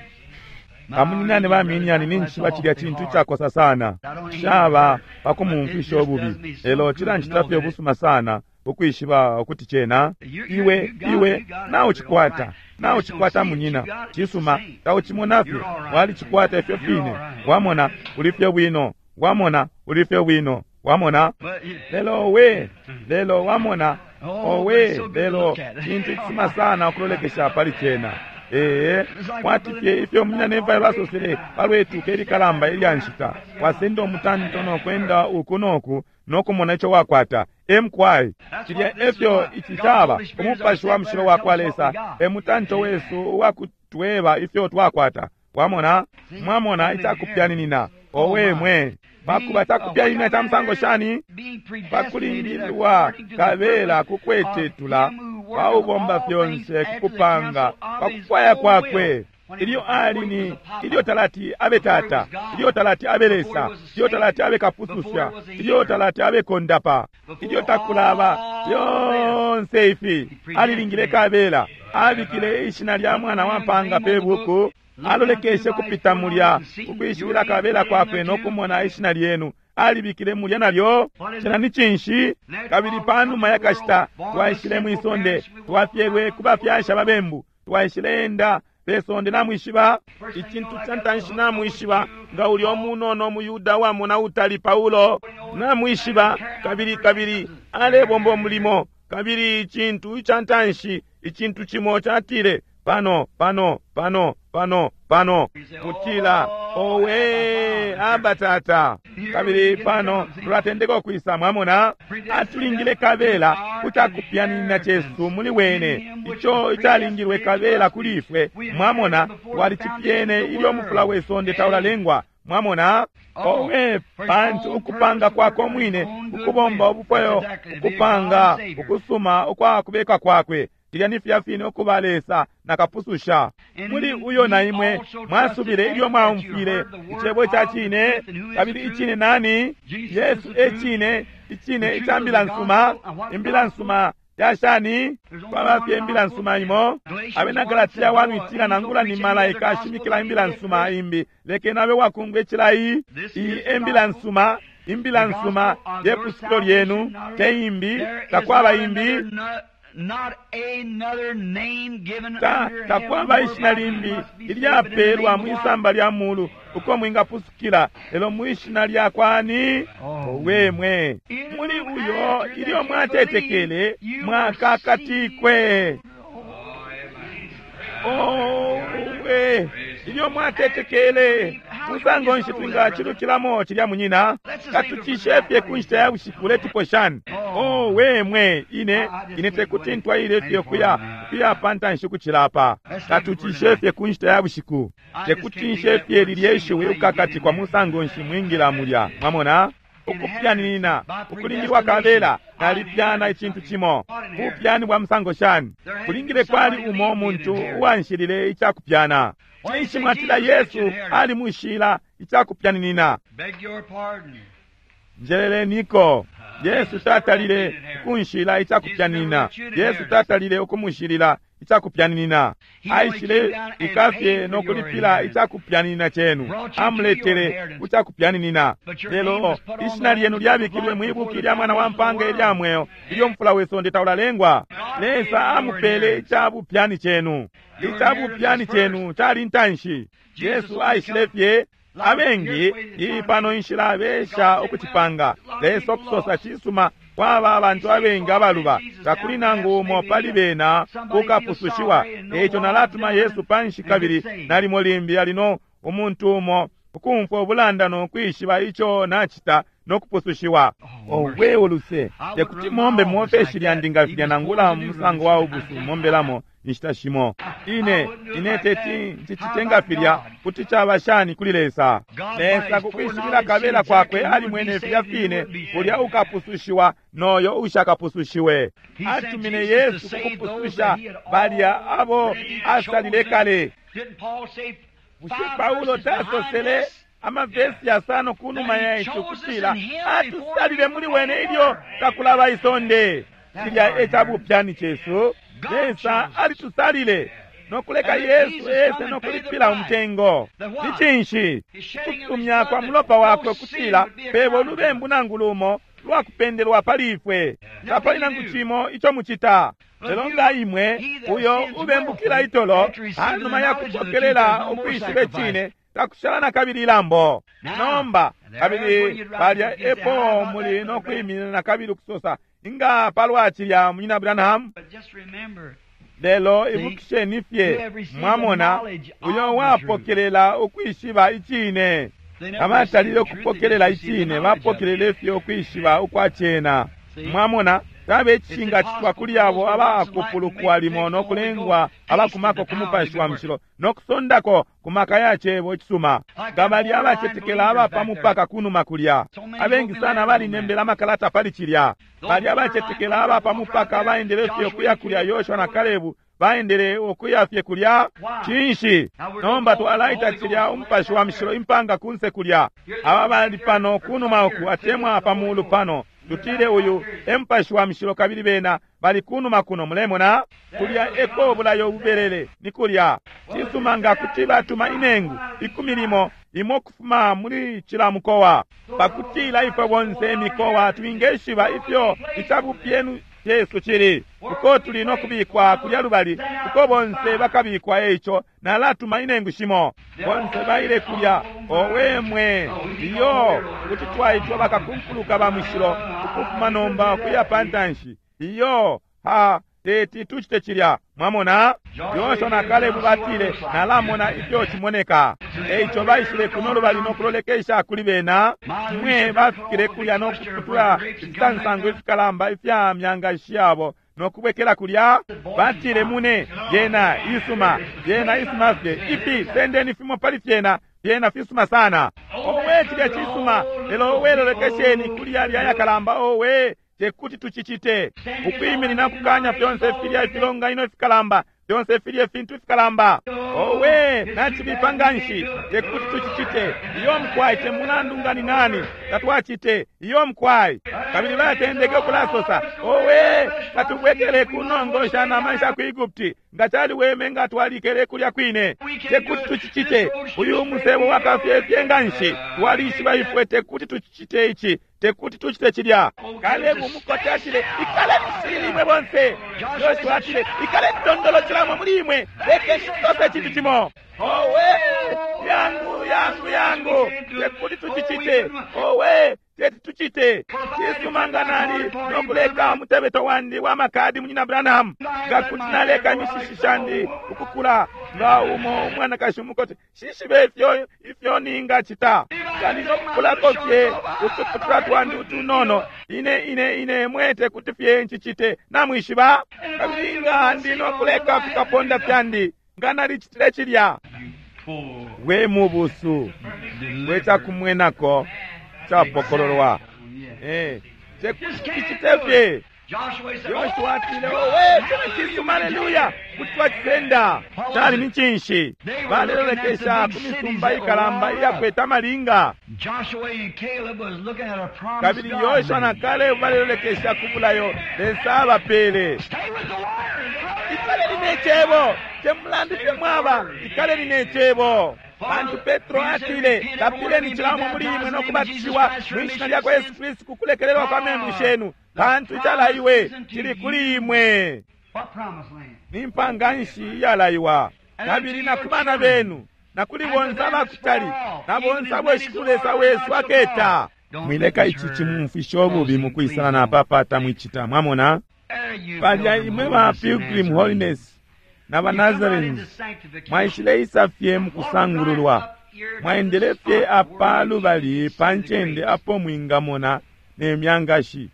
Bamunyinane baminyani ninjishiba cilya cintu icakosa sana, shaba pakumumfwisha ububi, lelo cilanchita fye ubusuma sana ukwishiba ukuti cena iwe iwe naucikwata, naucikwata munyina. Cisuma, taucimona fye, walicikwata ifyo fine. Wamona uli fye bwino, wamona uli fye bwino, wamona. Lelo we lelo wamona owe, lelo cintu icisuma sana ukulolekesha pali cena. Ee, kwati fye ifyo munyina Neville basosele palwetuka ilikalamba ilya nshita, wasenda umutanto nokwenda uku noku nokumona ico wakwata. Emkwai cilya efyo ici caba. Umupashi wa mushilo wakwa Lesa e mutanto wesu uwakutweba ifyo twakwata. Wamona, mwamona icakupyaninina. Owe mwe, pakuba cakupyaninina ca musango shani? Being predestinated Pakulingilwa according to the kabela purpose kukwetetula of him who worketh paubomba all fyonse things after the kukupanga counsel of his pakufwaya own kwakwe. will. When he Ilyo was ali before he ni was a papa, ilyo talati abe tata, ilyo talati abe Lesa, ilyo talati abe kapususha, ilyo talati abe kondapa, ilyo takulaba fyonse ifi alilingile kabela, abikile ishina lya mwana wa mpanga pe buku, alolekeshe kupita mulya ukwishibila kabela kwakwe no kumona ishina lyenu alibikile mulya nalyo. Cena ni cinshi? Kabili panuma yakashita twaishile mwisonde, twafyelwe ku bafyashi ababembu, twaishile enda pe sonde. Namwishiba icintu ca ntanshi, namwishiba nga ulya umunono umuyuda wamona utali Paulo, namwishiba, kabili kabili alebomba umulimo, kabili icintu ica ntanshi, icintu cimo catile pano pano pano pano pano, mutila owe aba tata. Kabili pano tulatendeka ukwisa, mwamona, atulingile kabela kucakupyanina cesu muli wene, ico icalingilwe kabela kuli ifwe. Mwamona, twalicipyene ilyo mufula we sonde taulalengwa. Mwamona, owe, pantu ukupanga kwako mwine ukubomba ubufwayo, ukupanga ukusuma ukwa kubeka kwakwe, tilya ni filya fine ukuba Lesa na kapususha. Muli uyo na imwe mwasubile ilyo mwaumfwile icebo ca cine. Kabili icine nani? Yesu e cine, icine ica mbila nsuma. Imbila nsuma ya shani? Kwaba fye imbila nsuma imo. Abena Galatia wanwitila nangula ni malaika ashimikila imbila nsuma imbi, lekeni abe wakungwa icilayi. Iyi e mbila nsuma, imbila nsuma ye pusukilo lyenu, te imbi, There is takwaba not imbi. another, not another name given Ta under takwaba heaven ishina whereby limbi we must be saved but in the ilyapelwa name mwi of samba lya mulu uko mwingapusukila, lelo mwi shina lya kwani? Owe mwe, muli uyo ilyo mwatetekele mwakakatikwe. Owe, ilyo mwatetekele. Musango nshi twingacilukilamo cilya munyina? Katucishe fye ku nshita ya bushiku letipo shani? Owe mwe, ine ine tekuti ntwaile fye kuya kuya pantanshi kucilapa. Katucishe fye ku nshita ya bushiku, tekuti nshe fye lilye shiwi ukakatikwa. Musango nshi mwingila mulya? Mwamona, ukupyanina ukulingilwa kabela, nalipyana icintu cimo. Bupyani bwa musango shani? Kulingile kwali umo muntu uwanshilile icakupyana. Cinshi mwatila Yesu alimushila icakupyaninina? Beg your pardon. Njeleleniko. Yesu tatalile ukunshila icakupyanina. Yesu tatalile ukumushilila icakupyaninina. Aishile ikafye no kulipila icakupyaninina cenu, amuletele ku cakupyaninina. Lelo ishina lyenu lyabikilwe mwibuki lya mwana wa mpanga ilya mweo ilyo mfula we sonde taulalengwa. Lesa amupele icabupyani cenu. Icabupyani cenu cali ntanshi. Yesu aishile fye. Abengi iyi pano inshila besha ukucipanga. Lesa okusosa cisuma, kwaba abantu abengi abaluba, takuli nangu umo pali bena ukapusushiwa. Eico nalatuma Yesu panshi, kabili nalimo limbi alino umuntu umo ukumfwa ubulanda no kwishiba ico nacita no kupusushiwa. Owe uluse, tekuti mombe muofeshi lyandi nga filya, nangula musango wa ubusu mombelamo inshita shimo. Ine ine teti ncicite nga filya. Kuti caba shani kuli Lesa? Lesa kukwishibila kabela kwakwe alimwene filya fine ulya ukapusushiwa noyo ushakapusushiwe. Atumine Yesu kukupususha balya abo asalile kale. Bushe Paulo tasosele amavesi yasano kunuma ya ico kutila atusalile muli wene ilyo takulaba isonde? Cilya ecabupyani cesu. Lesa alitusalile nokuleka Yesu ese nokulipila umutengo. Ni cinshi? Kusumya kwa mulopa wakwe kutila pebo ulubembu nangu lumo lwakupendelwa pali ifwe. Tapali nangu cimo ico mucita. Lelo nga imwe uyo ubembukila itolo panuma ya kupokelela ukwishiba icine, takushala na kabili ilambo. Nomba kabili palya epo muli no kwiminina na kabili ukusosa, inga palwa cilya, Munyina Branham? Lelo ibukisheni fye, mwamona, uyo wapokelela ukwishiba icine. Abatalile ukupokelela icine bapokelele fye ukwishiba ukwa cena. Mwamona, tabe icishingacitwa kuli abo abakupulukwa limo no kulengwa abakumako ku Mupashi wa Mushilo no kusondako ku maka ya cebo icisuma, nga bali abacetekela aba pa mupaka kunuma kulya. Abengi sana balinembela amakalata pali cilya. Bali abacetekela aba pa mupaka baendele fye ukuya kulya. Yoshua na Kalebu baendele ukuya fye kulya. Cinshi? Nomba twalaita cilya Umupashi wa Mushilo impanga kunse kulya. Aba bali pano kunuma uku atemwa pa mulu pano. Tutile uyu e Mupashi wa Mushilo, kabili bena bali kunuma kuno. Mulemona kulya eko bulayo bubelele, ni kulya. Cisuma, nga kuti batuma inengu 10 imo kufuma muli cila mukowa, pakutila ifwe bonse imikowa twingeshiba ifyo icabupyenu Yesu cili, uko tuli no kubikwa kulya lubali uko bonse bakabikwa. Eico nalatuma inengu shimo, bonse baile kulya. Owe mwe, iyo kuti twaitwa bakakunkuluka ba mushilo ukufuma nomba ukuya pantanshi. Iyo ha teti tucite cilya. Mwamona, Yoshua na Kalebu batile, nalamona ifyo cimoneka. Eico baishile kuno lubali no kulolekesha kuli bena. Mwe bafikile kulya no kuputula ifisansangu ifikalamba ifya myangashi yabo no kubwekela kulya. Batile, mune yena isuma, yena isuma fye ifi, sendeni fimo pali fyena, fyena fisuma sana. Owe, cilya cisuma, lelo owe, lolekesheni kuli yalya yakalamba. Owe, tekuti tucicite. Ukwiminina kukanya fyonse filya ifilonganino ifikalamba, fyonse filya ifintu ifikalamba. Owe, nacibipa nganshi, tekuti tucicite. Iyo mkwai, te mulandu ngani nani, tatwacite. Iyo mkwai. Kabili batendeke ukulasosa, owe, katubwekele kunongosha nama sha ku Egupti, nga caliweme nga twalikele kulya kwine. Tekuti tucicite. Uyu musebo wakafyefye nganshi, twalishiba ifwe tekuti tucicite ici, tekuti tucite cilya. Kalebu umukote atile, ikaleni shilili imwe bonse. Yoshua atile, ikaleni tondolo cilamo muli imwe, lekeni tusose icintu cimo. Owe, yangu yangu yangu, tekuti tucicite. Owe, teti tucite. Cisuma nga nali nokuleka umutebeto wandi wa makadi, Munyina Branham, nga kuti naleka imishishi shandi ukukula nga umo umwanakashi umukote, shishibe ifyo ifyo ningacita. Nga ninokukulako fye utuputula twandi utunono, ine ine ine mwete kuti fye ncicite, namwishiba. Kabili nga ndi nokuleka fikaponda fyandi, nga nalicitile cilya. We mubusu, we cakumwenako capokololwa. Tekuti tucite fye. Yoshua atile, owe, cena cisuma, aleluya, kuti twacisenda. Cali ni cinshi? Balelolekesha ku misumba ikalamba iyakwete amalinga. Kabili Yoshua na Kalebu balelolekesha ku bulayo Lesa abapele. Ikaleni ne Cebo. Te mulandu fye mwaba, ikaleni ne Cebo. Pantu Petro atile, lapileni cila umo muli imwe no kubatishiwa mwi shina lya kwa Yesu Kristu ku kulekelelwa kwa membu shenu, pantu icalaiwe cili kuli imwe. What promised land? Ni mpanga nshi iyalaiwa, kabili na ku bana benu, na kuli bonse abakutali, na bonse abo Shikulu Lesa wesu aketa. Mwileka ici cimumfisha ububi mukwisala na papata mwicita, mwamona? There you Palya Pilgrim imwe ba Holiness and Pilgrim Nazarene. Holiness na ba You come right Nazarenes into sanctification. mwaishileisa fye mukusangululwa, mwaendele fye apa lubali pa ncende apo mwingamona ne myangashi,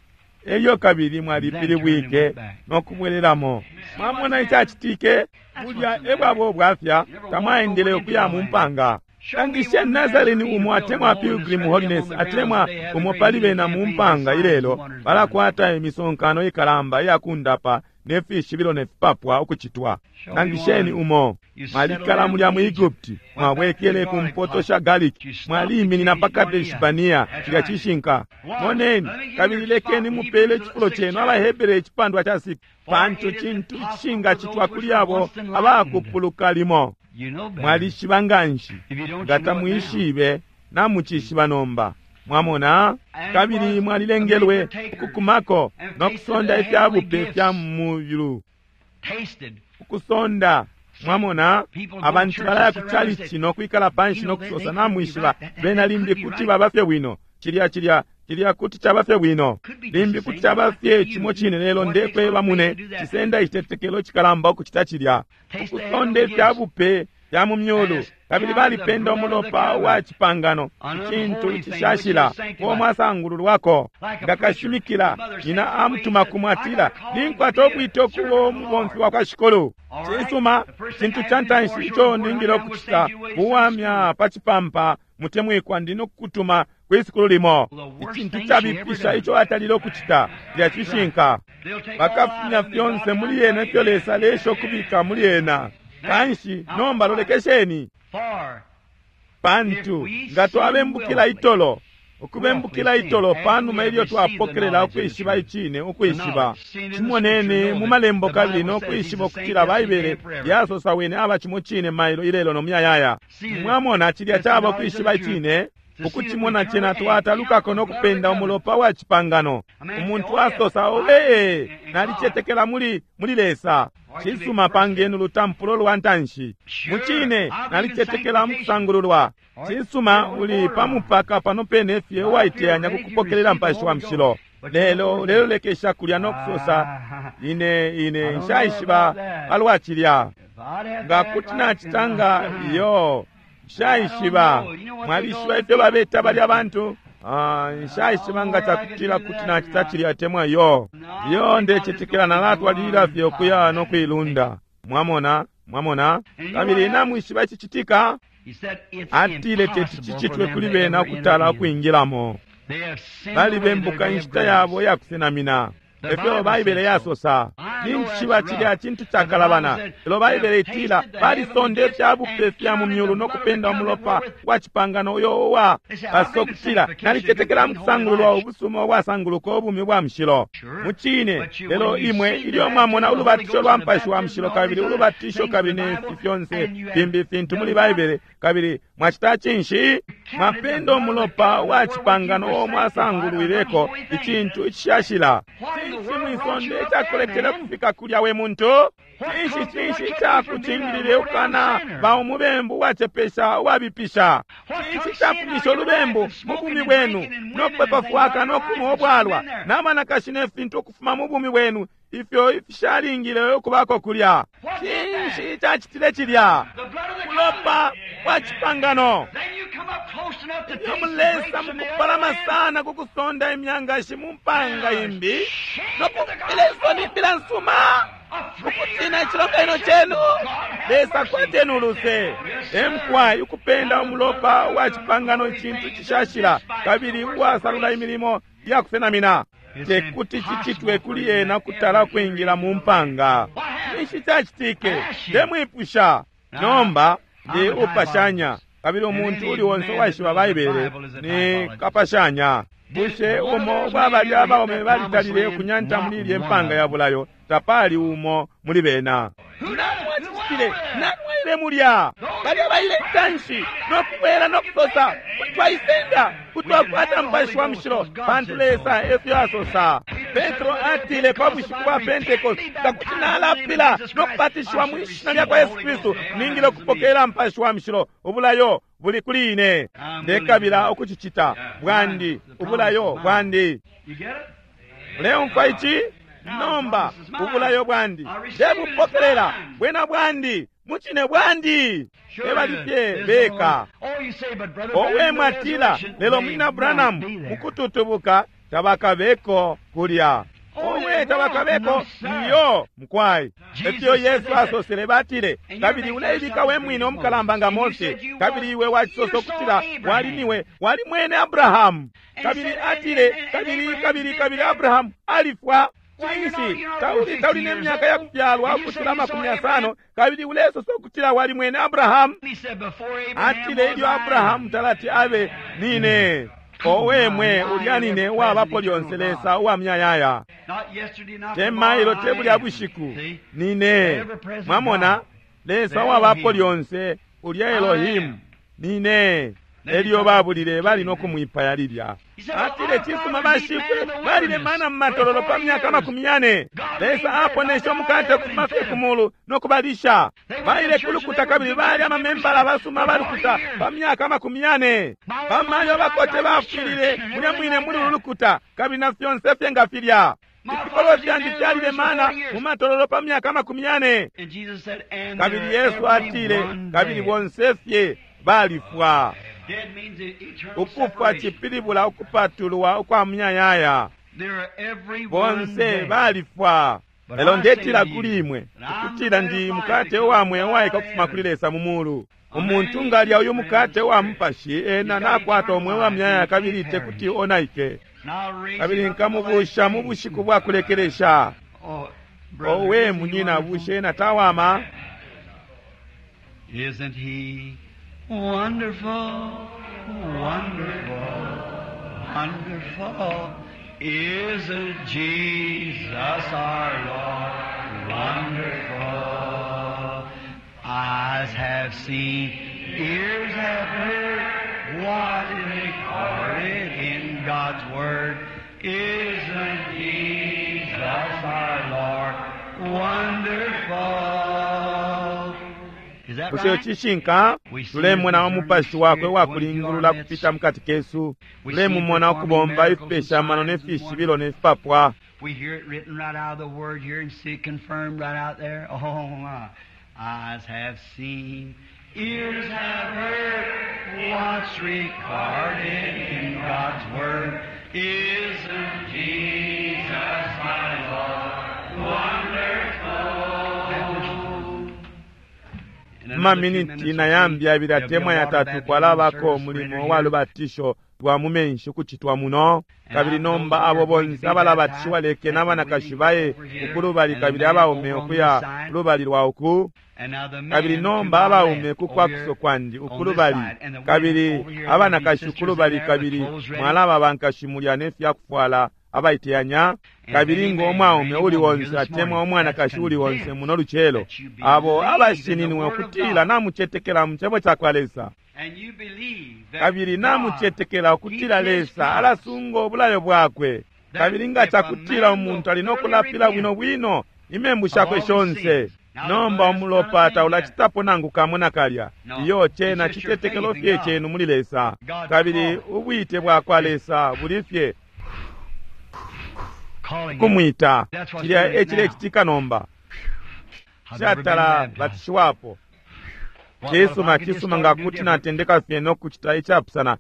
elyo kabili mwalipilibwike no kubwelelamo. Mwamona icacitike? Bulya e bwabo bwafya, tamwaendele ukuya mu mpanga. Langishe Nazarene umo atemwa Pilgrim Holiness atemwa umo pali bena mu mpanga ilelo balakwata imisonkano ikalamba iyakundapa ne fishibilo ne fipapwa ukucitwa. Langisheni umo. Mwalikala mulya mu Egypt, mwabwekele ku mpoto sha Gallic, mwaliminina pa Kadesh Barnea, cilya cishinka. Moneni, kabili lekeni mupele icifulo cenu abaHebere icipandwa ca 6, pantu cintu icishingacitwa kuli abo abakupuluka limo. You know better. Mwalishiba nganshi, If you don't, nga you know it now. tamwishibe, namucishiba nomba. Mwamona, kabili mwalilengelwe ukukumako no kusonda ifya bupe fya muyulu. Tasted. Ukusonda, mwamona, abantu balaya ku chalichi no kwikala panshi no kusosa namwishiba, bena limbi kuti baba fye bwino, cilya cilya cilya kuti caba fye bwino, limbi kuti caba fye cimo cine, lelo ndekweba mune, cisenda icitetekelo cikalamba ukucita cilya. Ukusonda ifya bupe fya mu myulu, kabili balipenda umulopa wa cipangano, icintu icishashila, uo mwasangululwako. Nga kashimikila, nyina amutuma kumwe atila, ninkwata ubwite ukuba umubomfi wa kwa Shikulu. Cisuma, cintu ca ntanshi ico ningile ukucita, kuwamya pa cipampa mutemwikwa ndi nokukutuma kwi sukulu limo. Icintu cabipisha ico atalile ukucita, cilya cishinka. They'll take all out Bakafumya of them fyonse that God muli ena ifyo Lesa alesha ukubika muli ena. Kanshi nomba lolekesheni, For pantu nga twabembukila itolo, ukubembukila itolo panuma ilyo twapokelela ukwishiba icine, ukwishiba cimoneni mu malembo kabili no kwishiba ukutila Baibele yasosa wene aba cimo cine mailo ilelo no muyayaya. Mwamona, cilya caba ukwishiba icine, ukucimona cena twatalukako no kupenda umulopa wa cipangano. Umuntu asosa, owe, nalicetekela muli muli Lesa. Cisuma, pangeni ulutampulo lwa ntanshi. Mucine, nalicetekela mukusangululwa. Cisuma, uli pa mupaka pano pene fye uwaiteyanya kukupokelela Mupashi wa Mushilo. Lelo ulelolekesha kulya no kusosa, ine ine nshaishiba palwa cilya. if I'd have Nga to act kuti like nacita nga iyo, nshaishiba. Mwalishiba ifyo babeta balya bantu? Ah, nshaishiba nga cakutila kuti nacita cilya atemwa iyo. Iyo ndecetekela nalatwalilila fye ukuya no kuilunda. Mwamona, mwamona. Kabili namwishiba icicitika? He said it's Atile teti impossible for cicitwe them kuli to bena ever enter ukutala in. ukwingilamo. They have sinned away their Balibembuka day of inshita grace. yabo iyakusenamina. Efyo Baibele yasosa. Ninjishiba cilya cintu cakalabana. Lelo Baibele itila balisonda ifya bupe fya mu myulu no kupenda umulopa wa cipangano uyo uwa baso kutila nalicetekela mukusangululwa ubusuma ubwasanguluka ubumi bwa mushilo. Mucine, lelo imwe ilyo mwamona ulubatisho lwa Mupashi wa Mushilo kabili ulubatisho kabili ne fi fyonse fimbi fintu muli Baibele kabili mwacita cinshi? Mwapenda umulopa wa cipangano uo mwasangulwileko icintu icishashila. Cinshi mwisonde icakuletele kufika kulya we muntu? Cinshi cinshi icakucingilile ukana ba umubembu uwacepesha uwabipisha? Cinshi icafumisha ulubembu mu bumi bwenu no kupepa fwaka no kunwa ubwalwa n'amanakashi ne fintu ukufuma mu bumi bwenu ifyo ifishalingile ukubako kulya? Cinshi icacitile cilya? The blood of the Mulopa covenant. wa cipangano. Then you come up close enough to Iyo taste the mulesa grapes from the other mukupalama end. sana kukusonda imyangashi mu mpanga imbi nokupila isoni imbila nsuma ukutina icilonganino cenu. Lesa kwateni uluse. Emkwai ukupenda umulopa wa cipangano icintu cishashila kabili uwasalula imilimo yakusenamina tekuti cicitwe kuli ena ukutala kwingila mu mpanga. Cinshi cacitike? Ndemwipusha. Nomba ndi upashanya kabili umuntu uli onse uwaishiba Baibele ni kapashanya. Bushe umo ubwa balya abaume balitalile ukunyanta muli ilye mpanga ya bulayo? Tapali umo muli bena. Nani wacicitile? Nani waile mulya? Balya baile intanshi nokubwela nokusosa, kuti twaisenda, kuti twakwata Mupashi wa Mushilo, pantu Lesa efyo asosa. Petro atile pa bushiku bwa Pentecost, nga kuti nalapila nokubatishiwa mwi shina lyakwa Yesu Kristu, ningile ukupokelela Mupashi wa Mushilo. Ubulayo buli kuli ine. Ndekabila ukucicita. Bwandi, ubulayo bwandi. Muleumfwa ici? Nomba ubulayo bwandi ndebupokelela, bwena bwandi, mucine bwandi. Ebalifye beka. Owe, mwatila, lelo Munyina Branham, mukututubuka tabakabeko kulya. Owe, tabakabeko. Iyo, mukwai. Efyo Yesu asosele, batile, kabili uleibika we mwine umukalamba nga Mose, kabili iwe wacisosa ukutila wali niwe wali mwene Abrahamu. Kabili atile, kabili kabili kabili Abrahamu alifwa. Cinshi? Tauli, tauli ne myaka ya kufyalwa ukucila 50, kabili ulesosa ukutila wali mwene Abrahamu. Atile, ilyo Abrahamu talati abe nine. Owe mwe, ulya nine uwabapo lyonse, Lesa uwa myayaya. Te mailo, te bulya bushiku, nine. Mwamona, Lesa uwabapo lyonse, ulya Elohimu, nine. Elyo babulile bali no kumwipaya lilya. Atile, cisuma, bashifwe balile mana mu matololo pa myaka 40. Lesa aponeshe umukate ukufuma fye ku mulu no kubalisha. Baile kulukuta kabili bali amamembala basuma balukuta pa myaka 40. Bamayo bakote bafwilile mulya mwine muli ulu lukuta, kabili na fyonse fye nga filya. Ifikolwe fyandi fyalile mana mu matololo pa myaka 40. Kabili Yesu atile, kabili bonse fye balifwa. Ukufwa cipilibula ukupatulwa ukwa muyayaya. Bonse balifwa. Lelo ndetila kuli imwe ukutila ndi mukate uwa mweo uwaika ukufuma kuli Lesa mu mulu. Umuntu nga alya uyu mukate wa mupashi, ena nakwata umweo wa muyayaya kabili te kuti onaike. Kabili nkamubusha mu bushiku bwa kulekelesha. Owe munyina, bushe ena tawama? Isn't he wonderful, wonderful, wonderful? Isn't Jesus our Lord wonderful? Eyes have seen, ears have heard what is recorded in God's Word. Isn't Jesus our Lord wonderful? Is that Bushe right? cishinka? Tulemona umupashi wakwe wakulingulula kupita mukati kesu. Tulemumona ukubomba ifipesha amano ne fishibilo ne fipapwa. We hear it written right out of the Word here and see it confirmed right out there. Oh, my. Eyes have seen, ears have heard what's recorded in God's Word. Isn't Jesus my Lord wonderful? In another few Mumaminiti minutes na or yambi so, abili there'll be a atemwa water yatatu baptism kwalabako service umulimo rendered wa here. lubatisho lwa mu menshi ukucitwa muno. Kabili nomba abo bonse abalabatishiwa leke n'abanakashi baye ukulubali kabili abaume ukuya kulubali lwa uku. And now the men Kabili to nomba my abaume left ku over kwakuso here kwandi on this ukulubali side, and the women kabili over here, there'll be abanakashi sisters in ukulubali there with kabili clothes ready. mwalaba bankashi mulya ne fyakufwala abaiteyanya. Kabili ngo umwaume uli onse atemwa umwanakashi uli onse muno lucelo, abo abashininwe ukutila namucetekela mu cebo cakwa Lesa, And you believe that kabili God namucetekela ukutila keeps his Lesa promise. alasunga ubulayo bwakwe, kabili nga cakutila umuntu ali nokulapila bwino bwino imembu shakwe shonse, nomba umulopa taulacitapo nangu kamo nakalya. Iyo cena citetekelo fye cenu muli Lesa, kabili ubwite bwakwa Lesa buli fye Calling him. kumwita. Cilya e cilecitika nomba. I've never been Shatala baptized. batishiwapo. What- what if I Cisuma could just cisuma start nga to do kuti different? natendeka fye nokucita icapusana.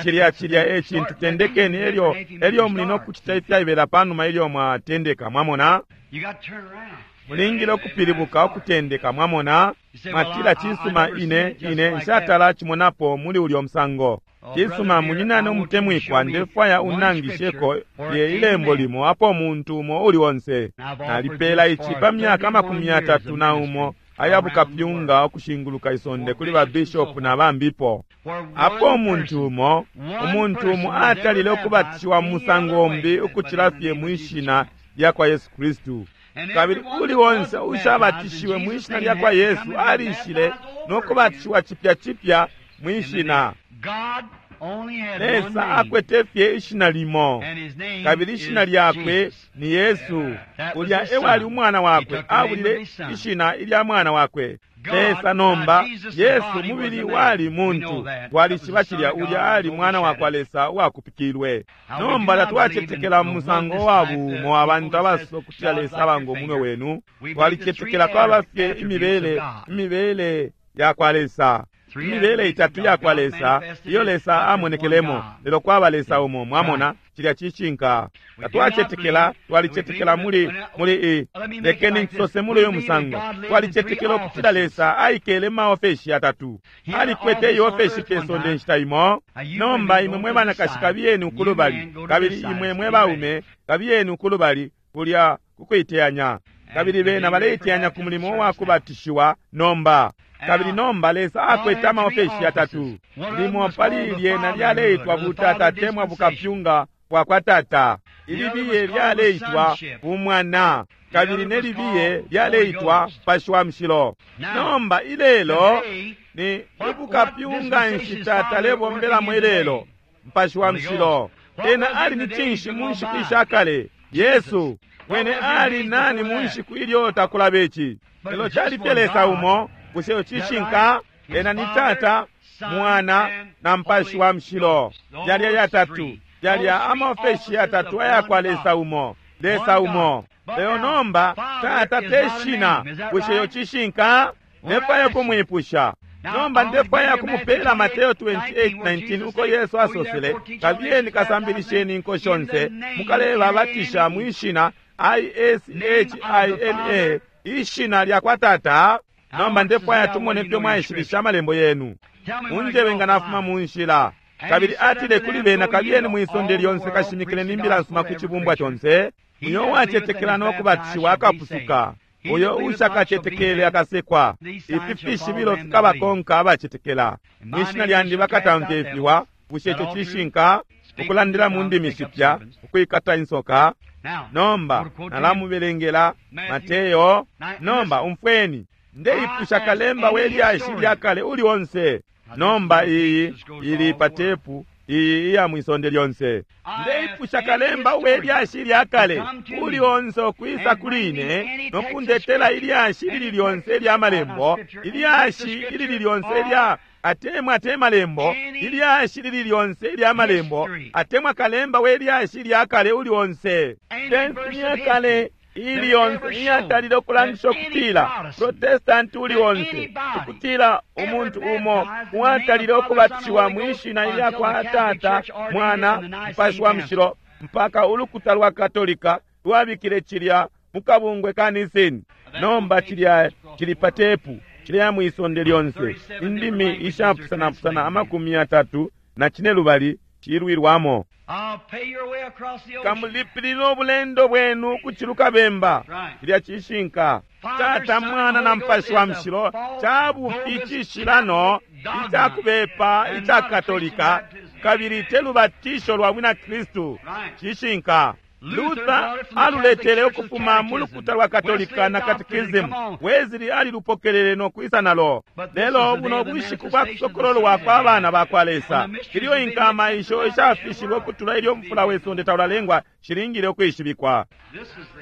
Cilya cilya e cintu tendekeni elyo elyo muli nokucita ifyaibela panuma ilyo mwatendeka, mwamona. You got to turn around. Mulingile ukupilibuka ukutendeka, mwamona. Mwatila, cisuma, ine ine nshatala cimonapo muli ulyo musango. Cisuma, munyinane umutemwikwa, ndefwaya unangisheko lye ilembo limo apo muntu umo uli onse. Nalipela ici pa myaka 31 aya bukapyunga ukushinguluka isonde kuli ba bishop na bambipo. Apo umuntu umo, umuntu umo atalile ukubatishiwa mu musango umbi ukucila fye mwi shina lya kwa Yesu Kristu. Kabili uli onse ushabatishiwe mwi shina lya kwa Yesu alishile no kubatishiwa cipya cipya mwi shina. Lesa akwete fye ishina limo, kabili ishina lyakwe ni Yesu. Ulya ewali umwana wakwe, abulile ishina ilya mwana wakwe. Lesa nomba, Yesu mubili wali muntu, twalishiba cilya ulya ali mwana wakwa Lesa uwakupikilwe. Nomba tatwacetekela mu musango wa buumo abantu abasosa ukutila Lesa abanga umunwe wenu. Twalicetekela kwaba fye imibele, imibele yakwa Lesa. Imibele itatu yakwa Lesa iyo Lesa amonekelemo, lelo kwaba Lesa umo. Mwamona, cilya cishinka. Tatwacetekela, twalicetekela muli muli i lekeni nsose muli uyu musango. Twalicetekela ukutila Lesa aikele mu maofeshi yatatu. Alikwete iofeshi pe sonde inshita imo. Nomba imwe mwe banakashi kabiyeni ukulubali, kabili imwe mwe baume kabiyeni ukulubali kulya kukuiteyanya. Kabili bena baleiteyanya ku mulimo wa kubatishiwa nomba. Kabili nomba Lesa akwete amaofeshi yatatu. Limo pali lyena lyaleitwa butata temwa bukapyunga bwa kwa tata. Ilibiye lyaleitwa bumwana. Kabili ne libiye lyaleitwa Mupashi wa Mushilo. Nomba ilelo ni bukapyunga nshi tata lebombelamo ilelo? Mupashi wa Mushilo. Ena ali ni cinshi mu nshiku ishakale? Yesu. Wene ali nani mu nshiku ilyo takulaba ici? Lelo cali fye Lesa umo. Bushe cishinka? Ena ni Tata, Mwana na Mupashi wa Mushilo. Yalya yatatu, yalya amaofeshi yatatu ayakwa Lesa umo, Lesa umo. Lelo nomba Tata te shina. Bushe yo cishinka? Ndefwaya kumwipusha. Nomba ndefwaya kumupela Mateo 28:19 uko Yesu asosele, kabiyeni kasambilisheni inko shonse, mukalebabatisha mwi shina I-S-H-I-N-A, ishina lya kwa Tata. Nomba ndefwaya tumone fyo mwaishibisha amalembo yenu. Munjebe nga nafuma mu nshila. Kabili atile kuli bena, kabiyeni mwisonde lyonse kashimikile n'imbila nsuma ku cibumbwa conse. Uyo uwacetekela no kubatishiwa akapusuka, uyo ushakacetekele akasekwa. Ifi fishibilo fikabakonka abacetekela. Mwishina lyandi bakatamfya ifiwa. Bushe ico cishinka? Ukulandila mu ndimi shipya, ukwikata insoka. Nomba nalamubelengela Mateo. Nomba umfweni. Ndeipusha kalemba we lyashi lya kale uli onse. Nomba iyi ili pa tepu iyi iya mwisonde lyonse. Ndeipusha kalemba we lyashi lya kale uli onse ukwisa kuli ine no kundetela ilyashi lili lyonse lya malembo, ilyashi ilili lyonse lya atemwa te malembo, ilyashi lili lyonse lya malembo, atemwa kalemba we lyashi lya kale uli onse. Tensi ya kale ili yonse iyatalile ukulangisha ukutila Protestanti uli onse, ukutila umuntu umo uwatalile ukubatishiwa mwi shina ilya kwa Tata, Mwana, Mupashi wa Mushilo, mpaka ulukuta lwa Katolika lwabikile cilya mu kabungwe ka Nicene. Nomba cilya cili pa tepu, cilya mwisonde lyonse, indimi ishapusanapusana 35 cilwilwamo. Kamulipilila ubulendo bwenu kuciluka bemba. Cilya cishinka. Tata, Mwana na Mupashi wa Mushilo cabufi cishilano icakubepa ica Katolika, kabili te lubatisho lwa bwina Kristu. Cishinka. Luther aluletele ukufuma mu lukuta lwa Katolika na Catechism. Wesley alilupokelele no kwisa nalo. Lelo buno bushiku bwa kusokololwa kwa bana ba kwa Lesa, ilyo inkama isho ishafishilwe ukutula ilyo mfula we sonde taulalengwa shilingile ukwishibikwa.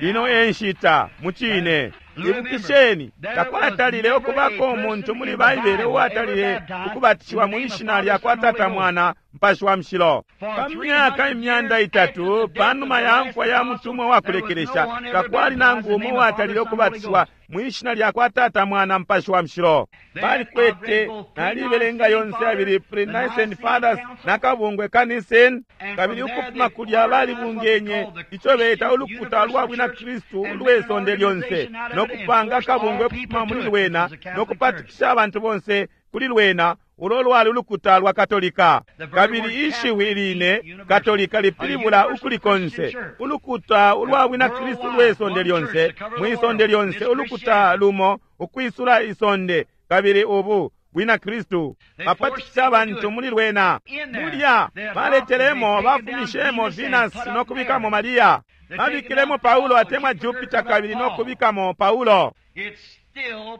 Ino e nshita mu cine. Ibukisheni, takwatalile ukubako umuntu muli Baibele uwatalile ukubatishiwa mwi shina lya kwa Tata, Mwana, Mupashi wa Mushilo. Pa myaka 300 panuma ya mfwa ya mutumwa wa kulekelesha, takwali nangu umo uwatalile ukubatishiwa mwi shina lya kwa Tata, Mwana, Mupashi wa Mushilo. Balikwete nalibelenga yonse abili Pre-Nicene Fathers na kabungwe ka Nicene, kabili ukufuma kulya balibungenye ico beta ulukuta lwa bwina Kristu ulwe sonde lyonse, no kupanga kabungwe kufuma muli lwena no kupatikisha abantu bonse kuli lwena ulo lwali ulukuta lwa Katolika. Kabili ishiwi line Katolika lipilibula ukuli konse ulukuta ulwa bwina Kristu lwe sonde lyonse, mwi sonde lyonse ulukuta lumo ukwisula isonde. Kabili ubu Bwina Kristu. Bapatikisha abantu muli lwena. Mulya baletelemo, bafumishemo Venus no kubikamo Maria. Babikilemo Paulo atemwa Jupiter kabili no kubikamo Paulo.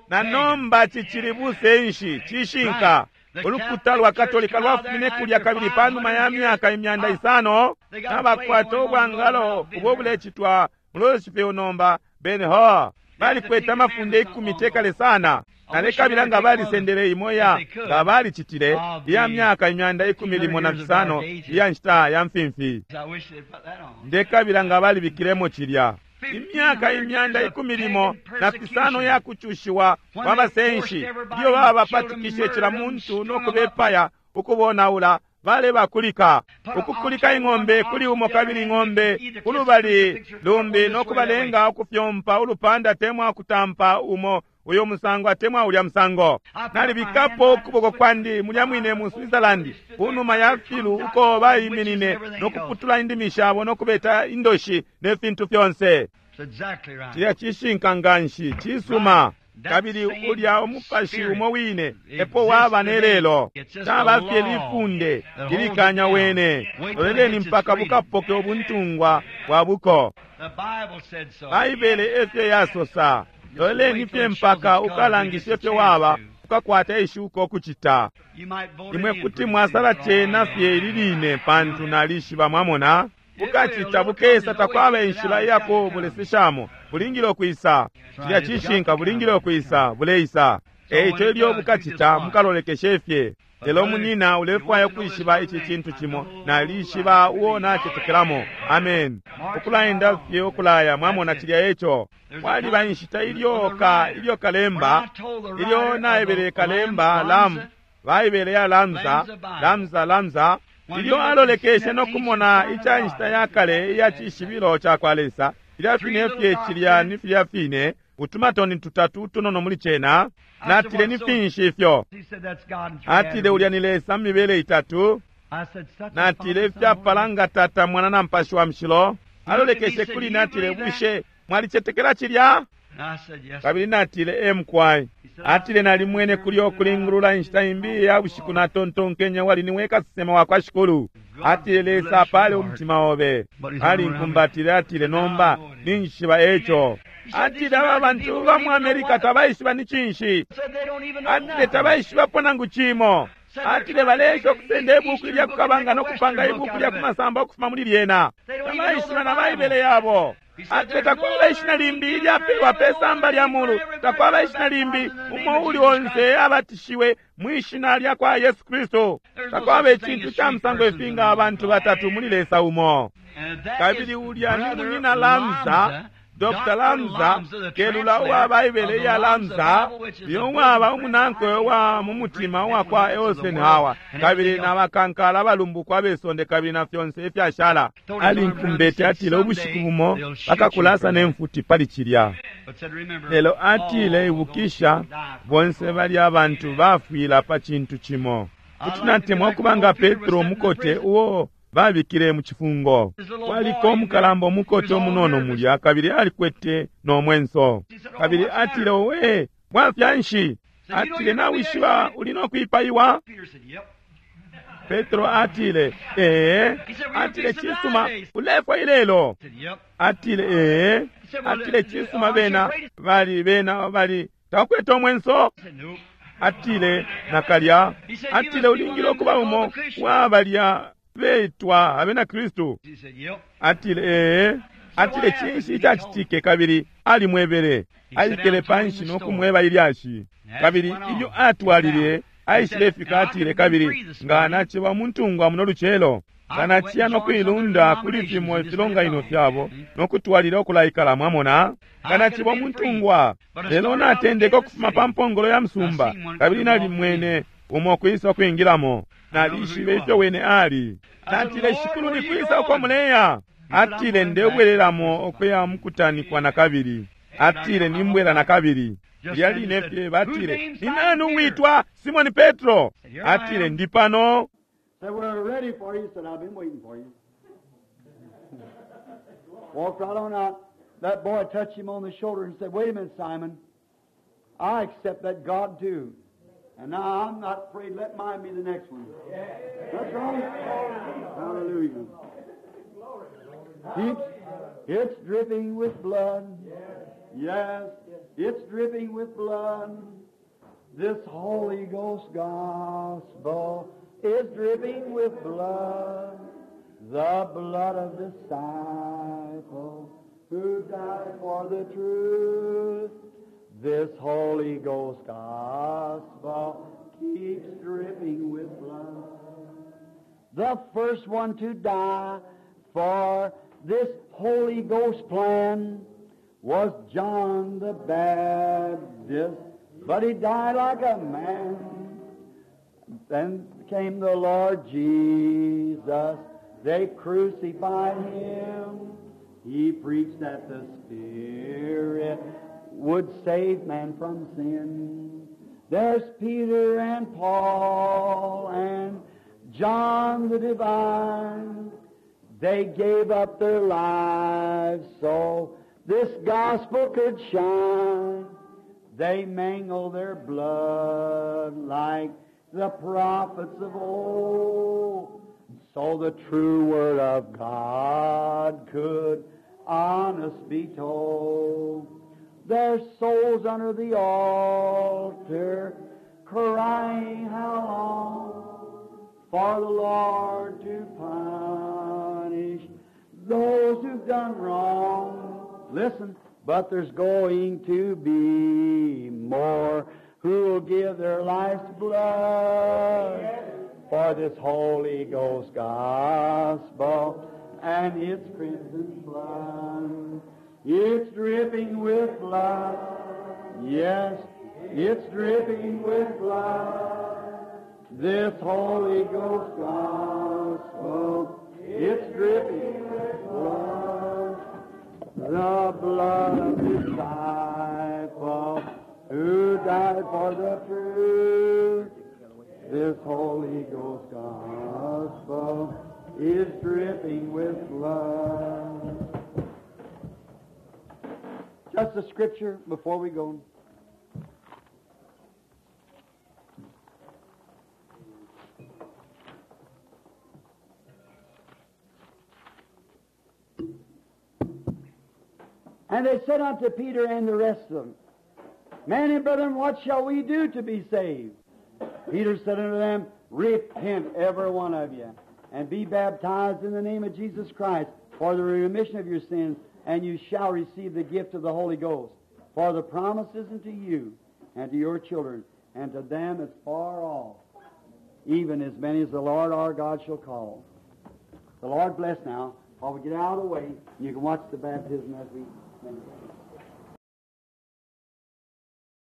Na nomba cicili busenshi cishinka. Ulukuta lwa Katolika lwafumine kulya kabili panuma ya myaka 500 nabakwata ubwangalo ubo bulecitwa mu Louisville nomba Ben Hur. Balikwete amafunde 10 tekale sana. Nalekabila nga balisendele imo ya nga balicitile iya myaka 115 iya nshita ya mfimfi. Ndekabila nga balibikilemo cilya. Imyaka 115 ya kucushiwa kwa basenshi iyo babapatikishe cila muntu no kubepaya ukubonaula balebakulika ukukulika ing'ombe kuli umo kabili ing'ombe kulubali lumbi no kubalenga ukufyompa ulupanda atemwa kutampa umo uyo musango atemwa ulya musango. Nalibikapo ukuboko kwandi mulya mwine mu Switzerland kunuma ya filu uko baiminine no kuputula indimi shabo no kubeta indoshi ne fintu fyonse. Cilya cishinka nganshi cisuma. Kabili ulya umupashi umo wine epo waba nelelo. Caba fye lifunde lilikanya wene. Loleleni mpaka bukapoke ubuntungwa bwa buko. Baibele efyo yasosa. Loleleni fye mpaka ukalangishe fyo waba ukakwata ishuko kucita. Imwe kuti mwasala cena fye ili line pantu nalishiba mwamona. Bukacita bukesa takwaba inshila iyako buleseshamo. Bulingile ukwisa. Cilya cishinka bulingile ukwisa, buleisa. Eico ilyo bukacita mukalolekeshe fye. Lelo munyina ulefwaya ukwishiba ici cintu cimo, nalishiba uo nacetekelamo. Amen. Ukulaenda fye ukulaya, mwamona cilya eco. Kwaliba inshita ilyo ka ilyo kalemba, ilyo naebele kalemba lam, Baibele ya Lamza, Lamza, Lamza, ilyo alolekeshe no kumona ica nshita ya kale iya cishibilo ca kwa Lesa, ilya fine fye cilya ni filya fine, utumatoni tutatu utunono muli cena, natile ni finshi ifyo. Atile ulya ni Lesa mu mibele itatu, natile ifyapala nga Tata, Mwana na Mupashi wa Mushilo. Alolekeshe kuli natile, bushe mwalicetekela cilya? Kabili natile e mukwai. Atile nalimwene kulyo kulingulula inshita imbi ya bushiku natontonkenye wali niwe kasesema wa kwa Shikulu. Atile Lesa apale umutima obe. Alinkumbatile atile nomba ninjishiba eco. Atile aba bantu ba mu America tabaishiba ni cinshi. Atile tabaishibapo nangu cimo. Atile baleesha ukusenda ibuku lya kukabanga no kupanga ibuku lya kumasamba ukufuma muli lyena. Tabaishiba na Baibele yabo. Atile takwaba ishina limbi ilyapelwa pe samba lya mulu, takwaba ishina limbi umo uli onse abatishiwe mwishina lya kwa Yesu Kristu. Takwaba icintu ca musango ifinga abantu batatu muli Lesa umo. Kabili ulya ni munyina Lamza, Dr. Lamza, kelula uwa Baibele ya Lamza, uyo waba umunankwe wa mu mutima uwa kwa Eisenhower, kabili na bakankala abalumbukwa besonde kabili na fyonse ifyashala. Alinkumbete atile ubushiku bumo bakakulasa ne mfuti pali cilya. Lelo atile ibukisha bonse bali abantu bafwila pa cintu cimo. Kuti natemwa ukuba nga Petro mukote uo babikile mu cifungo. Kwaliko umukalamba umukote umunono mulya kabili alikwete no mwenso. Kabili atile owe bwafya nshi? Atile nawishiba uli no kwipaiwa? Petro atile ee. Atile cisuma ulefwa ilelo. Atile ee. Atile cisuma bena bali bena bali takwete omwenso. Atile nakalya. Atile ulingile ukuba umo wa balya betwa abena Kristu. Atile ee. Atile cinshi icacitike kabili alimwebele. Aikele panshi no kumweba ilyashi. Kabili ilyo atwalile aishilefika atile kabili nga naciba umuntungwa muno lucelo nga naciya no kuilunda kuli fimo ifilonganino fyabo no kutwalila ukulaikala mwamona nga naciba umuntungwa. Lelo natendeka ukufuma pa mpongolo ya musumba kabili nalimwene umo kwisa kwingilamo. Nalishibe ifyo wene ali. Natile Shikulu ni kwisa uko muleya? Atile ndebwelelamo ukuya mukutanikwa na kabili. Atile nimbwela na kabili. Lya line fye batile ni nani uwitwa Simoni Petro? Atile ndi pano. Said, we're ready for you. Said, I've been waiting for you. Walked right on out. That boy touched him on the shoulder and said, wait a minute, Simon. I accept that God too. And now I'm not afraid. Let mine be the next one. That's right. Hallelujah. Keeps, it's dripping with blood. Yes, it's dripping with blood. This Holy Ghost gospel is dripping with blood. The blood of disciples who died for the truth. This Holy Ghost gospel keeps dripping with blood. The first one to die for this Holy Ghost plan was John the Baptist, but he died like a man. Then came the Lord Jesus. They crucified him. He preached that the Spirit would save man from sin. There's Peter and Paul and John the Divine. They gave up their lives so this gospel could shine. They mingled their blood like the prophets of old, so the true word of God could honest be told. Their souls under the altar crying, how long for the Lord to punish those who've done wrong. Listen, but there's going to be more who will give their life's blood for this Holy Ghost gospel and its crimson flood. It's dripping with blood. Yes, it's dripping with blood. This Holy Ghost gospel, it's dripping with blood. The blood of disciple who died for the truth. This Holy Ghost gospel is dripping with blood. Just a scripture before we go. And they said unto Peter and the rest of them, Men and brethren, what shall we do to be saved? Peter said unto them, Repent, every one of you, and be baptized in the name of Jesus Christ for the remission of your sins, and you shall receive the gift of the Holy Ghost. For the promise is unto you, and to your children, and to them as far off, even as many as the Lord our God shall call. The Lord bless now. While we get out of the way, you can watch the baptism as we finish.